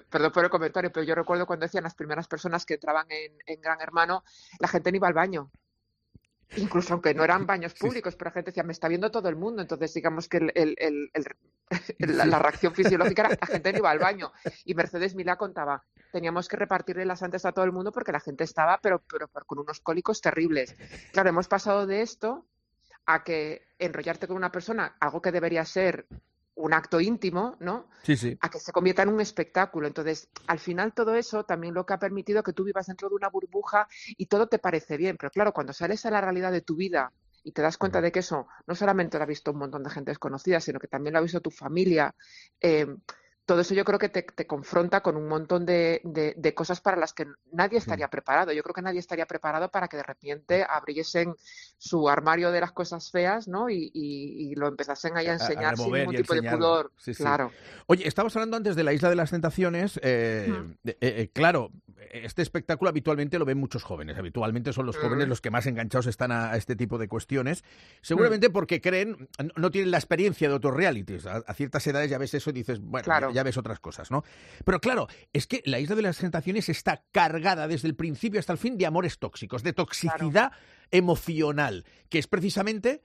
perdón por el comentario, pero yo recuerdo cuando decían las primeras personas que entraban en, en Gran Hermano, la gente no iba al baño. Incluso aunque no eran baños públicos, sí. pero la gente decía, me está viendo todo el mundo. Entonces, digamos que el, el, el, el, el, la, la reacción fisiológica era, la gente no iba al baño. Y Mercedes Milá contaba, teníamos que repartirle las antes a todo el mundo porque la gente estaba, pero, pero, pero con unos cólicos terribles. Claro, hemos pasado de esto a que enrollarte con una persona, algo que debería ser un acto íntimo, ¿no? Sí, sí. A que se convierta en un espectáculo. Entonces, al final todo eso también lo que ha permitido que tú vivas dentro de una burbuja y todo te parece bien. Pero claro, cuando sales a la realidad de tu vida y te das cuenta de que eso no solamente lo ha visto un montón de gente desconocida, sino que también lo ha visto tu familia, eh, todo eso yo creo que te, te confronta con un montón de, de, de cosas para las que nadie estaría sí. preparado. Yo creo que nadie estaría preparado para que de repente abriesen su armario de las cosas feas, ¿no? Y, y, y lo empezasen ahí a enseñar a sin ningún tipo de pudor. Sí, sí. Claro. Oye, estabas hablando antes de la Isla de las Tentaciones. Eh, mm. eh, eh, claro, este espectáculo habitualmente lo ven muchos jóvenes. Habitualmente son los jóvenes mm. los que más enganchados están a, a este tipo de cuestiones. Seguramente mm. porque creen, no tienen la experiencia de otros realities. A, a ciertas edades ya ves eso y dices, bueno, claro. ya, ya ves otras cosas, ¿no? Pero claro, es que la Isla de las Tentaciones está cargada desde el principio hasta el fin de amores tóxicos, de toxicidad claro. emocional, que es precisamente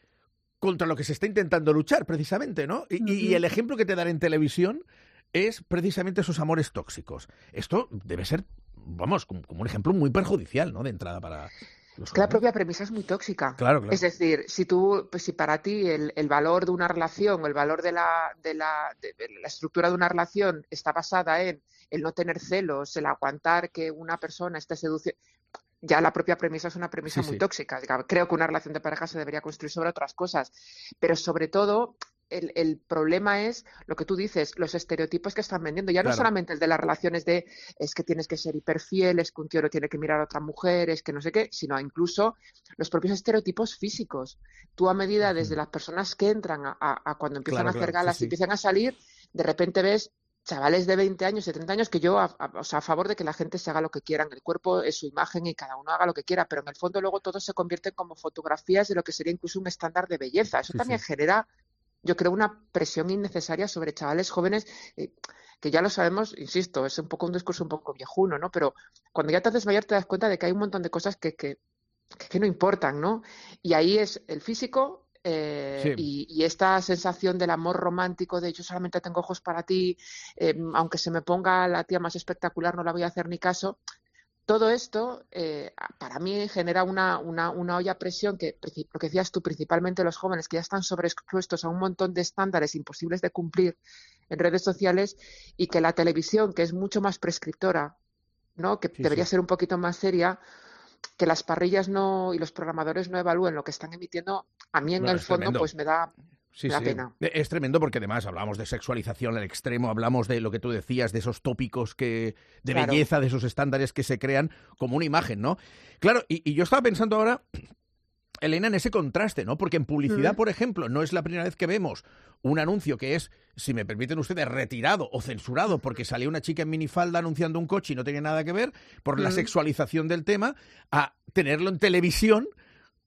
contra lo que se está intentando luchar, precisamente, ¿no? Y, uh-huh. y el ejemplo que te dan en televisión es precisamente esos amores tóxicos. Esto debe ser, vamos, como, como un ejemplo muy perjudicial, ¿no? De entrada para... Es que la propia premisa es muy tóxica. Claro, claro. Es decir, si tú, pues si para ti el, el valor de una relación o el valor de la, de, la, de la estructura de una relación está basada en el no tener celos, el aguantar que una persona esté seduciendo, ya la propia premisa es una premisa sí, muy sí. tóxica. Creo que una relación de pareja se debería construir sobre otras cosas, pero sobre todo el, el problema es lo que tú dices, los estereotipos que están vendiendo. Ya no claro. solamente el de las relaciones de es que tienes que ser hiperfiel, es que un tío no tiene que mirar a otra mujer, es que no sé qué, sino incluso los propios estereotipos físicos. Tú a medida desde las personas que entran a, a, a cuando empiezan claro, a hacer claro, galas sí, sí. y empiezan a salir, de repente ves chavales de veinte años, de treinta años, que yo, a, a, o sea, a favor de que la gente se haga lo que quiera, el cuerpo es su imagen y cada uno haga lo que quiera, pero en el fondo luego todo se convierte como fotografías de lo que sería incluso un estándar de belleza. Eso sí, también sí. genera, yo creo, una presión innecesaria sobre chavales jóvenes, eh, que ya lo sabemos, insisto, es un poco un discurso un poco viejuno, ¿no? Pero cuando ya te haces mayor te das cuenta de que hay un montón de cosas que, que, que no importan, ¿no? Y ahí es el físico, Eh, sí. y, y esta sensación del amor romántico de yo solamente tengo ojos para ti, eh, aunque se me ponga la tía más espectacular no la voy a hacer ni caso. Todo esto eh, para mí genera una, una, una olla a presión que, lo que decías tú, principalmente los jóvenes que ya están sobreexpuestos a un montón de estándares imposibles de cumplir en redes sociales, y que la televisión, que es mucho más prescriptora, ¿no? que sí, debería sí. ser un poquito más seria, que las parrillas no y los programadores no evalúen lo que están emitiendo, a mí en no, el fondo tremendo. pues me da, sí, me da sí. pena. Es tremendo porque además hablamos de sexualización al extremo, hablamos de lo que tú decías, de esos tópicos que de claro. belleza, de esos estándares que se crean como una imagen, ¿no? Claro, y, y yo estaba pensando ahora, Elena, en ese contraste, ¿no? Porque en publicidad, mm. por ejemplo, no es la primera vez que vemos un anuncio que es, si me permiten ustedes, retirado o censurado porque salía una chica en minifalda anunciando un coche y no tenía nada que ver, por mm. la sexualización del tema, a tenerlo en televisión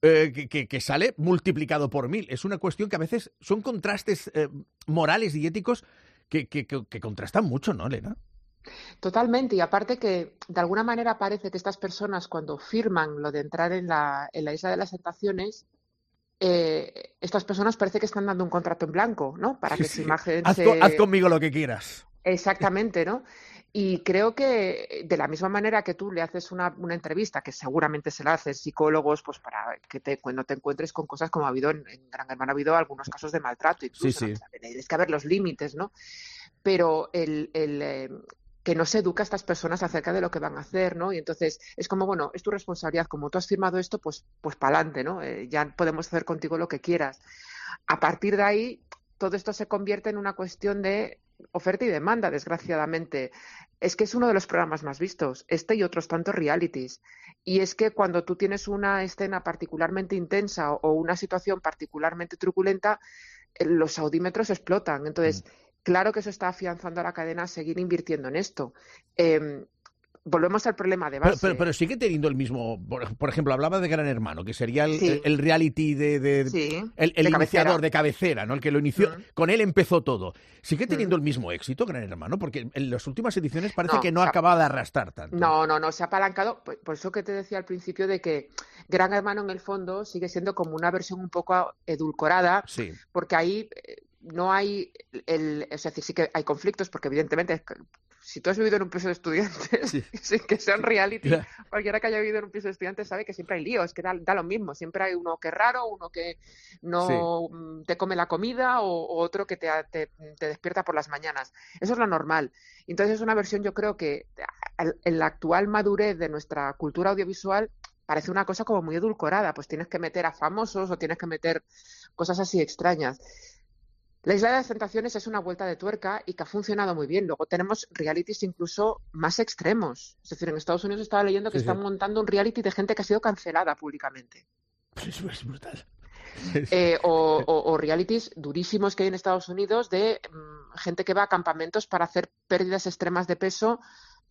eh, que, que, que sale multiplicado por mil. Es una cuestión que a veces son contrastes eh, morales y éticos que, que, que, que contrastan mucho, ¿no, Elena? Totalmente, y aparte que de alguna manera parece que estas personas cuando firman lo de entrar en la, en la Isla de las Tentaciones, eh, estas personas parece que están dando un contrato en blanco, ¿no? Para que sí, su imagen haz, se... con, haz conmigo lo que quieras. Exactamente, ¿no? Y creo que de la misma manera que tú le haces una, una entrevista, que seguramente se la hacen psicólogos, pues para que te, cuando te encuentres con cosas como ha habido en, en Gran Hermano, ha habido algunos casos de maltrato, incluso, sí, sí. Tienes que haber los límites, ¿no? Pero el... el eh, que no se educa a estas personas acerca de lo que van a hacer, ¿no? Y entonces es como, bueno, es tu responsabilidad, como tú has firmado esto, pues pues pa'lante, ¿no? Eh, ya podemos hacer contigo lo que quieras. A partir de ahí, todo esto se convierte en una cuestión de oferta y demanda, desgraciadamente. Es que es uno de los programas más vistos, este y otros tantos realities. Y es que cuando tú tienes una escena particularmente intensa o una situación particularmente truculenta, los audímetros explotan. Entonces, mm. claro que eso está afianzando a la cadena a seguir invirtiendo en esto. Eh, volvemos al problema de base. Pero, pero, pero sigue teniendo el mismo... Por, por ejemplo, hablaba de Gran Hermano, que sería el, sí. el, el reality de... de sí, el el de iniciador cabecera. de cabecera, ¿no? El que lo inició... Mm. Con él empezó todo. ¿Sigue teniendo mm. el mismo éxito Gran Hermano? Porque en las últimas ediciones parece no, que no ha acabado de arrastrar tanto. No, no, no. Se ha apalancado... Por, por eso que te decía al principio de que Gran Hermano, en el fondo, sigue siendo como una versión un poco edulcorada. Sí. Porque ahí... no hay el, es decir, sí que hay conflictos porque evidentemente si tú has vivido en un piso de estudiantes, sí. sin que sea un reality, yeah. cualquiera que haya vivido en un piso de estudiantes sabe que siempre hay líos, que da, da lo mismo, siempre hay uno que es raro, uno que no sí. te come la comida o, o otro que te, te, te despierta por las mañanas. Eso es lo normal. Entonces es una versión, yo creo que en la actual madurez de nuestra cultura audiovisual parece una cosa como muy edulcorada, pues tienes que meter a famosos o tienes que meter cosas así extrañas. La Isla de las Tentaciones es una vuelta de tuerca y que ha funcionado muy bien. Luego tenemos realities incluso más extremos. Es decir, en Estados Unidos estaba leyendo que sí, están sí. montando un reality de gente que ha sido cancelada públicamente. Eso es brutal. Eh, o, o, o realities durísimos que hay en Estados Unidos de um, gente que va a campamentos para hacer pérdidas extremas de peso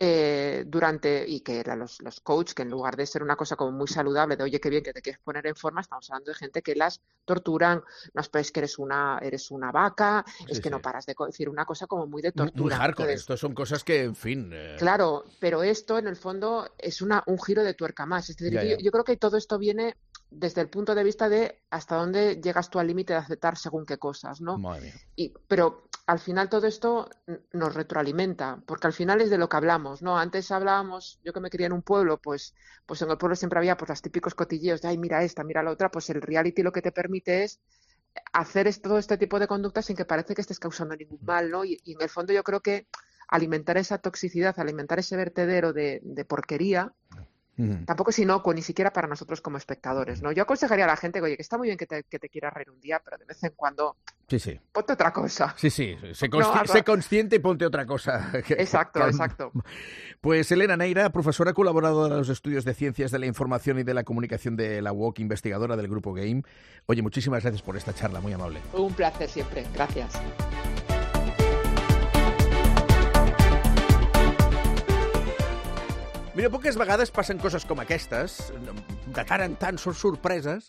eh, durante, y que eran los, los coaches, que en lugar de ser una cosa como muy saludable, de oye, qué bien que te quieres poner en forma, estamos hablando de gente que las torturan, no es que eres una, eres una vaca, sí, es que sí. no paras de decir una cosa como muy de tortura. Muy hardcore, Entonces, esto son cosas que, en fin... Eh... Claro, pero esto en el fondo es una, un giro de tuerca más. Es decir, ya, ya. Yo, yo creo que todo esto viene desde el punto de vista de hasta dónde llegas tú al límite de aceptar según qué cosas, ¿no? Madre mía. Y, pero al final todo esto nos retroalimenta, porque al final es de lo que hablamos, ¿no? Antes hablábamos, yo que me crié en un pueblo, pues, pues en el pueblo siempre había pues los típicos cotilleos de, ay, mira esta, mira la otra, pues el reality lo que te permite es hacer todo este tipo de conductas sin que parece que estés causando ningún mal, ¿no? Y, y en el fondo yo creo que alimentar esa toxicidad, alimentar ese vertedero de, de porquería, Uh-huh. tampoco es inocuo, ni siquiera para nosotros como espectadores, ¿no? Yo aconsejaría a la gente, oye, que está muy bien que te, que te quieras reír un día, pero de vez en cuando sí, sí. ponte otra cosa. Sí, sí, sé, consci- no, sé consciente y ponte otra cosa. Exacto, exacto. Pues Elena Neira, profesora colaboradora de los estudios de Ciencias de la Información y de la Comunicación de la U O C, investigadora del Grupo Game. Oye, muchísimas gracias por esta charla, muy amable. Un placer siempre, gracias. Mira, poques vegades passen coses com aquestes, de tant en tant són sorpreses,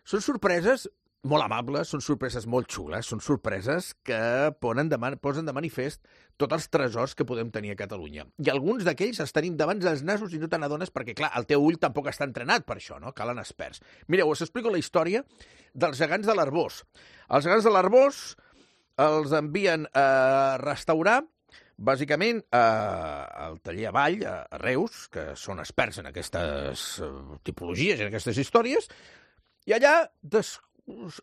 són sorpreses molt amables, són sorpreses molt xules, són sorpreses que posen de, man posen de manifest tots els tresors que podem tenir a Catalunya. I alguns d'aquells els tenim davant dels nasos i no te n'adones perquè, clar, el teu ull tampoc està entrenat per això, no? Calen experts. Mireu, us explico la història dels gegants de l'Arboç. Els gegants de l'Arboç els envien a restaurar, bàsicament, al taller Avall, a Reus, que són experts en aquestes tipologies, en aquestes històries, i allà des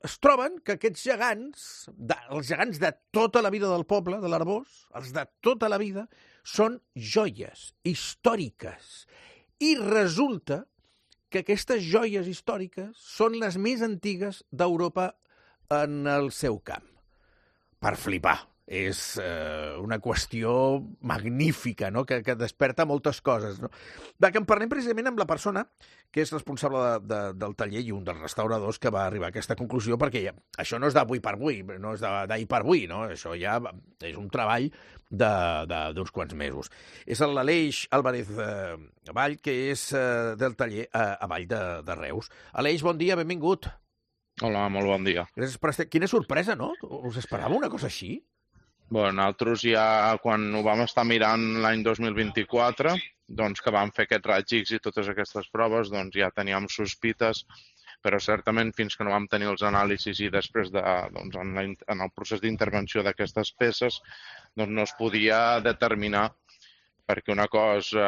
es troben que aquests gegants, de, els gegants de tota la vida del poble, de l'Arboç, els de tota la vida, són joies històriques. I resulta que aquestes joies històriques són les més antigues d'Europa en el seu camp. Per flipar. És eh, una qüestió magnífica, no? que, que desperta moltes coses. No? De que en parlem precisament amb la persona que és responsable de, de, del taller i un dels restauradors que va arribar a aquesta conclusió, perquè ja, això no és d'avui per avui, no és d'ahir per avui, no? Això ja és un treball d'uns quants mesos. És l'Aleix Álvarez eh, Avall, que és eh, del taller eh, Avall de, de Reus. Aleix, bon dia, benvingut. Hola, molt bon dia. Gràcies per estar... Quina sorpresa, no? Us esperava una cosa així? Bé, nosaltres ja, quan ho vam estar mirant l'any dos mil vint-i-quatre, doncs que vam fer aquests raigs X i totes aquestes proves, doncs ja teníem sospites, però certament fins que no vam tenir els anàlisis i després de, doncs, en, la, en el procés d'intervenció d'aquestes peces, doncs no es podia determinar, perquè una cosa,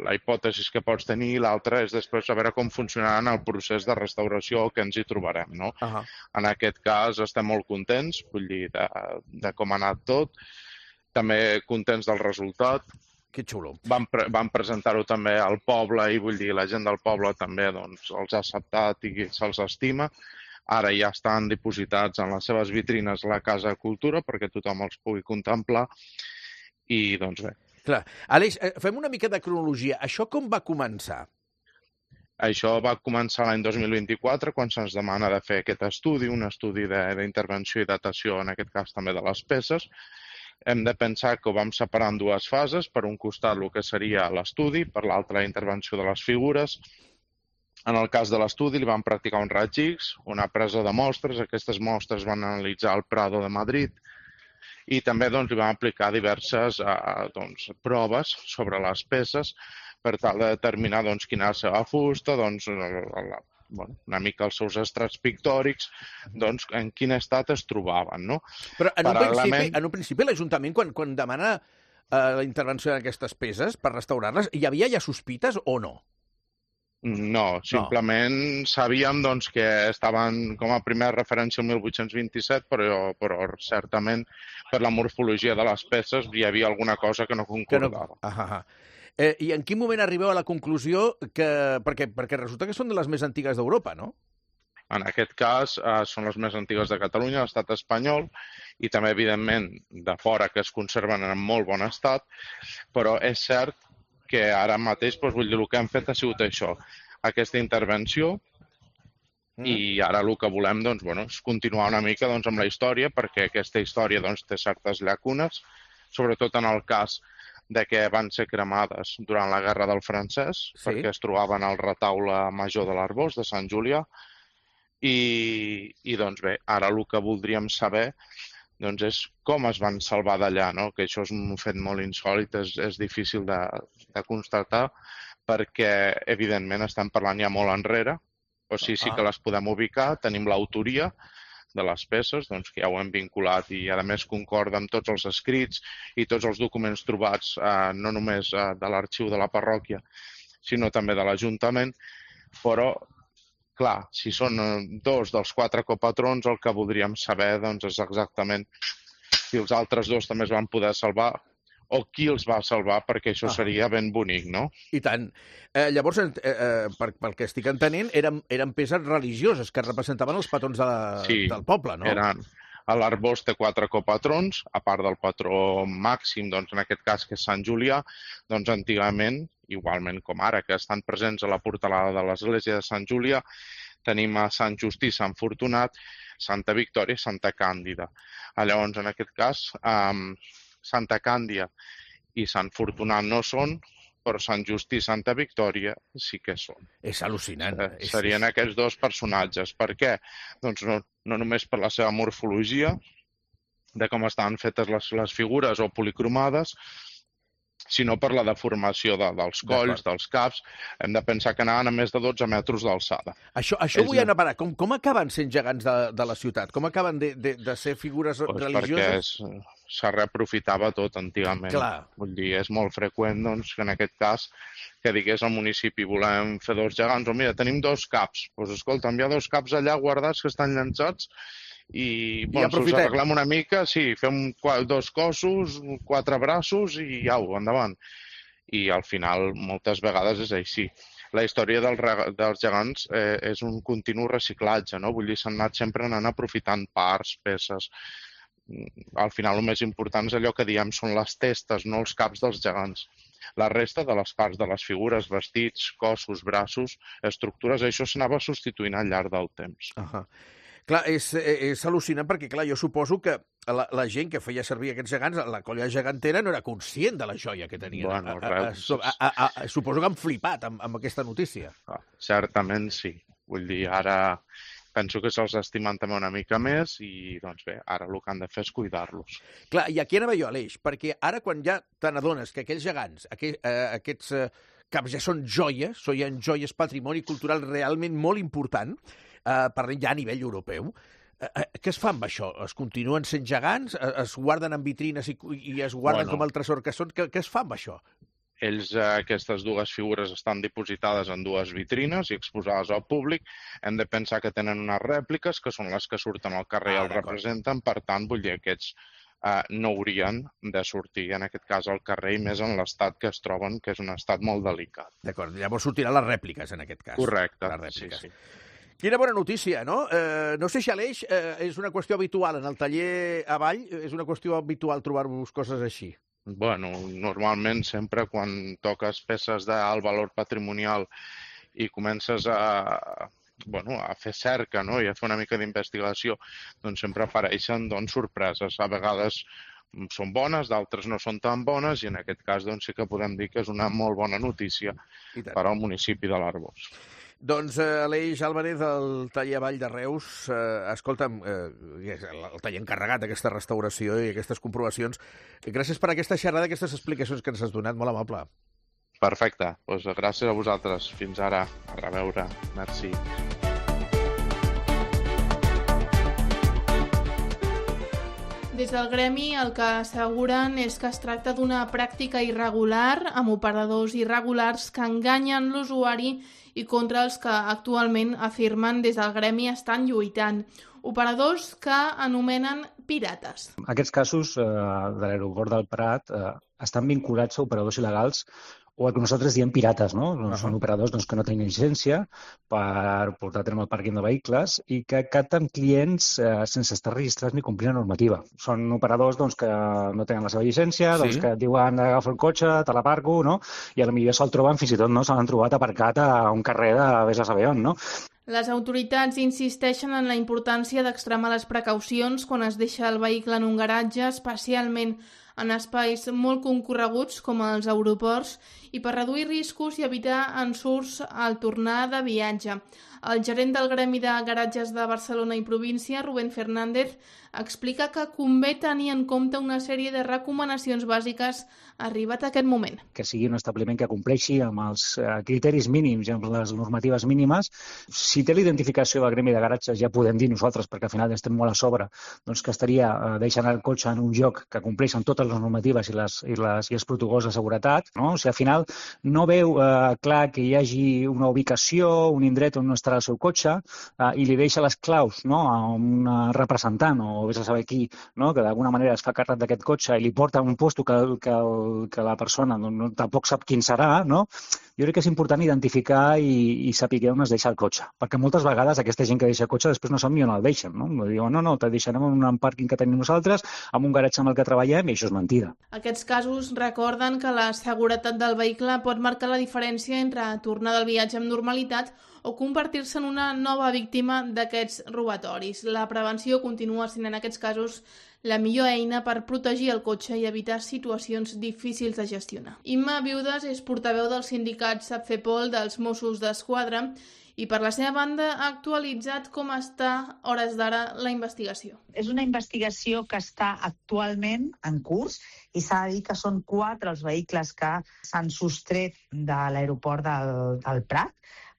la hipòtesi que pots tenir, i l'altra és després saber com funcionarà en el procés de restauració que ens hi trobarem, no? Uh -huh. En aquest cas estem molt contents, vull dir, de, de com ha anat tot, també contents del resultat. Que xulo. Vam, pre vam presentar-ho també al poble i vull dir, la gent del poble també doncs, els ha acceptat i se'ls estima. Ara ja estan dipositats en les seves vitrines a la Casa de Cultura perquè tothom els pugui contemplar i doncs bé. Clar. Aleix, fem una mica de cronologia. Això com va començar? Això va començar l'any dos mil vint-i-quatre, quan se'ns demana de fer aquest estudi, un estudi d'intervenció i datació, en aquest cas també de les peces. Hem de pensar que ho vam separar en dues fases, per un costat el que seria l'estudi, per l'altre la intervenció de les figures. En el cas de l'estudi li vam practicar un raig X, una presa de mostres, aquestes mostres van analitzar el Prado de Madrid, i també doncs, li vam aplicar diverses eh, doncs, proves sobre les peces per tal de determinar doncs, quina és la seva fusta, doncs, la, la, bueno, una mica els seus estrats pictòrics, doncs, en quin estat es trobaven. No? Però en un principi, en un principi l'Ajuntament, quan, quan demana eh, la intervenció d'aquestes peces per restaurar-les, hi havia ja sospites o no? No, simplement no. Sabíem doncs, que estaven com a primera referència el mil vuit-cents vint-i-set, però, però certament per la morfologia de les peces hi havia alguna cosa que no concordava. Que no... ah, ah. Eh, I en quin moment arribeu a la conclusió que... Perquè, perquè resulta que són de les més antigues d'Europa, no? En aquest cas eh, són les més antigues de Catalunya, l'estat espanyol, i també, evidentment, de fora que es conserven en molt bon estat, però és cert que ara mateix, doncs, vull dir, el que hem fet ha sigut això, aquesta intervenció, mm. i ara el que volem doncs, bueno, és continuar una mica doncs, amb la història, perquè aquesta història doncs, té certes llacunes, sobretot en el cas de que van ser cremades durant la Guerra del Francès, sí. perquè es trobaven al retaule major de l'Arboç, de Sant Julià, i, i doncs bé, ara el que voldríem saber doncs és com es van salvar d'allà, no? Que això és un fet molt insòlit, és, és difícil de, de constatar, perquè, evidentment, estem parlant ja molt enrere, o sigui, sí que les podem ubicar, tenim l'autoria de les peces, doncs que ja ho hem vinculat i, a més, concorda amb tots els escrits i tots els documents trobats, eh, no només eh, de l'arxiu de la parròquia, sinó també de l'Ajuntament, però clar, si són dos dels quatre copatrons, el que voldríem saber doncs, és exactament si els altres dos també es van poder salvar o qui els va salvar, perquè això seria ben bonic, no? I tant. Eh, llavors, eh, eh, per, pel que estic entenent, eren, eren peces religioses que representaven els patrons de la, sí, del poble, no? Eren. L'Arboç té quatre copatrons, a part del patró màxim, doncs, en aquest cas, que és Sant Julià, doncs antigament, igualment com ara, que estan presents a la portalada de l'església de Sant Julià, tenim a Sant Justí, Sant Fortunat, Santa Victòria i Santa Càndida. Llavors, en aquest cas, um, Santa Càndida i Sant Fortunat no són, però Sant Just i Santa Victòria sí que són. És al·lucinant. Eh, serien aquests dos personatges. Per què? Doncs no, no només per la seva morfologia, de com estaven fetes les, les figures o policromades, sinó per la deformació de, dels colls, dels caps. Hem de pensar que anaven a més de dotze metres d'alçada. Això, això vull anar a parar. Com, com acaben sent gegants de, de la ciutat? Com acaben de, de, de ser figures pues religioses? Perquè se reaprofitava tot antigament. Clar. Vull dir, és molt freqüent doncs, que en aquest cas que digués al municipi volem fer dos gegants, o mira, tenim dos caps. Doncs pues, escolta, hi ha dos caps allà guardats que estan llançats i, bueno, I us arreglem una mica, sí, fem dos cossos, quatre braços i au, endavant. I al final, moltes vegades és així. La història del, dels gegants eh, és un continu reciclatge, no? Vull dir, s'han anat sempre anant aprofitant parts, peces. Al final, el més important és allò que diem són les testes, no els caps dels gegants. La resta de les parts de les figures, vestits, cossos, braços, estructures, això s'anava substituint al llarg del temps. Ahà. Clar, és, és al·lucinant perquè, clar, jo suposo que la, la gent que feia servir aquests gegants, la colla gegantera, no era conscient de la joia que tenien. Bueno, a, a, a, a, a, a, suposo que han flipat amb, amb aquesta notícia. Ah, certament sí. Vull dir, ara penso que se'ls estimen també una mica més i, doncs bé, ara el que han de fer és cuidar-los. Clar, i aquí anava jo, Aleix, perquè ara quan ja te n'adones que aquells gegants, aquell, eh, aquests eh, caps ja són joies, són joies, patrimoni cultural realment molt important, Uh, parlem ja a nivell europeu. Uh, uh, què es fa amb això? Es continuen sent gegants? Uh, es guarden en vitrines i, i es guarden bueno, com el tresor que són? Què, què es fa amb això? Ells, uh, aquestes dues figures estan dipositades en dues vitrines i exposades al públic. Hem de pensar que tenen unes rèpliques, que són les que surten al carrer i ah, el representen. Per tant, vull dir, aquests uh, no haurien de sortir, en aquest cas, al carrer, i més en l'estat que es troben, que és un estat molt delicat. D'acord, llavors sortiran les rèpliques, en aquest cas. Correcte, sí, sí. Quina bona notícia, no? Eh, no sé si, Aleix, eh, és una qüestió habitual en el taller avall, és una qüestió habitual trobar-vos coses així. Bueno, normalment sempre quan toques peces d'alt valor patrimonial i comences a, bueno, a fer cerca, no? I a fer una mica d'investigació, doncs sempre apareixen doncs, sorpreses. A vegades són bones, d'altres no són tan bones, i en aquest cas doncs, sí que podem dir que és una molt bona notícia per al municipi de l'Arboç. Doncs eh, Aleix Álvarez, del taller Avall de Reus, eh, escolta'm, eh, el taller encarregat d'aquesta restauració i aquestes comprovacions, gràcies per aquesta xerrada, aquestes explicacions que ens has donat, molt amable. Perfecte, doncs gràcies a vosaltres. Fins ara, a reveure. Merci. Des del gremi el que asseguren és que es tracta d'una pràctica irregular amb operadors irregulars que enganyen l'usuari i contra els que actualment afirmen des del gremi estan lluitant. Operadors que anomenen pirates. Aquests casos eh, de l'aeroport del Prat eh, estan vinculats a operadors il·legals o el que nosaltres diem pirates, no? Uh-huh. Són operadors doncs, que no tenen llicència per portar a terme el pàrquing de vehicles i que capten clients eh, sense estar registrats ni complir la normativa. Són operadors doncs, que no tenen la seva llicència, sí. doncs, que diuen agafa el cotxe, te l'aparco, no? I potser se'l troben, fins i tot no? Se l'han trobat aparcat a un carrer de vés a saber on, no? Les autoritats insisteixen en la importància d'extremar les precaucions quan es deixa el vehicle en un garatge, especialment en espais molt concorreguts com els aeroports i per reduir riscos i evitar ensurts al tornar de viatge. El gerent del Gremi de Garatges de Barcelona i província, Rubén Fernández, explica que convé tenir en compte una sèrie de recomanacions bàsiques arribat a aquest moment. Que sigui un establiment que compleixi amb els criteris mínims i amb les normatives mínimes. Si té l'identificació del Gremi de Garatges, ja podem dir nosaltres, perquè al final estem molt a sobre, doncs que estaria deixant el cotxe en un lloc que compleix amb totes les normatives i, les, i, les, i els protocols de seguretat. No? O sigui, al final no veu eh, clar que hi hagi una ubicació, un indret on no estarà el seu cotxe eh, i li deixa les claus, no? A un representant o vés a saber qui, no? Que d'alguna manera es fa càrrec d'aquest cotxe i li porta a un lloc que, que, que la persona no, no, tampoc sap quin serà, no? Jo crec que és important identificar i, i saber on es deixa el cotxe, perquè moltes vegades aquesta gent que deixa el cotxe després no sap ni on el deixen, no? Diuen, no, no, te deixarem en un pàrquing que tenim nosaltres, en un garatge amb el que treballem, i això és mentida. Aquests casos recorden que la seguretat del vehicle pot marcar la diferència entre tornar del viatge amb normalitat o convertir-se en una nova víctima d'aquests robatoris. La prevenció continua sent en aquests casos la millor eina per protegir el cotxe i evitar situacions difícils de gestionar. Imma Viudes és portaveu del sindicat SAPFEPOL dels Mossos d'Esquadra i per la seva banda ha actualitzat com està, a hores d'ara, la investigació. És una investigació que està actualment en curs i s'ha de dir que són quatre els vehicles que s'han sostret de l'aeroport del, del Prat,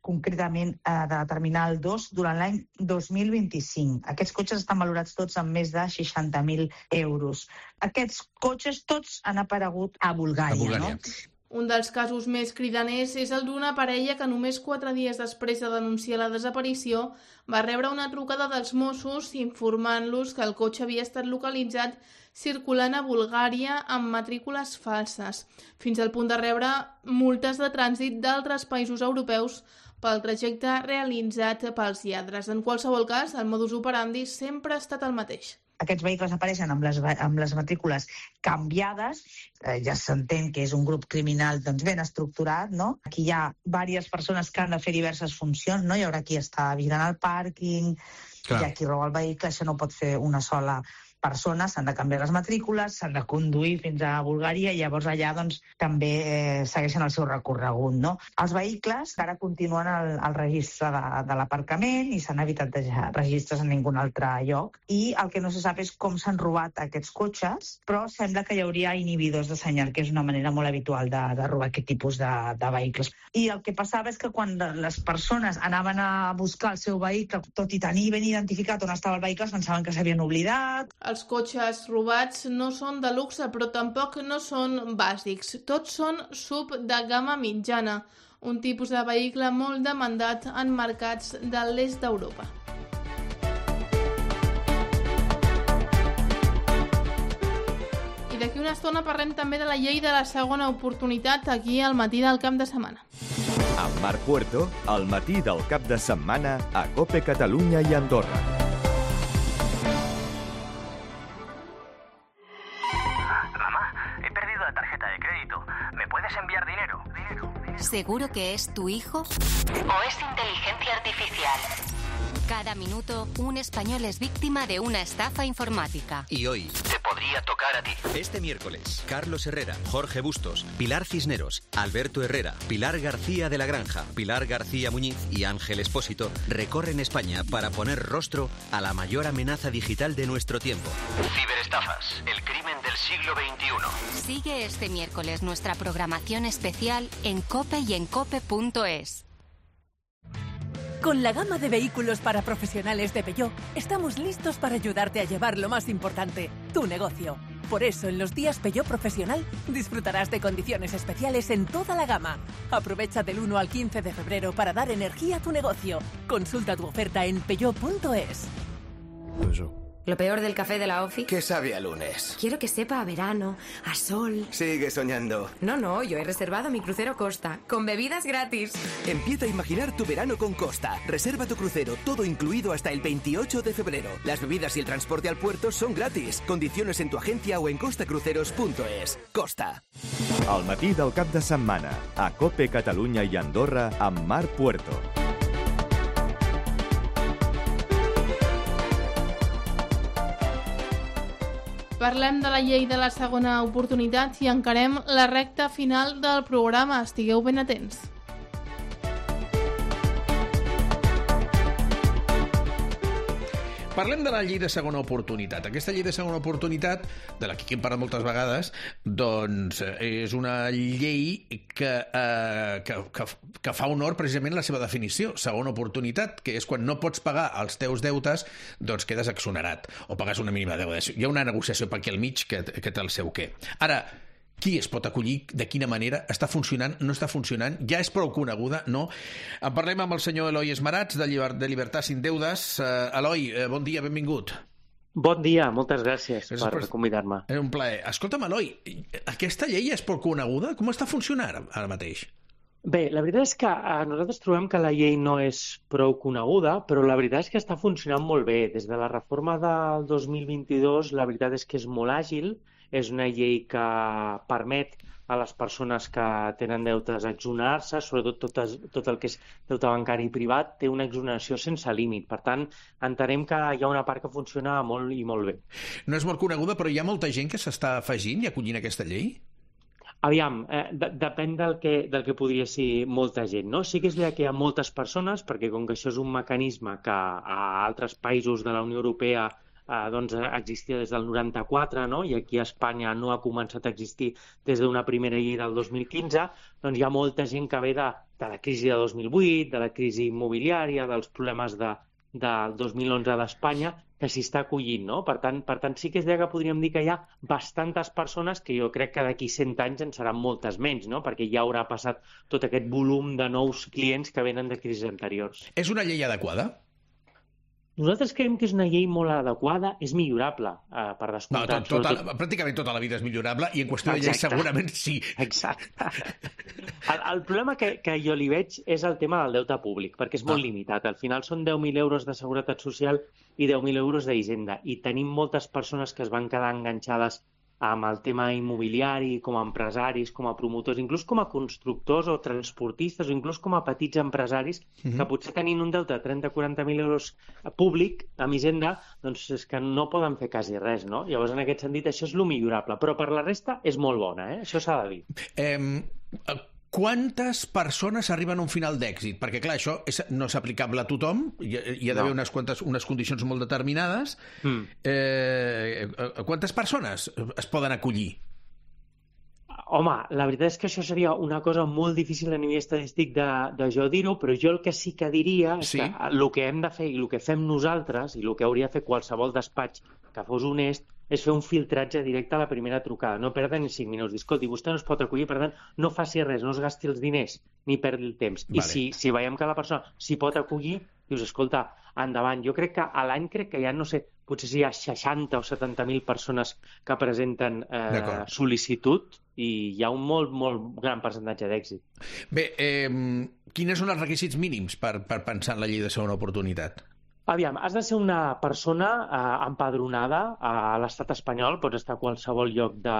concretament eh, de la Terminal dos, durant l'any dos mil vint-i-cinc. Aquests cotxes estan valorats tots amb més de seixanta mil euros. Aquests cotxes tots han aparegut a Bulgària. A Bulgària. No? Un dels casos més cridaners és el d'una parella que només quatre dies després de denunciar la desaparició va rebre una trucada dels Mossos informant-los que el cotxe havia estat localitzat circulant a Bulgària amb matrícules falses, fins al punt de rebre multes de trànsit d'altres països europeus pel trajecte realitzat pels lladres. En qualsevol cas, el modus operandi sempre ha estat el mateix. Aquests vehicles apareixen amb les, amb les matrícules canviades, eh, ja s'entén que és un grup criminal doncs, ben estructurat, no? Aquí hi ha diverses persones que han de fer diverses funcions, no? Hi haurà qui està vigilant el pàrquing, hi ha qui roba el vehicle, això no pot fer una sola persona, s'han de canviar les matrícules, s'han de conduir fins a Bulgària i llavors allà doncs, també eh, segueixen el seu recorregut. No? Els vehicles ara continuen al, al registre de, de l'aparcament i s'han evitat deixar registres en ningun altre lloc. I el que no se sap és com s'han robat aquests cotxes, però sembla que hi hauria inhibidors de senyal, que és una manera molt habitual de, de robar aquest tipus de, de vehicles. I el que passava és que quan les persones anaven a buscar el seu vehicle, tot i tenir ben identificat on estava el vehicle, pensaven que s'havien oblidat. Els cotxes robats no són de luxe, però tampoc no són bàsics. Tots són sub de gamma mitjana, un tipus de vehicle molt demandat en mercats de l'est d'Europa. I d'aquí una estona parlem també de la llei de la segona oportunitat aquí al matí del cap de setmana. Amb Marc Puerto, al matí del cap de setmana a COPE Catalunya i Andorra. Enviar dinero. dinero, dinero. ¿Seguro que es tu hijo? ¿O es inteligencia artificial? Cada minuto, un español es víctima de una estafa informática. Y hoy te podría tocar a ti. Este miércoles, Carlos Herrera, Jorge Bustos, Pilar Cisneros, Alberto Herrera, Pilar García de la Granja, Pilar García Muñiz y Ángel Espósito recorren España para poner rostro a la mayor amenaza digital de nuestro tiempo. Ciberestafas, el crimen del siglo veintiuno. Sigue este miércoles nuestra programación especial en COPE y en cope punto es. Con la gama de vehículos para profesionales de Peugeot, estamos listos para ayudarte a llevar lo más importante, tu negocio. Por eso, en los días Peugeot Profesional, disfrutarás de condiciones especiales en toda la gama. Aprovecha del uno al quince de febrero para dar energía a tu negocio. Consulta tu oferta en peugeot punto es. Lo peor del café de la OFI. Que sabe a lunes. Quiero que sepa a verano, a sol. Sigue soñando. No, no, yo he reservado mi crucero Costa, con bebidas gratis. Empieza a imaginar tu verano con Costa. Reserva tu crucero, todo incluido hasta el veintiocho de febrero. Las bebidas y el transporte al puerto son gratis. Condiciones en tu agencia o en costa cruceros punto es. Costa. Al matí del cap de setmana, a COPE Catalunya i Andorra amb Marc Puerto. Parlem de la llei de la segona oportunitat i encarem la recta final del programa. Estigueu ben atents. Parlem de la llei de segona oportunitat. Aquesta llei de segona oportunitat, de la que hem parlat moltes vegades, doncs és una llei que, eh, que, que, que fa honor precisament a la seva definició. Segona oportunitat, que és quan no pots pagar els teus deutes, doncs quedes exonerat o pagues una mínima deuda. Hi ha una negociació per aquí al mig que, que té el seu què. Ara, qui es pot acollir, de quina manera, està funcionant, no està funcionant, ja és prou coneguda, no? En parlem amb el senyor Eloi Esmarats, de, Lliber... de Libertat Sin Deudes. Uh, Eloi, uh, bon dia, benvingut. Bon dia, moltes gràcies, gràcies per, per convidar-me. És un plaer. Escolta'm, Eloi, aquesta llei és prou coneguda? Com està funcionant ara mateix? Bé, la veritat és que eh, nosaltres trobem que la llei no és prou coneguda, però la veritat és que està funcionant molt bé. Des de la reforma del dos mil vint-i-dos, la veritat és que és molt àgil, és una llei que permet a les persones que tenen deutes exonerar-se, sobretot tot, es, tot el que és deute bancari privat, té una exoneració sense límit. Per tant, entenem que hi ha una part que funciona molt i molt bé. No és molt coneguda, però hi ha molta gent que s'està afegint i acollint aquesta llei? Aviam, eh, de, depèn del que, del que podria ser molta gent, no? Sí que és veritat que hi ha moltes persones, perquè com que això és un mecanisme que a altres països de la Unió Europea Eh, doncs existia des del noranta-quatre, no? I aquí a Espanya no ha començat a existir des d'una primera llei del dos mil quinze, doncs hi ha molta gent que ve de, de la crisi de dos mil vuit, de la crisi immobiliària, dels problemes de, del dos mil onze d'Espanya, que s'hi està acollint, no? Per tant, per tant, sí que és veritat que podríem dir que hi ha bastantes persones que jo crec que d'aquí cent anys en seran moltes menys, no? Perquè ja haurà passat tot aquest volum de nous clients que venen de crisis anteriors. És una llei adequada? Nosaltres creiem que és una llei molt adequada, és millorable, eh, per descomptat. No, tot, tota, tot... pràcticament tota la vida és millorable i en qüestió de llei segurament sí. Exacte. El, el problema que, que jo li veig és el tema del deute públic, perquè és molt ah. limitat. Al final són deu mil euros de seguretat social i deu mil euros d'Hisenda. I tenim moltes persones que es van quedar enganxades amb el tema immobiliari, com a empresaris, com a promotors, inclús com a constructors o transportistes, o inclús com a petits empresaris, mm-hmm. que potser tenint un deute de trenta a quaranta mil euros públic amb Hisenda, doncs és que no poden fer quasi res, no? Llavors, en aquest sentit, això és lo millorable. Però per la resta és molt bona, eh? Això s'ha de dir. Eh, quantes persones arriben a un final d'èxit? Perquè, clar, això és, no és aplicable a tothom, hi, hi ha d'haver no. unes, quantes, unes condicions molt determinades. Mm. Eh, quantes persones es poden acollir? Home, la veritat és que això seria una cosa molt difícil a nivell estadístic de, de jo dir-ho, però jo el que sí que diria és sí. que el que hem de fer i el que fem nosaltres i el que hauria de fer qualsevol despatx que fos honest és fer un filtratge directe a la primera trucada, no perdre ni cinc minuts. Escolti, vostè no es pot acollir, per tant, no faci res, no es gasti els diners ni perdi el temps. Vale. I si, si veiem que la persona s'hi pot acollir, dius, escolta, endavant. Jo crec que a l'any crec que hi ha, no sé, potser si hi ha seixanta o setanta mil persones que presenten eh, sol·licitud i hi ha un molt, molt gran percentatge d'èxit. Bé, eh, quins són els requisits mínims per, per pensar en la llei de segona oportunitat? Aviam, has de ser una persona eh, empadronada a l'estat espanyol, pots estar a qualsevol lloc de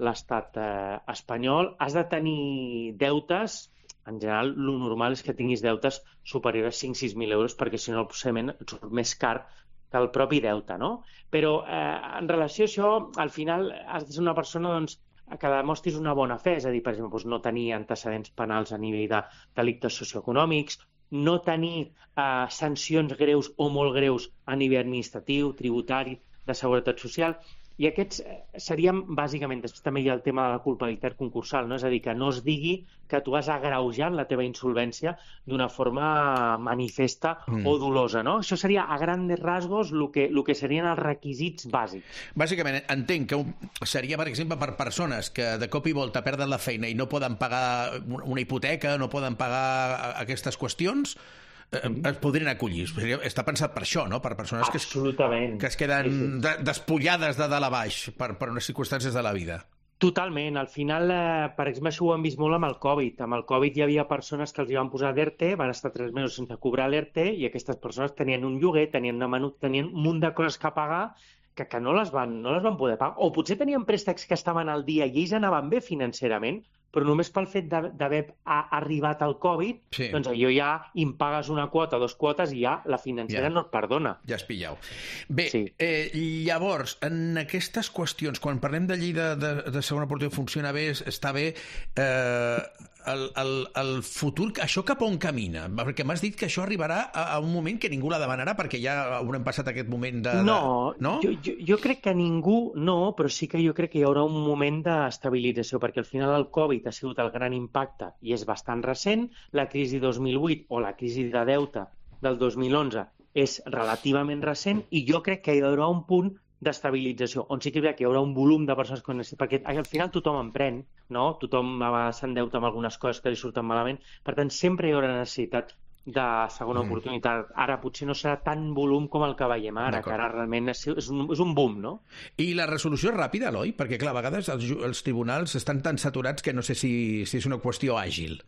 l'estat eh, espanyol, has de tenir deutes, en general el normal és que tinguis deutes superiors a cinc a sis mil euros, perquè si no el et surt més car que el propi deute, no? Però eh, en relació a això, al final has de ser una persona doncs, que demostris una bona fe, és a dir, per exemple, doncs no tenir antecedents penals a nivell de delictes socioeconòmics, no tenir eh, sancions greus o molt greus a nivell administratiu, tributari, de seguretat social, i aquests serien bàsicament, després també hi ha el tema de la culpabilitat concursal, no? És a dir, que no es digui que tu has agreujat la teva insolvència d'una forma manifesta mm. o dolosa, no? Això seria a grandes rasgos el que, el que serien els requisits bàsics. Bàsicament, entenc que seria, per exemple, per persones que de cop i volta perden la feina i no poden pagar una hipoteca, no poden pagar aquestes qüestions, es podrien acollir. Està pensat per això, no? Per persones que es, que es queden sí, sí. despullades de dalt a baix per, per unes circumstàncies de la vida. Totalment. Al final, eh, per exemple, això ho hem vist molt amb el Covid. Amb el Covid hi havia persones que els hi van posar d'ERTE, van estar tres mesos sense cobrar l'ERTE i aquestes persones tenien un lloguer, tenien una menut, tenien un munt de coses que pagar que, que no, les van, no les van poder pagar. O potser tenien préstecs que estaven al dia i ells anaven bé financerament, però només pel fet d'haver arribat al Covid, sí. doncs allò ja impagues una quota, dos quotes i ja la financera ja. no et perdona. Ja has pillau. Bé, sí. eh, llavors, en aquestes qüestions, quan parlem de llei de, de, de segona oportunitat funciona bé, està bé, eh, el, el, el futur, això cap on camina? Perquè m'has dit que això arribarà a, a un moment que ningú la demanarà perquè ja haurem passat aquest moment de... No, de... no? Jo, jo, jo crec que ningú no, però sí que jo crec que hi haurà un moment d'estabilització, perquè al final el Covid ha sigut el gran impacte i és bastant recent, la crisi dos mil vuit o la crisi de deute del dos mil onze és relativament recent i jo crec que hi haurà un punt d'estabilització, on sí que hi haurà un volum de persones que necessiten, perquè al final tothom emprèn, no? Tothom s'endeuta amb algunes coses que li surten malament, per tant sempre hi haurà necessitat de segona mm. oportunitat. Ara potser no serà tan volum com el que veiem ara, que ara realment és, és, un, és un boom, no? I la resolució és ràpida, Eloi? Perquè, clar, a vegades els, els tribunals estan tan saturats que no sé si, si és una qüestió àgil.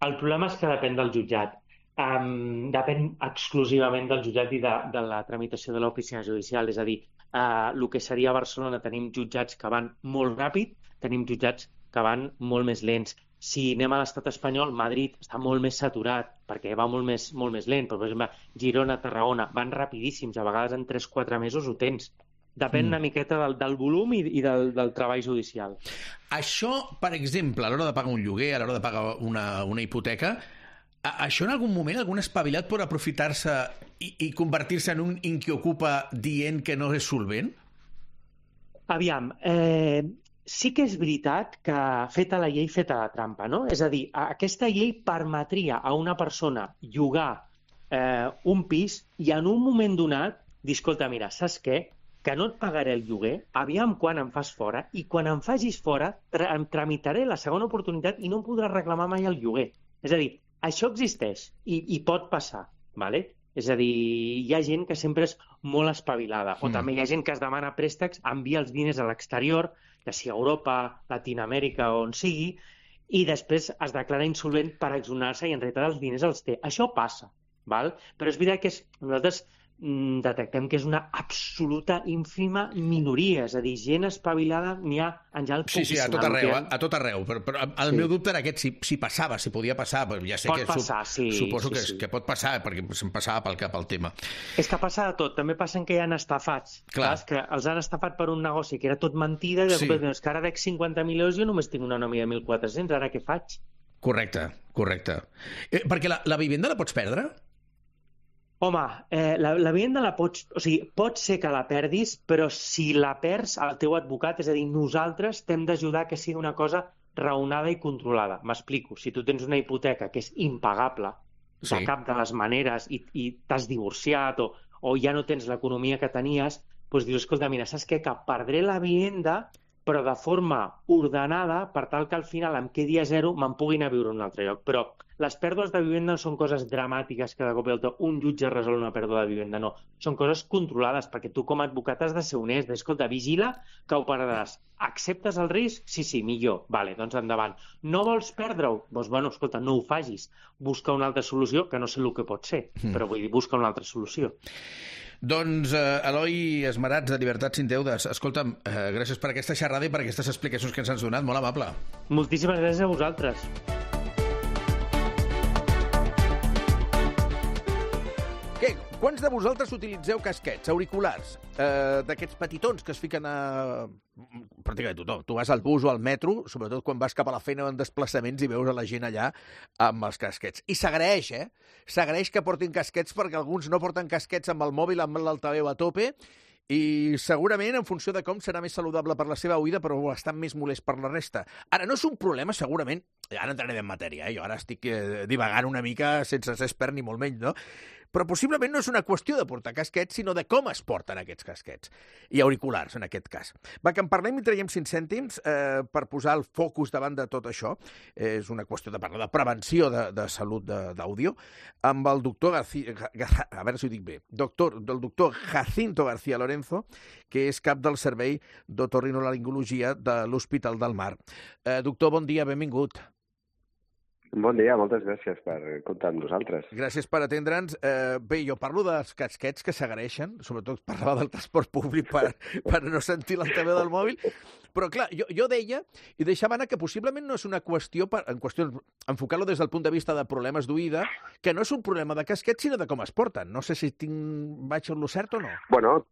El problema és que depèn del jutjat. Um, depèn exclusivament del jutjat i de, de la tramitació de l'oficina judicial, és a dir, Uh, el que seria Barcelona tenim jutjats que van molt ràpid, tenim jutjats que van molt més lents. Si anem a l'estat espanyol, Madrid està molt més saturat perquè va molt més, molt més lent, però per exemple Girona, Tarragona van rapidíssims, a vegades en tres quatre mesos ho tens. Depèn mm. una miqueta del, del volum i, i del, del treball judicial. Això, per exemple, a l'hora de pagar un lloguer, a l'hora de pagar una, una hipoteca, a, això en algun moment algun espavilat pot aprofitar-se i, i convertir-se en un inquiocupa dient que no és solvent? Aviam, eh, sí que és veritat que feta la llei, feta la trampa, no? És a dir, aquesta llei permetria a una persona llogar eh, un pis i en un moment donat dir, escolta, mira, saps què? Que no et pagaré el lloguer, aviam quan em fas fora, i quan em facis fora tra em tramitaré la segona oportunitat i no em podràs reclamar mai el lloguer. És a dir, això existeix i, i pot passar, ¿vale? És a dir, hi ha gent que sempre és molt espavilada, mm. o també hi ha gent que es demana préstecs, envia els diners a l'exterior, ja sigui a Europa, Latinoamèrica o on sigui, i després es declara insolvent per exonerar-se i en realitat els diners els té. Això passa, val? Però és veritat que és, nosaltres detectem que és una absoluta ínfima minoria, és a dir, gent espavilada n'hi ha en general poquíssima. Sí, sí, a tot arreu, a, a tot arreu. Però, però el sí. meu dubte era aquest, si, si passava, si podia passar, però ja sé pot que passar, sí, suposo sí, que, sí. que pot passar, perquè se'm passava pel cap el tema. És que passa de tot, també passen que hi ha estafats, clar. Clar, que els han estafat per un negoci que era tot mentida, i de sí. cop, és que ara dec cinquanta mil euros i jo només tinc una nòmina de mil quatre-cents, ara què faig? Correcte, correcte. Eh, perquè la, la vivenda la pots perdre? Home, eh, la, la vivenda la pots... O sigui, pot ser que la perdis, però si la perds, el teu advocat, és a dir, nosaltres t'hem d'ajudar que sigui una cosa raonada i controlada. M'explico. Si tu tens una hipoteca que és impagable, sí. de cap de les maneres, i, i t'has divorciat o, o ja no tens l'economia que tenies, doncs dius, escolta, mira, saps què? Que perdré la vivenda, però de forma ordenada, per tal que al final em quedi a zero, me'n puguin a viure a un altre lloc. Però les pèrdues de vivenda no són coses dramàtiques que de cop i volta un jutge resol una pèrdua de vivenda, no. Són coses controlades, perquè tu com a advocat has de ser honest, escolta, vigila que ho perdràs. Acceptes el risc? Sí, sí, millor. Vale, doncs endavant. No vols perdre-ho? Doncs, bueno, escolta, no ho facis. Busca una altra solució, que no sé el que pot ser, mm. però vull dir, busca una altra solució. Doncs, eh, Eloi Esmerats, de Llibertats Sin Deudes, escolta'm, eh, gràcies per aquesta xerrada i per aquestes explicacions que ens has donat, molt amable. Moltíssimes gràcies a vosaltres. Què? Quants de vosaltres utilitzeu casquets, auriculars, eh, d'aquests petitons que es fiquen a... pràcticament tothom. Tu vas al bus o al metro, sobretot quan vas cap a la feina o en desplaçaments i veus a la gent allà amb els casquets. I s'agraeix, eh? S'agraeix que portin casquets perquè alguns no porten casquets amb el mòbil, amb l'altaveu a tope, i segurament en funció de com serà més saludable per la seva oïda, però bastant més molest per la resta. Ara, no és un problema, segurament, ara entrarem en matèria, eh? Jo ara estic eh, divagant una mica sense ser expert ni molt menys, no? Però possiblement no és una qüestió de portar casquets, sinó de com es porten aquests casquets. I auriculars, en aquest cas. Va, que en parlem i traiem cinc cèntims eh, per posar el focus davant de tot això. Eh, és una qüestió de parlar de prevenció de, de salut d'àudio amb el doctor García, a veure si ho dic bé, doctor, del doctor Jacinto García Lorenzo, que és cap del Servei d'Otorrinolaringologia de l'Hospital del Mar. Eh, doctor, bon dia, benvingut. Bon dia, moltes gràcies per comptar amb nosaltres. Gràcies per atendre'ns. Eh, bé, jo parlo dels casquets que s'agraeixen, sobretot parlava del transport públic per, per no sentir l'altaveu del mòbil, però clar, jo, jo deia, i deixava anar que possiblement no és una qüestió, per, en qüestió, enfocar-lo des del punt de vista de problemes d'oïda, que no és un problema de casquets, sinó de com es porten. No sé si tinc, vaig a lo cert o no. Bueno,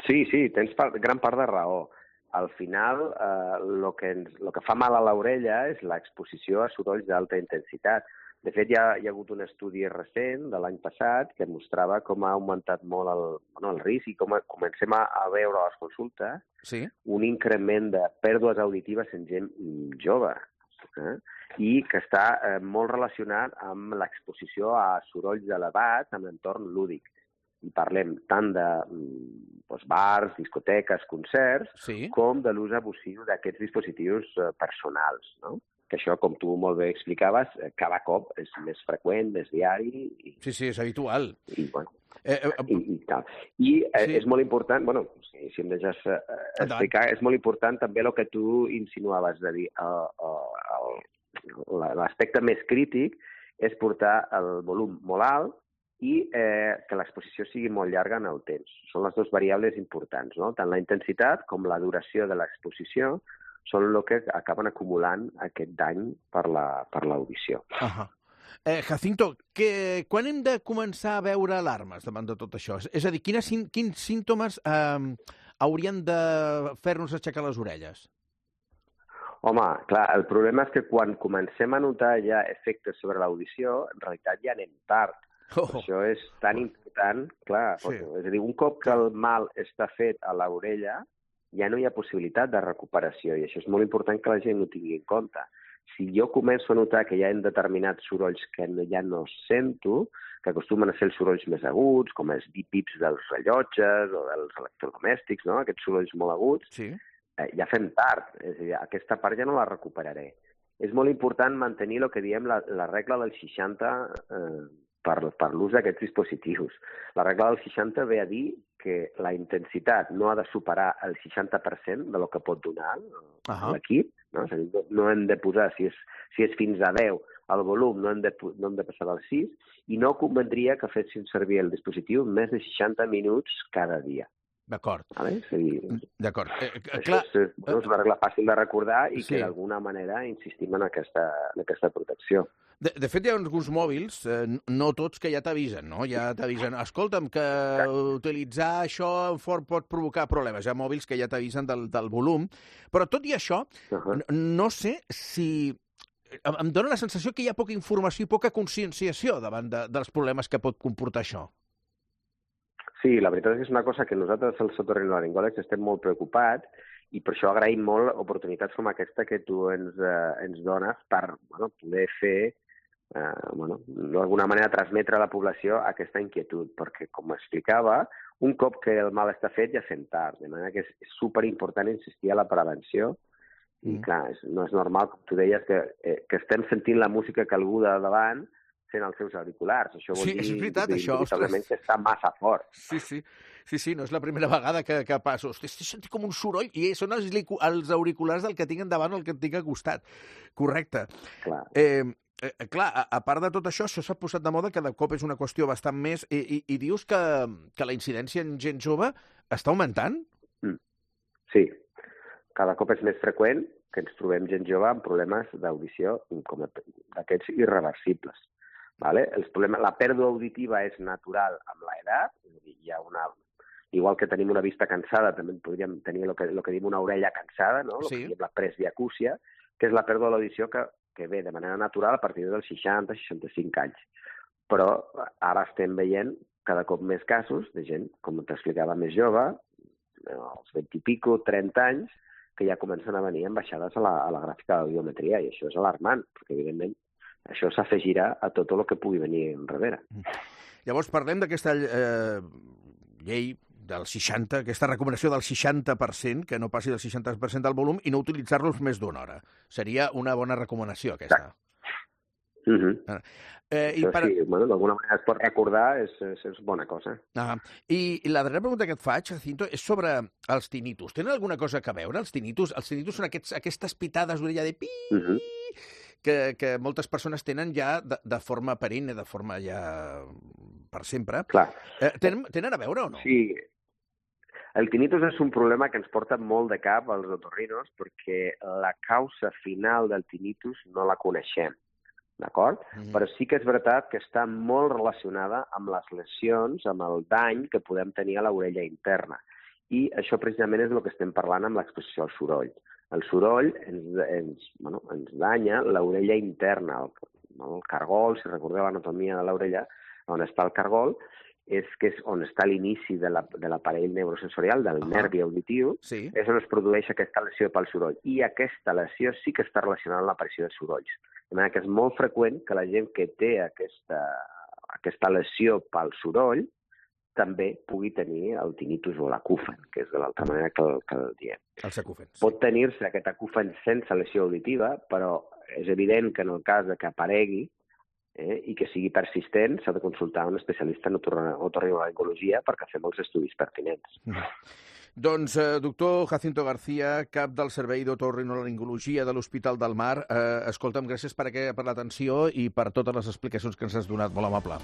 sí, sí, tens part, gran part de raó. Al final, eh, lo que ens, lo que fa mal a l'orella és l'exposició a sorolls d'alta intensitat. De fet, hi ha, hi ha hagut un estudi recent de l'any passat que mostrava com ha augmentat molt el, bueno, el risc i com a, comencem a, a veure a les consultes sí. un increment de pèrdues auditives en gent jove. Eh? I que està eh, molt relacionat amb l'exposició a sorolls elevats en l'entorn lúdic. I parlem tant de doncs, bars, discoteques, concerts, sí. com de l'ús abusiu d'aquests dispositius eh, personals, no? Que això, com tu molt bé explicaves, cada cop és més freqüent, més diari. I, sí, sí, és habitual. I, bueno, eh, eh, i, i tal. I eh, sí. és molt important, bueno, si, si em deixes eh, explicar, és molt important també el que tu insinuaves, de dir, uh, uh, l'aspecte més crític és portar el volum molt alt i eh, que l'exposició sigui molt llarga en el temps. Són les dues variables importants, no? Tant la intensitat com la duració de l'exposició són el que acaben acumulant aquest dany per l'audició. Uh -huh. eh, Jacinto, que, quan hem de començar a veure alarmes davant de tot això? És a dir, quines, quins símptomes eh, haurien de fer-nos aixecar les orelles? Home, clar, el problema és que quan comencem a notar ja efectes sobre l'audició, en realitat ja anem tard. Oh. Això és tan important, clar, sí. És a dir, un cop que el mal està fet a l'orella, ja no hi ha possibilitat de recuperació, i això és molt important que la gent ho tingui en compte. Si jo començo a notar que hi ha determinats sorolls que no, ja no sento, que acostumen a ser els sorolls més aguts, com els bipips dels rellotges o dels electrodomèstics, no? Aquests sorolls molt aguts, sí. eh, ja fem tard, és a dir, aquesta part ja no la recuperaré. És molt important mantenir el que diem la, la regla del seixanta eh, per, per l'ús d'aquests dispositius. La regla del seixanta ve a dir que la intensitat no ha de superar el seixanta per cent de lo que pot donar uh-huh. l'equip, no? És a dir, no hem de posar, si és, si és fins a deu, el volum no hem de, no hem de passar del sis, i no convendria que fessin servir el dispositiu més de seixanta minuts cada dia. D'acord. Vale? Sí. D'acord. Eh, Això clar. És, és una regla fàcil de recordar i sí. que d'alguna manera insistim en aquesta, en aquesta protecció. De, de fet, hi ha alguns mòbils, eh, no tots, que ja t'avisen, no? Ja t'avisen, escolta'm, que Exacte. utilitzar això fort pot provocar problemes. Hi ha mòbils que ja t'avisen del, del volum, però tot i això, uh-huh. no, no sé si... Em dóna la sensació que hi ha poca informació i poca conscienciació davant de, dels problemes que pot comportar això. Sí, la veritat és que és una cosa que nosaltres, els otorrinolaringòlegs, estem molt preocupats i per això agraïm molt oportunitats com aquesta que tu ens, eh, ens dones per bueno, poder fer, eh, bueno, d'alguna manera transmetre a la població aquesta inquietud, perquè, com explicava, un cop que el mal està fet ja fem tard, de manera que és superimportant insistir a la prevenció i, mm. clar, és, no és normal, com tu deies, que, eh, que estem sentint la música que algú de davant sent els seus auriculars. Això vol sí, dir, és veritat, dir això, que està massa fort. Sí, sí. Sí, sí, no és la primera vegada que, que passo. Hosti, estic sentint com un soroll i són els, els auriculars del que tinc endavant o el que tinc al costat. Correcte. Clar. Eh, eh, clar, a, a part de tot això, això s'ha posat de moda, cada cop és una qüestió bastant més... I, i, i dius que, que la incidència en gent jove està augmentant? Mm. Sí. Cada cop és més freqüent que ens trobem gent jove amb problemes d'audició com d'aquests irreversibles. Vale? Els problemes, la pèrdua auditiva és natural amb l'edat, hi ha una... Igual que tenim una vista cansada, també podríem tenir el que, el que diem una orella cansada, no? Sí. El que diem la presbiacúsia, que és la pèrdua de l'audició que, que ve de manera natural a partir dels seixanta a seixanta-cinc anys. Però ara estem veient cada cop més casos de gent, com t'explicava, més jove, als vint i pico, trenta anys, que ja comencen a venir amb baixades a la, a la gràfica d'audiometria, i això és alarmant, perquè evidentment això s'afegirà a tot el que pugui venir enrere. Llavors parlem d'aquesta eh, llei del seixanta, aquesta recomanació del seixanta per cent, que no passi del seixanta per cent del volum, i no utilitzar-los més d'una hora. Seria una bona recomanació, aquesta. Uh -huh. eh, i Això per... sí, bueno, d'alguna manera es pot recordar, és, és, és bona cosa. Ah, i, I la darrera pregunta que et faig, Jacinto, és sobre els tinnitus. Tenen alguna cosa a veure, els tinnitus? Els tinnitus són aquests, aquestes pitades d'orella de pi... Uh -huh. Que, que moltes persones tenen ja de, de forma perenne, de forma ja per sempre. Clar. Eh, tenen, tenen a veure o no? Sí. El tinnitus és un problema que ens porta molt de cap als otorrinos perquè la causa final del tinnitus no la coneixem, d'acord? Mm. Però sí que és veritat que està molt relacionada amb les lesions, amb el dany que podem tenir a l'orella interna. I això precisament és el que estem parlant amb l'exposició al soroll. El soroll ens, ens, bueno, ens danya l'orella interna, el, el cargol, si recordeu l'anatomia de l'orella, on està el cargol, és que és on està l'inici de l'aparell neurosensorial, del uh -huh. nervi auditiu, sí. És on es produeix aquesta lesió pel soroll. I aquesta lesió sí que està relacionada amb l'aparició de sorolls. De manera que és molt freqüent que la gent que té aquesta, aquesta lesió pel soroll també pugui tenir el tinnitus o l'acúfen, que és de l'altra manera que el, que el diem. Els acúfens. Sí. Pot tenir-se aquest acúfen sense lesió auditiva, però és evident que en el cas de que aparegui eh, i que sigui persistent, s'ha de consultar un especialista en otorrinolaringologia perquè fem els estudis pertinents. Mm. Doncs, eh, doctor Jacinto García, cap del Servei d'Otorrinolaringologia de l'Hospital del Mar, eh, escolta'm, gràcies per, per l'atenció i per totes les explicacions que ens has donat. Molt amable.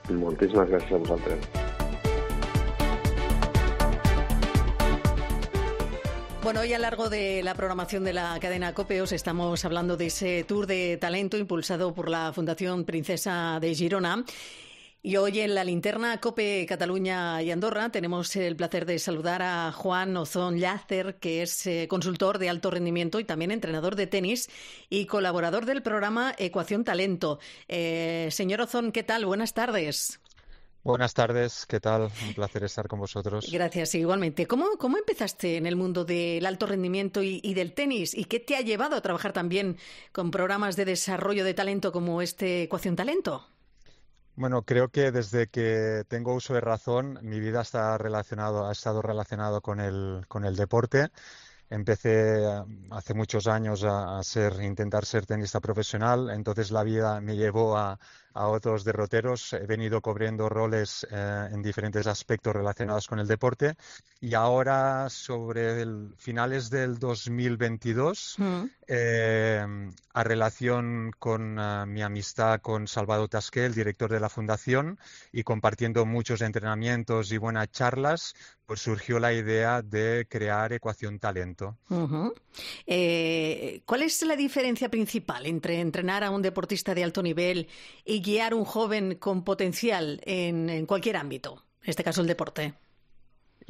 Moltíssimes gràcies a vosaltres. Bueno, hoy a lo largo de la programación de la cadena COPE os estamos hablando de ese tour de talento impulsado por la Fundación Princesa de Girona. Y hoy en la linterna COPE Cataluña y Andorra tenemos el placer de saludar a Juan Ozón Llàcer, que es eh, consultor de alto rendimiento y también entrenador de tenis y colaborador del programa Ecuación Talento. Eh, señor Ozón, ¿qué tal? Buenas tardes. Buenas tardes, ¿qué tal? Un placer estar con vosotros. Gracias, igualmente. ¿Cómo, cómo empezaste en el mundo del alto rendimiento y, y del tenis? ¿Y qué te ha llevado a trabajar también con programas de desarrollo de talento como este Ecuación Talento? Bueno, creo que desde que tengo uso de razón, mi vida está relacionado, ha estado relacionado con el, con el deporte. Empecé hace muchos años a, a ser, intentar ser tenista profesional, entonces la vida me llevó a, a otros derroteros. He venido cubriendo roles eh, en diferentes aspectos relacionados con el deporte y ahora, sobre el, finales del dos mil veintidós, mm. eh, a relación con uh, mi amistad con Salvador Tasqué, el director de la Fundación, y compartiendo muchos entrenamientos y buenas charlas, pues surgió la idea de crear Ecuación Talento. Uh-huh. Eh, ¿Cuál es la diferencia principal entre entrenar a un deportista de alto nivel y guiar a un joven con potencial en, en cualquier ámbito, en este caso el deporte?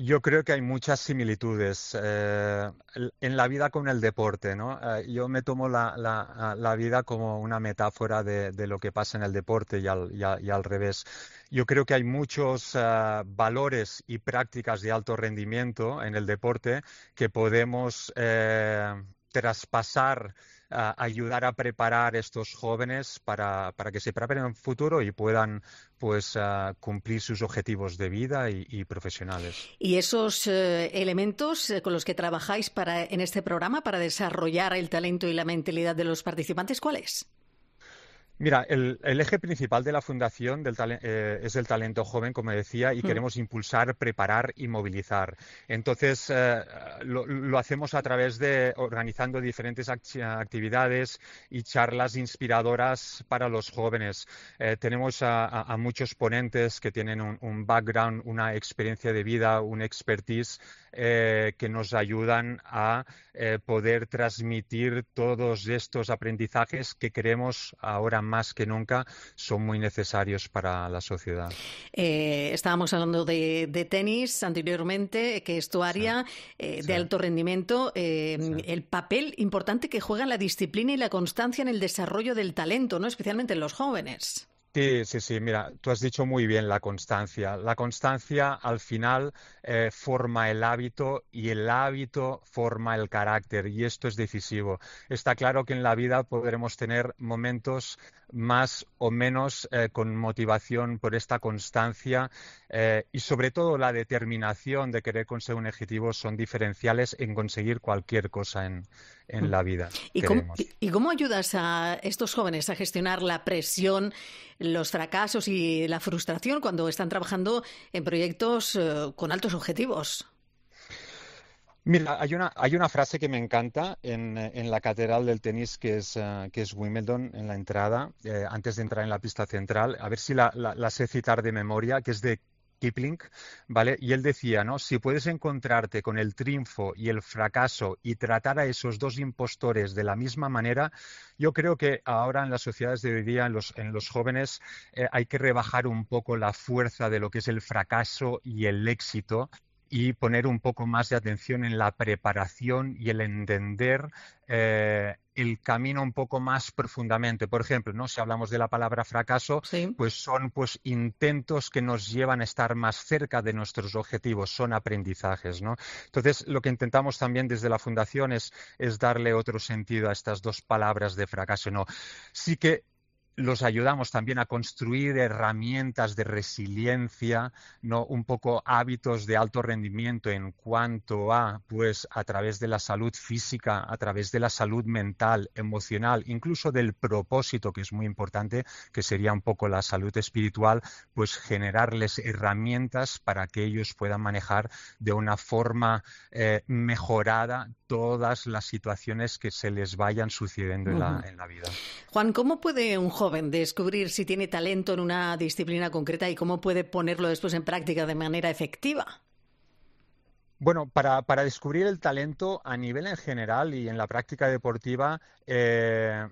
Yo creo que hay muchas similitudes eh, en la vida con el deporte, ¿no? Eh, yo me tomo la, la, la vida como una metáfora de, de lo que pasa en el deporte y al, y, a, y al revés. Yo creo que hay muchos uh, valores y prácticas de alto rendimiento en el deporte que podemos eh, traspasar, uh, ayudar a preparar a estos jóvenes para, para que se preparen en el futuro y puedan pues uh, cumplir sus objetivos de vida y, y profesionales. ¿Y esos eh, elementos eh, con los que trabajáis para, en este programa para desarrollar el talento y la mentalidad de los participantes, cuáles? Mira, el, el eje principal de la Fundación del eh, es el talento joven, como decía, y mm. queremos impulsar, preparar y movilizar. Entonces, eh, lo, lo hacemos a través de organizando diferentes act actividades y charlas inspiradoras para los jóvenes. Eh, tenemos a, a, a muchos ponentes que tienen un, un background, una experiencia de vida, un expertise eh, que nos ayudan a eh, poder transmitir todos estos aprendizajes que queremos ahora más que nunca son muy necesarios para la sociedad. Eh, estábamos hablando de, de tenis anteriormente, que es tu área sí. eh, de sí. alto rendimiento. Eh, sí. El papel importante que juega la disciplina y la constancia en el desarrollo del talento, ¿no? Especialmente en los jóvenes. Sí, sí, sí. Mira, tú has dicho muy bien la constancia. La constancia al final eh, forma el hábito y el hábito forma el carácter y esto es decisivo. Está claro que en la vida podremos tener momentos más o menos eh, con motivación por esta constancia eh, y sobre todo la determinación de querer conseguir un objetivo son diferenciales en conseguir cualquier cosa en, en la vida. ¿Y cómo, ¿Y cómo ayudas a estos jóvenes a gestionar la presión, los fracasos y la frustración cuando están trabajando en proyectos eh, con altos objetivos? Mira, hay una, hay una frase que me encanta en, en la catedral del tenis que es, uh, que es Wimbledon, en la entrada, eh, antes de entrar en la pista central, a ver si la, la, la sé citar de memoria, que es de Kipling, ¿vale? Y él decía, ¿no? Si puedes encontrarte con el triunfo y el fracaso y tratar a esos dos impostores de la misma manera, yo creo que ahora en las sociedades de hoy día, en los, en los jóvenes, eh, hay que rebajar un poco la fuerza de lo que es el fracaso y el éxito y poner un poco más de atención en la preparación y el entender eh, el camino un poco más profundamente. Por ejemplo, ¿no? Si hablamos de la palabra fracaso, sí. pues son pues intentos que nos llevan a estar más cerca de nuestros objetivos, son aprendizajes, ¿no? Entonces, lo que intentamos también desde la Fundación es, es darle otro sentido a estas dos palabras de fracaso, ¿no? Sí que los ayudamos también a construir herramientas de resiliencia, ¿no? Un poco hábitos de alto rendimiento en cuanto a, pues, a través de la salud física, a través de la salud mental, emocional, incluso del propósito, que es muy importante, que sería un poco la salud espiritual, pues generarles herramientas para que ellos puedan manejar de una forma eh, mejorada todas las situaciones que se les vayan sucediendo uh-huh. en, la, en la vida. Juan, ¿cómo puede un joven joven descubrir si tiene talento en una disciplina concreta y cómo puede ponerlo después en práctica de manera efectiva? Bueno, para, para descubrir el talento a nivel en general y en la práctica deportiva, eh,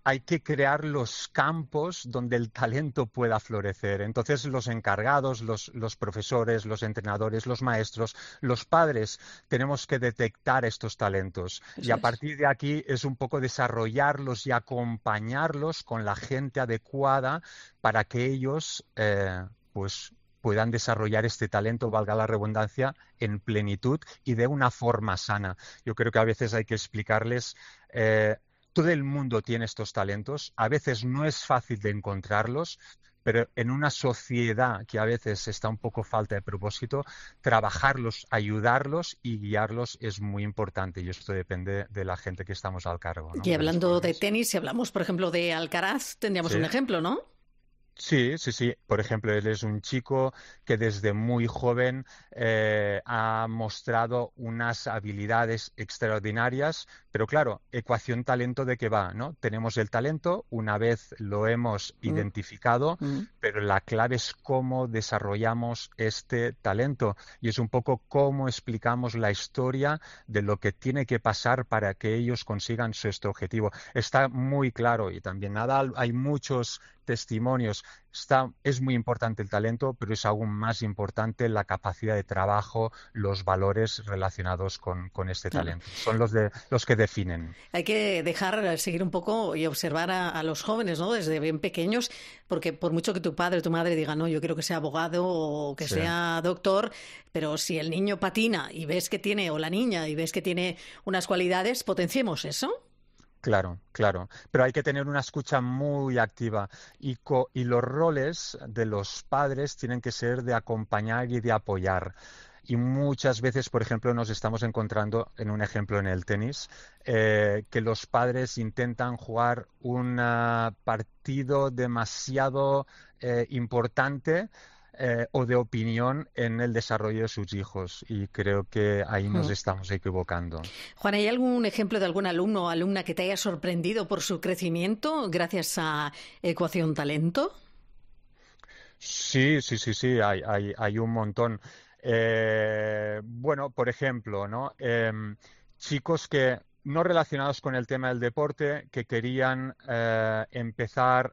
hay que crear los campos donde el talento pueda florecer. Entonces, los encargados, los, los profesores, los entrenadores, los maestros, los padres, tenemos que detectar estos talentos. Eso y a partir de aquí es un poco desarrollarlos y acompañarlos con la gente adecuada para que ellos, eh, pues, puedan desarrollar este talento, valga la redundancia, en plenitud y de una forma sana. Yo creo que a veces hay que explicarles, eh, todo el mundo tiene estos talentos, a veces no es fácil de encontrarlos, pero en una sociedad que a veces está un poco falta de propósito, trabajarlos, ayudarlos y guiarlos es muy importante, y esto depende de la gente que estamos al cargo, ¿no? Y hablando de tenis, si hablamos, por ejemplo, de Alcaraz, tendríamos ¿Sí? un ejemplo, ¿no? Sí, sí, sí. Por ejemplo, él es un chico que desde muy joven eh, ha mostrado unas habilidades extraordinarias, pero claro, ecuación talento de qué va, ¿no? Tenemos el talento, una vez lo hemos mm. identificado, mm. pero la clave es cómo desarrollamos este talento y es un poco cómo explicamos la historia de lo que tiene que pasar para que ellos consigan su este objetivo. Está muy claro y también nada, hay muchos testimonios. Está, es muy importante el talento, pero es aún más importante la capacidad de trabajo, los valores relacionados con, con este talento. Claro. Son los, de, los que definen. Hay que dejar seguir un poco y observar a, a los jóvenes, ¿no? Desde bien pequeños, porque por mucho que tu padre o tu madre digan, no, yo quiero que sea abogado o que sí. sea doctor, pero si el niño patina y ves que tiene, o la niña, y ves que tiene unas cualidades, potenciemos eso. Claro, claro, pero hay que tener una escucha muy activa y, co y los roles de los padres tienen que ser de acompañar y de apoyar. Y muchas veces, por ejemplo, nos estamos encontrando, en un ejemplo en el tenis, eh, que los padres intentan jugar un uh, partido demasiado eh, importante Eh, o de opinión en el desarrollo de sus hijos y creo que ahí nos estamos equivocando. Juan, ¿hay algún ejemplo de algún alumno o alumna que te haya sorprendido por su crecimiento gracias a Ecuación Talento? Sí, sí, sí, sí, hay, hay, hay un montón. Eh, bueno, por ejemplo, ¿no? Eh, chicos que no relacionados con el tema del deporte, que querían eh, empezar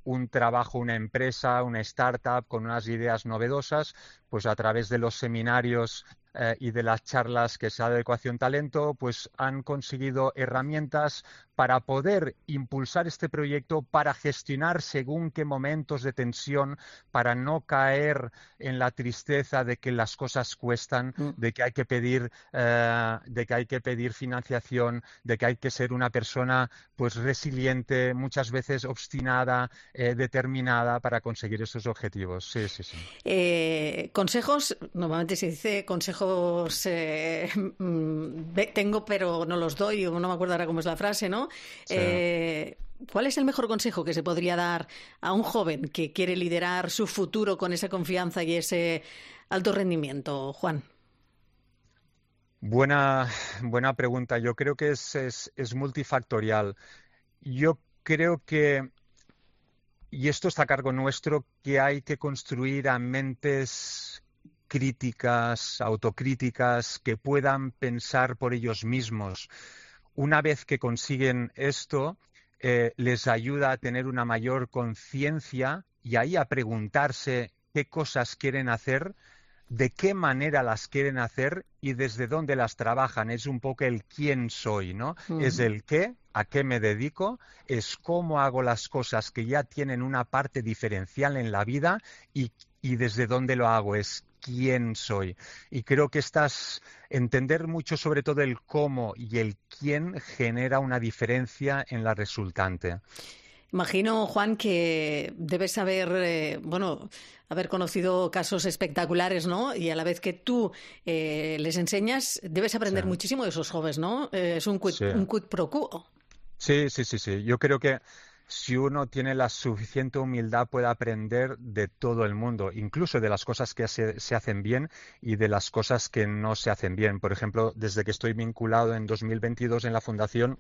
un trabajo, una empresa, una startup con unas ideas novedosas, pues a través de los seminarios eh, y de las charlas que se da de Ecuación Talento, pues han conseguido herramientas para poder impulsar este proyecto, para gestionar según qué momentos de tensión, para no caer en la tristeza de que las cosas cuestan, mm. de que hay que pedir, eh, de que hay que pedir financiación, de que hay que ser una persona pues resiliente, muchas veces obstinada, eh, determinada para conseguir esos objetivos. Sí, sí, sí. Eh, consejos, normalmente se dice consejos eh, tengo pero no los doy, o no me acuerdo ahora cómo es la frase, ¿no? Sí. Eh, ¿Cuál es el mejor consejo que se podría dar a un joven que quiere liderar su futuro con esa confianza y ese alto rendimiento, Juan? Buena, buena pregunta. Yo creo que es, es, es multifactorial. Yo creo que, y esto está a cargo nuestro, que hay que construir a mentes críticas, autocríticas, que puedan pensar por ellos mismos. Una vez que consiguen esto, eh, les ayuda a tener una mayor conciencia y ahí a preguntarse qué cosas quieren hacer, de qué manera las quieren hacer y desde dónde las trabajan. Es un poco el quién soy, ¿no? Mm. Es el qué, a qué me dedico, es cómo hago las cosas que ya tienen una parte diferencial en la vida y, y desde dónde lo hago, es quién soy. Y creo que estás entender mucho sobre todo el cómo y el quién genera una diferencia en la resultante. Imagino, Juan, que debes haber, eh, bueno, haber conocido casos espectaculares, ¿no? Y a la vez que tú eh, les enseñas, debes aprender sí. muchísimo de esos jóvenes, ¿no? Eh, es un quid, sí. un quid pro quo. Sí, sí, sí, sí. Yo creo que si uno tiene la suficiente humildad puede aprender de todo el mundo, incluso de las cosas que se, se hacen bien y de las cosas que no se hacen bien. Por ejemplo, desde que estoy vinculado en dos mil veintidós en la Fundación,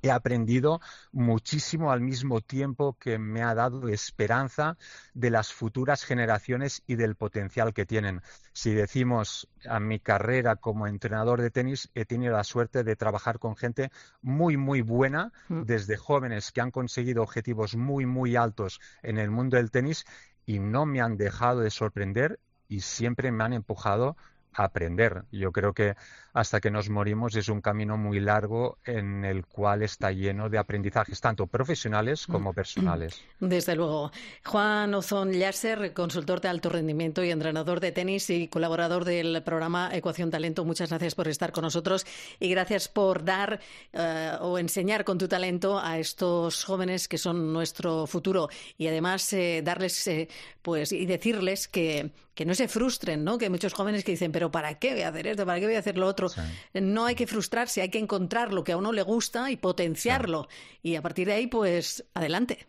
he aprendido muchísimo al mismo tiempo que me ha dado esperanza de las futuras generaciones y del potencial que tienen. Si decimos a mi carrera como entrenador de tenis, he tenido la suerte de trabajar con gente muy, muy buena, desde jóvenes que han conseguido objetivos muy, muy altos en el mundo del tenis y no me han dejado de sorprender y siempre me han empujado a aprender. Yo creo que hasta que nos morimos es un camino muy largo en el cual está lleno de aprendizajes, tanto profesionales como personales. Desde luego. Juan Ozón Llàcer, consultor de alto rendimiento y entrenador de tenis y colaborador del programa Ecuación Talento, muchas gracias por estar con nosotros y gracias por dar eh, o enseñar con tu talento a estos jóvenes que son nuestro futuro y además eh, darles eh, pues y decirles que, que no se frustren, ¿no? Que hay muchos jóvenes que dicen, pero ¿para qué voy a hacer esto? ¿Para qué voy a hacer lo otro? Sí. No hay que frustrarse, hay que encontrar lo que a uno le gusta y potenciarlo. Sí. Y a partir de ahí, pues, adelante.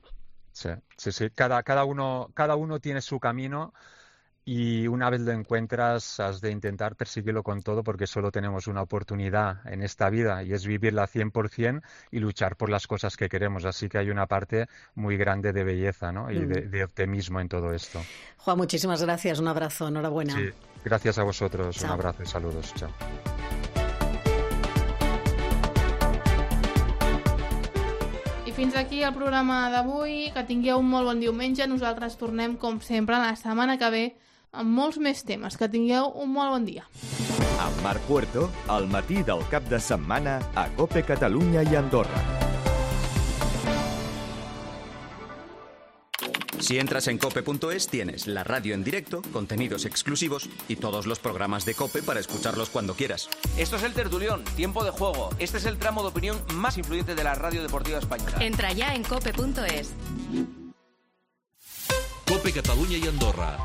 Sí, sí, sí. Cada, cada, uno, cada uno tiene su camino y una vez lo encuentras has de intentar perseguirlo con todo porque solo tenemos una oportunidad en esta vida y es vivirla cien por cien y luchar por las cosas que queremos. Así que hay una parte muy grande de belleza, ¿no? Y mm. de, de optimismo en todo esto. Juan, muchísimas gracias. Un abrazo. Enhorabuena. Sí, gracias a vosotros. Chao. Un abrazo y saludos. Chao. I fins aquí el programa d'avui. Que tingueu un molt bon diumenge. Nosaltres tornem, com sempre, la setmana que ve amb molts més temes. Que tingueu un molt bon dia. Amb Marc Puerto, al matí del cap de setmana a COPE Catalunya i Andorra. Si entras en cope punto es, tienes la radio en directo, contenidos exclusivos y todos los programas de COPE para escucharlos cuando quieras. Esto es El Tertulión, tiempo de juego. Este es el tramo de opinión más influyente de la radio deportiva española. Entra ya en cope punto es. COPE Catalunya i Andorra.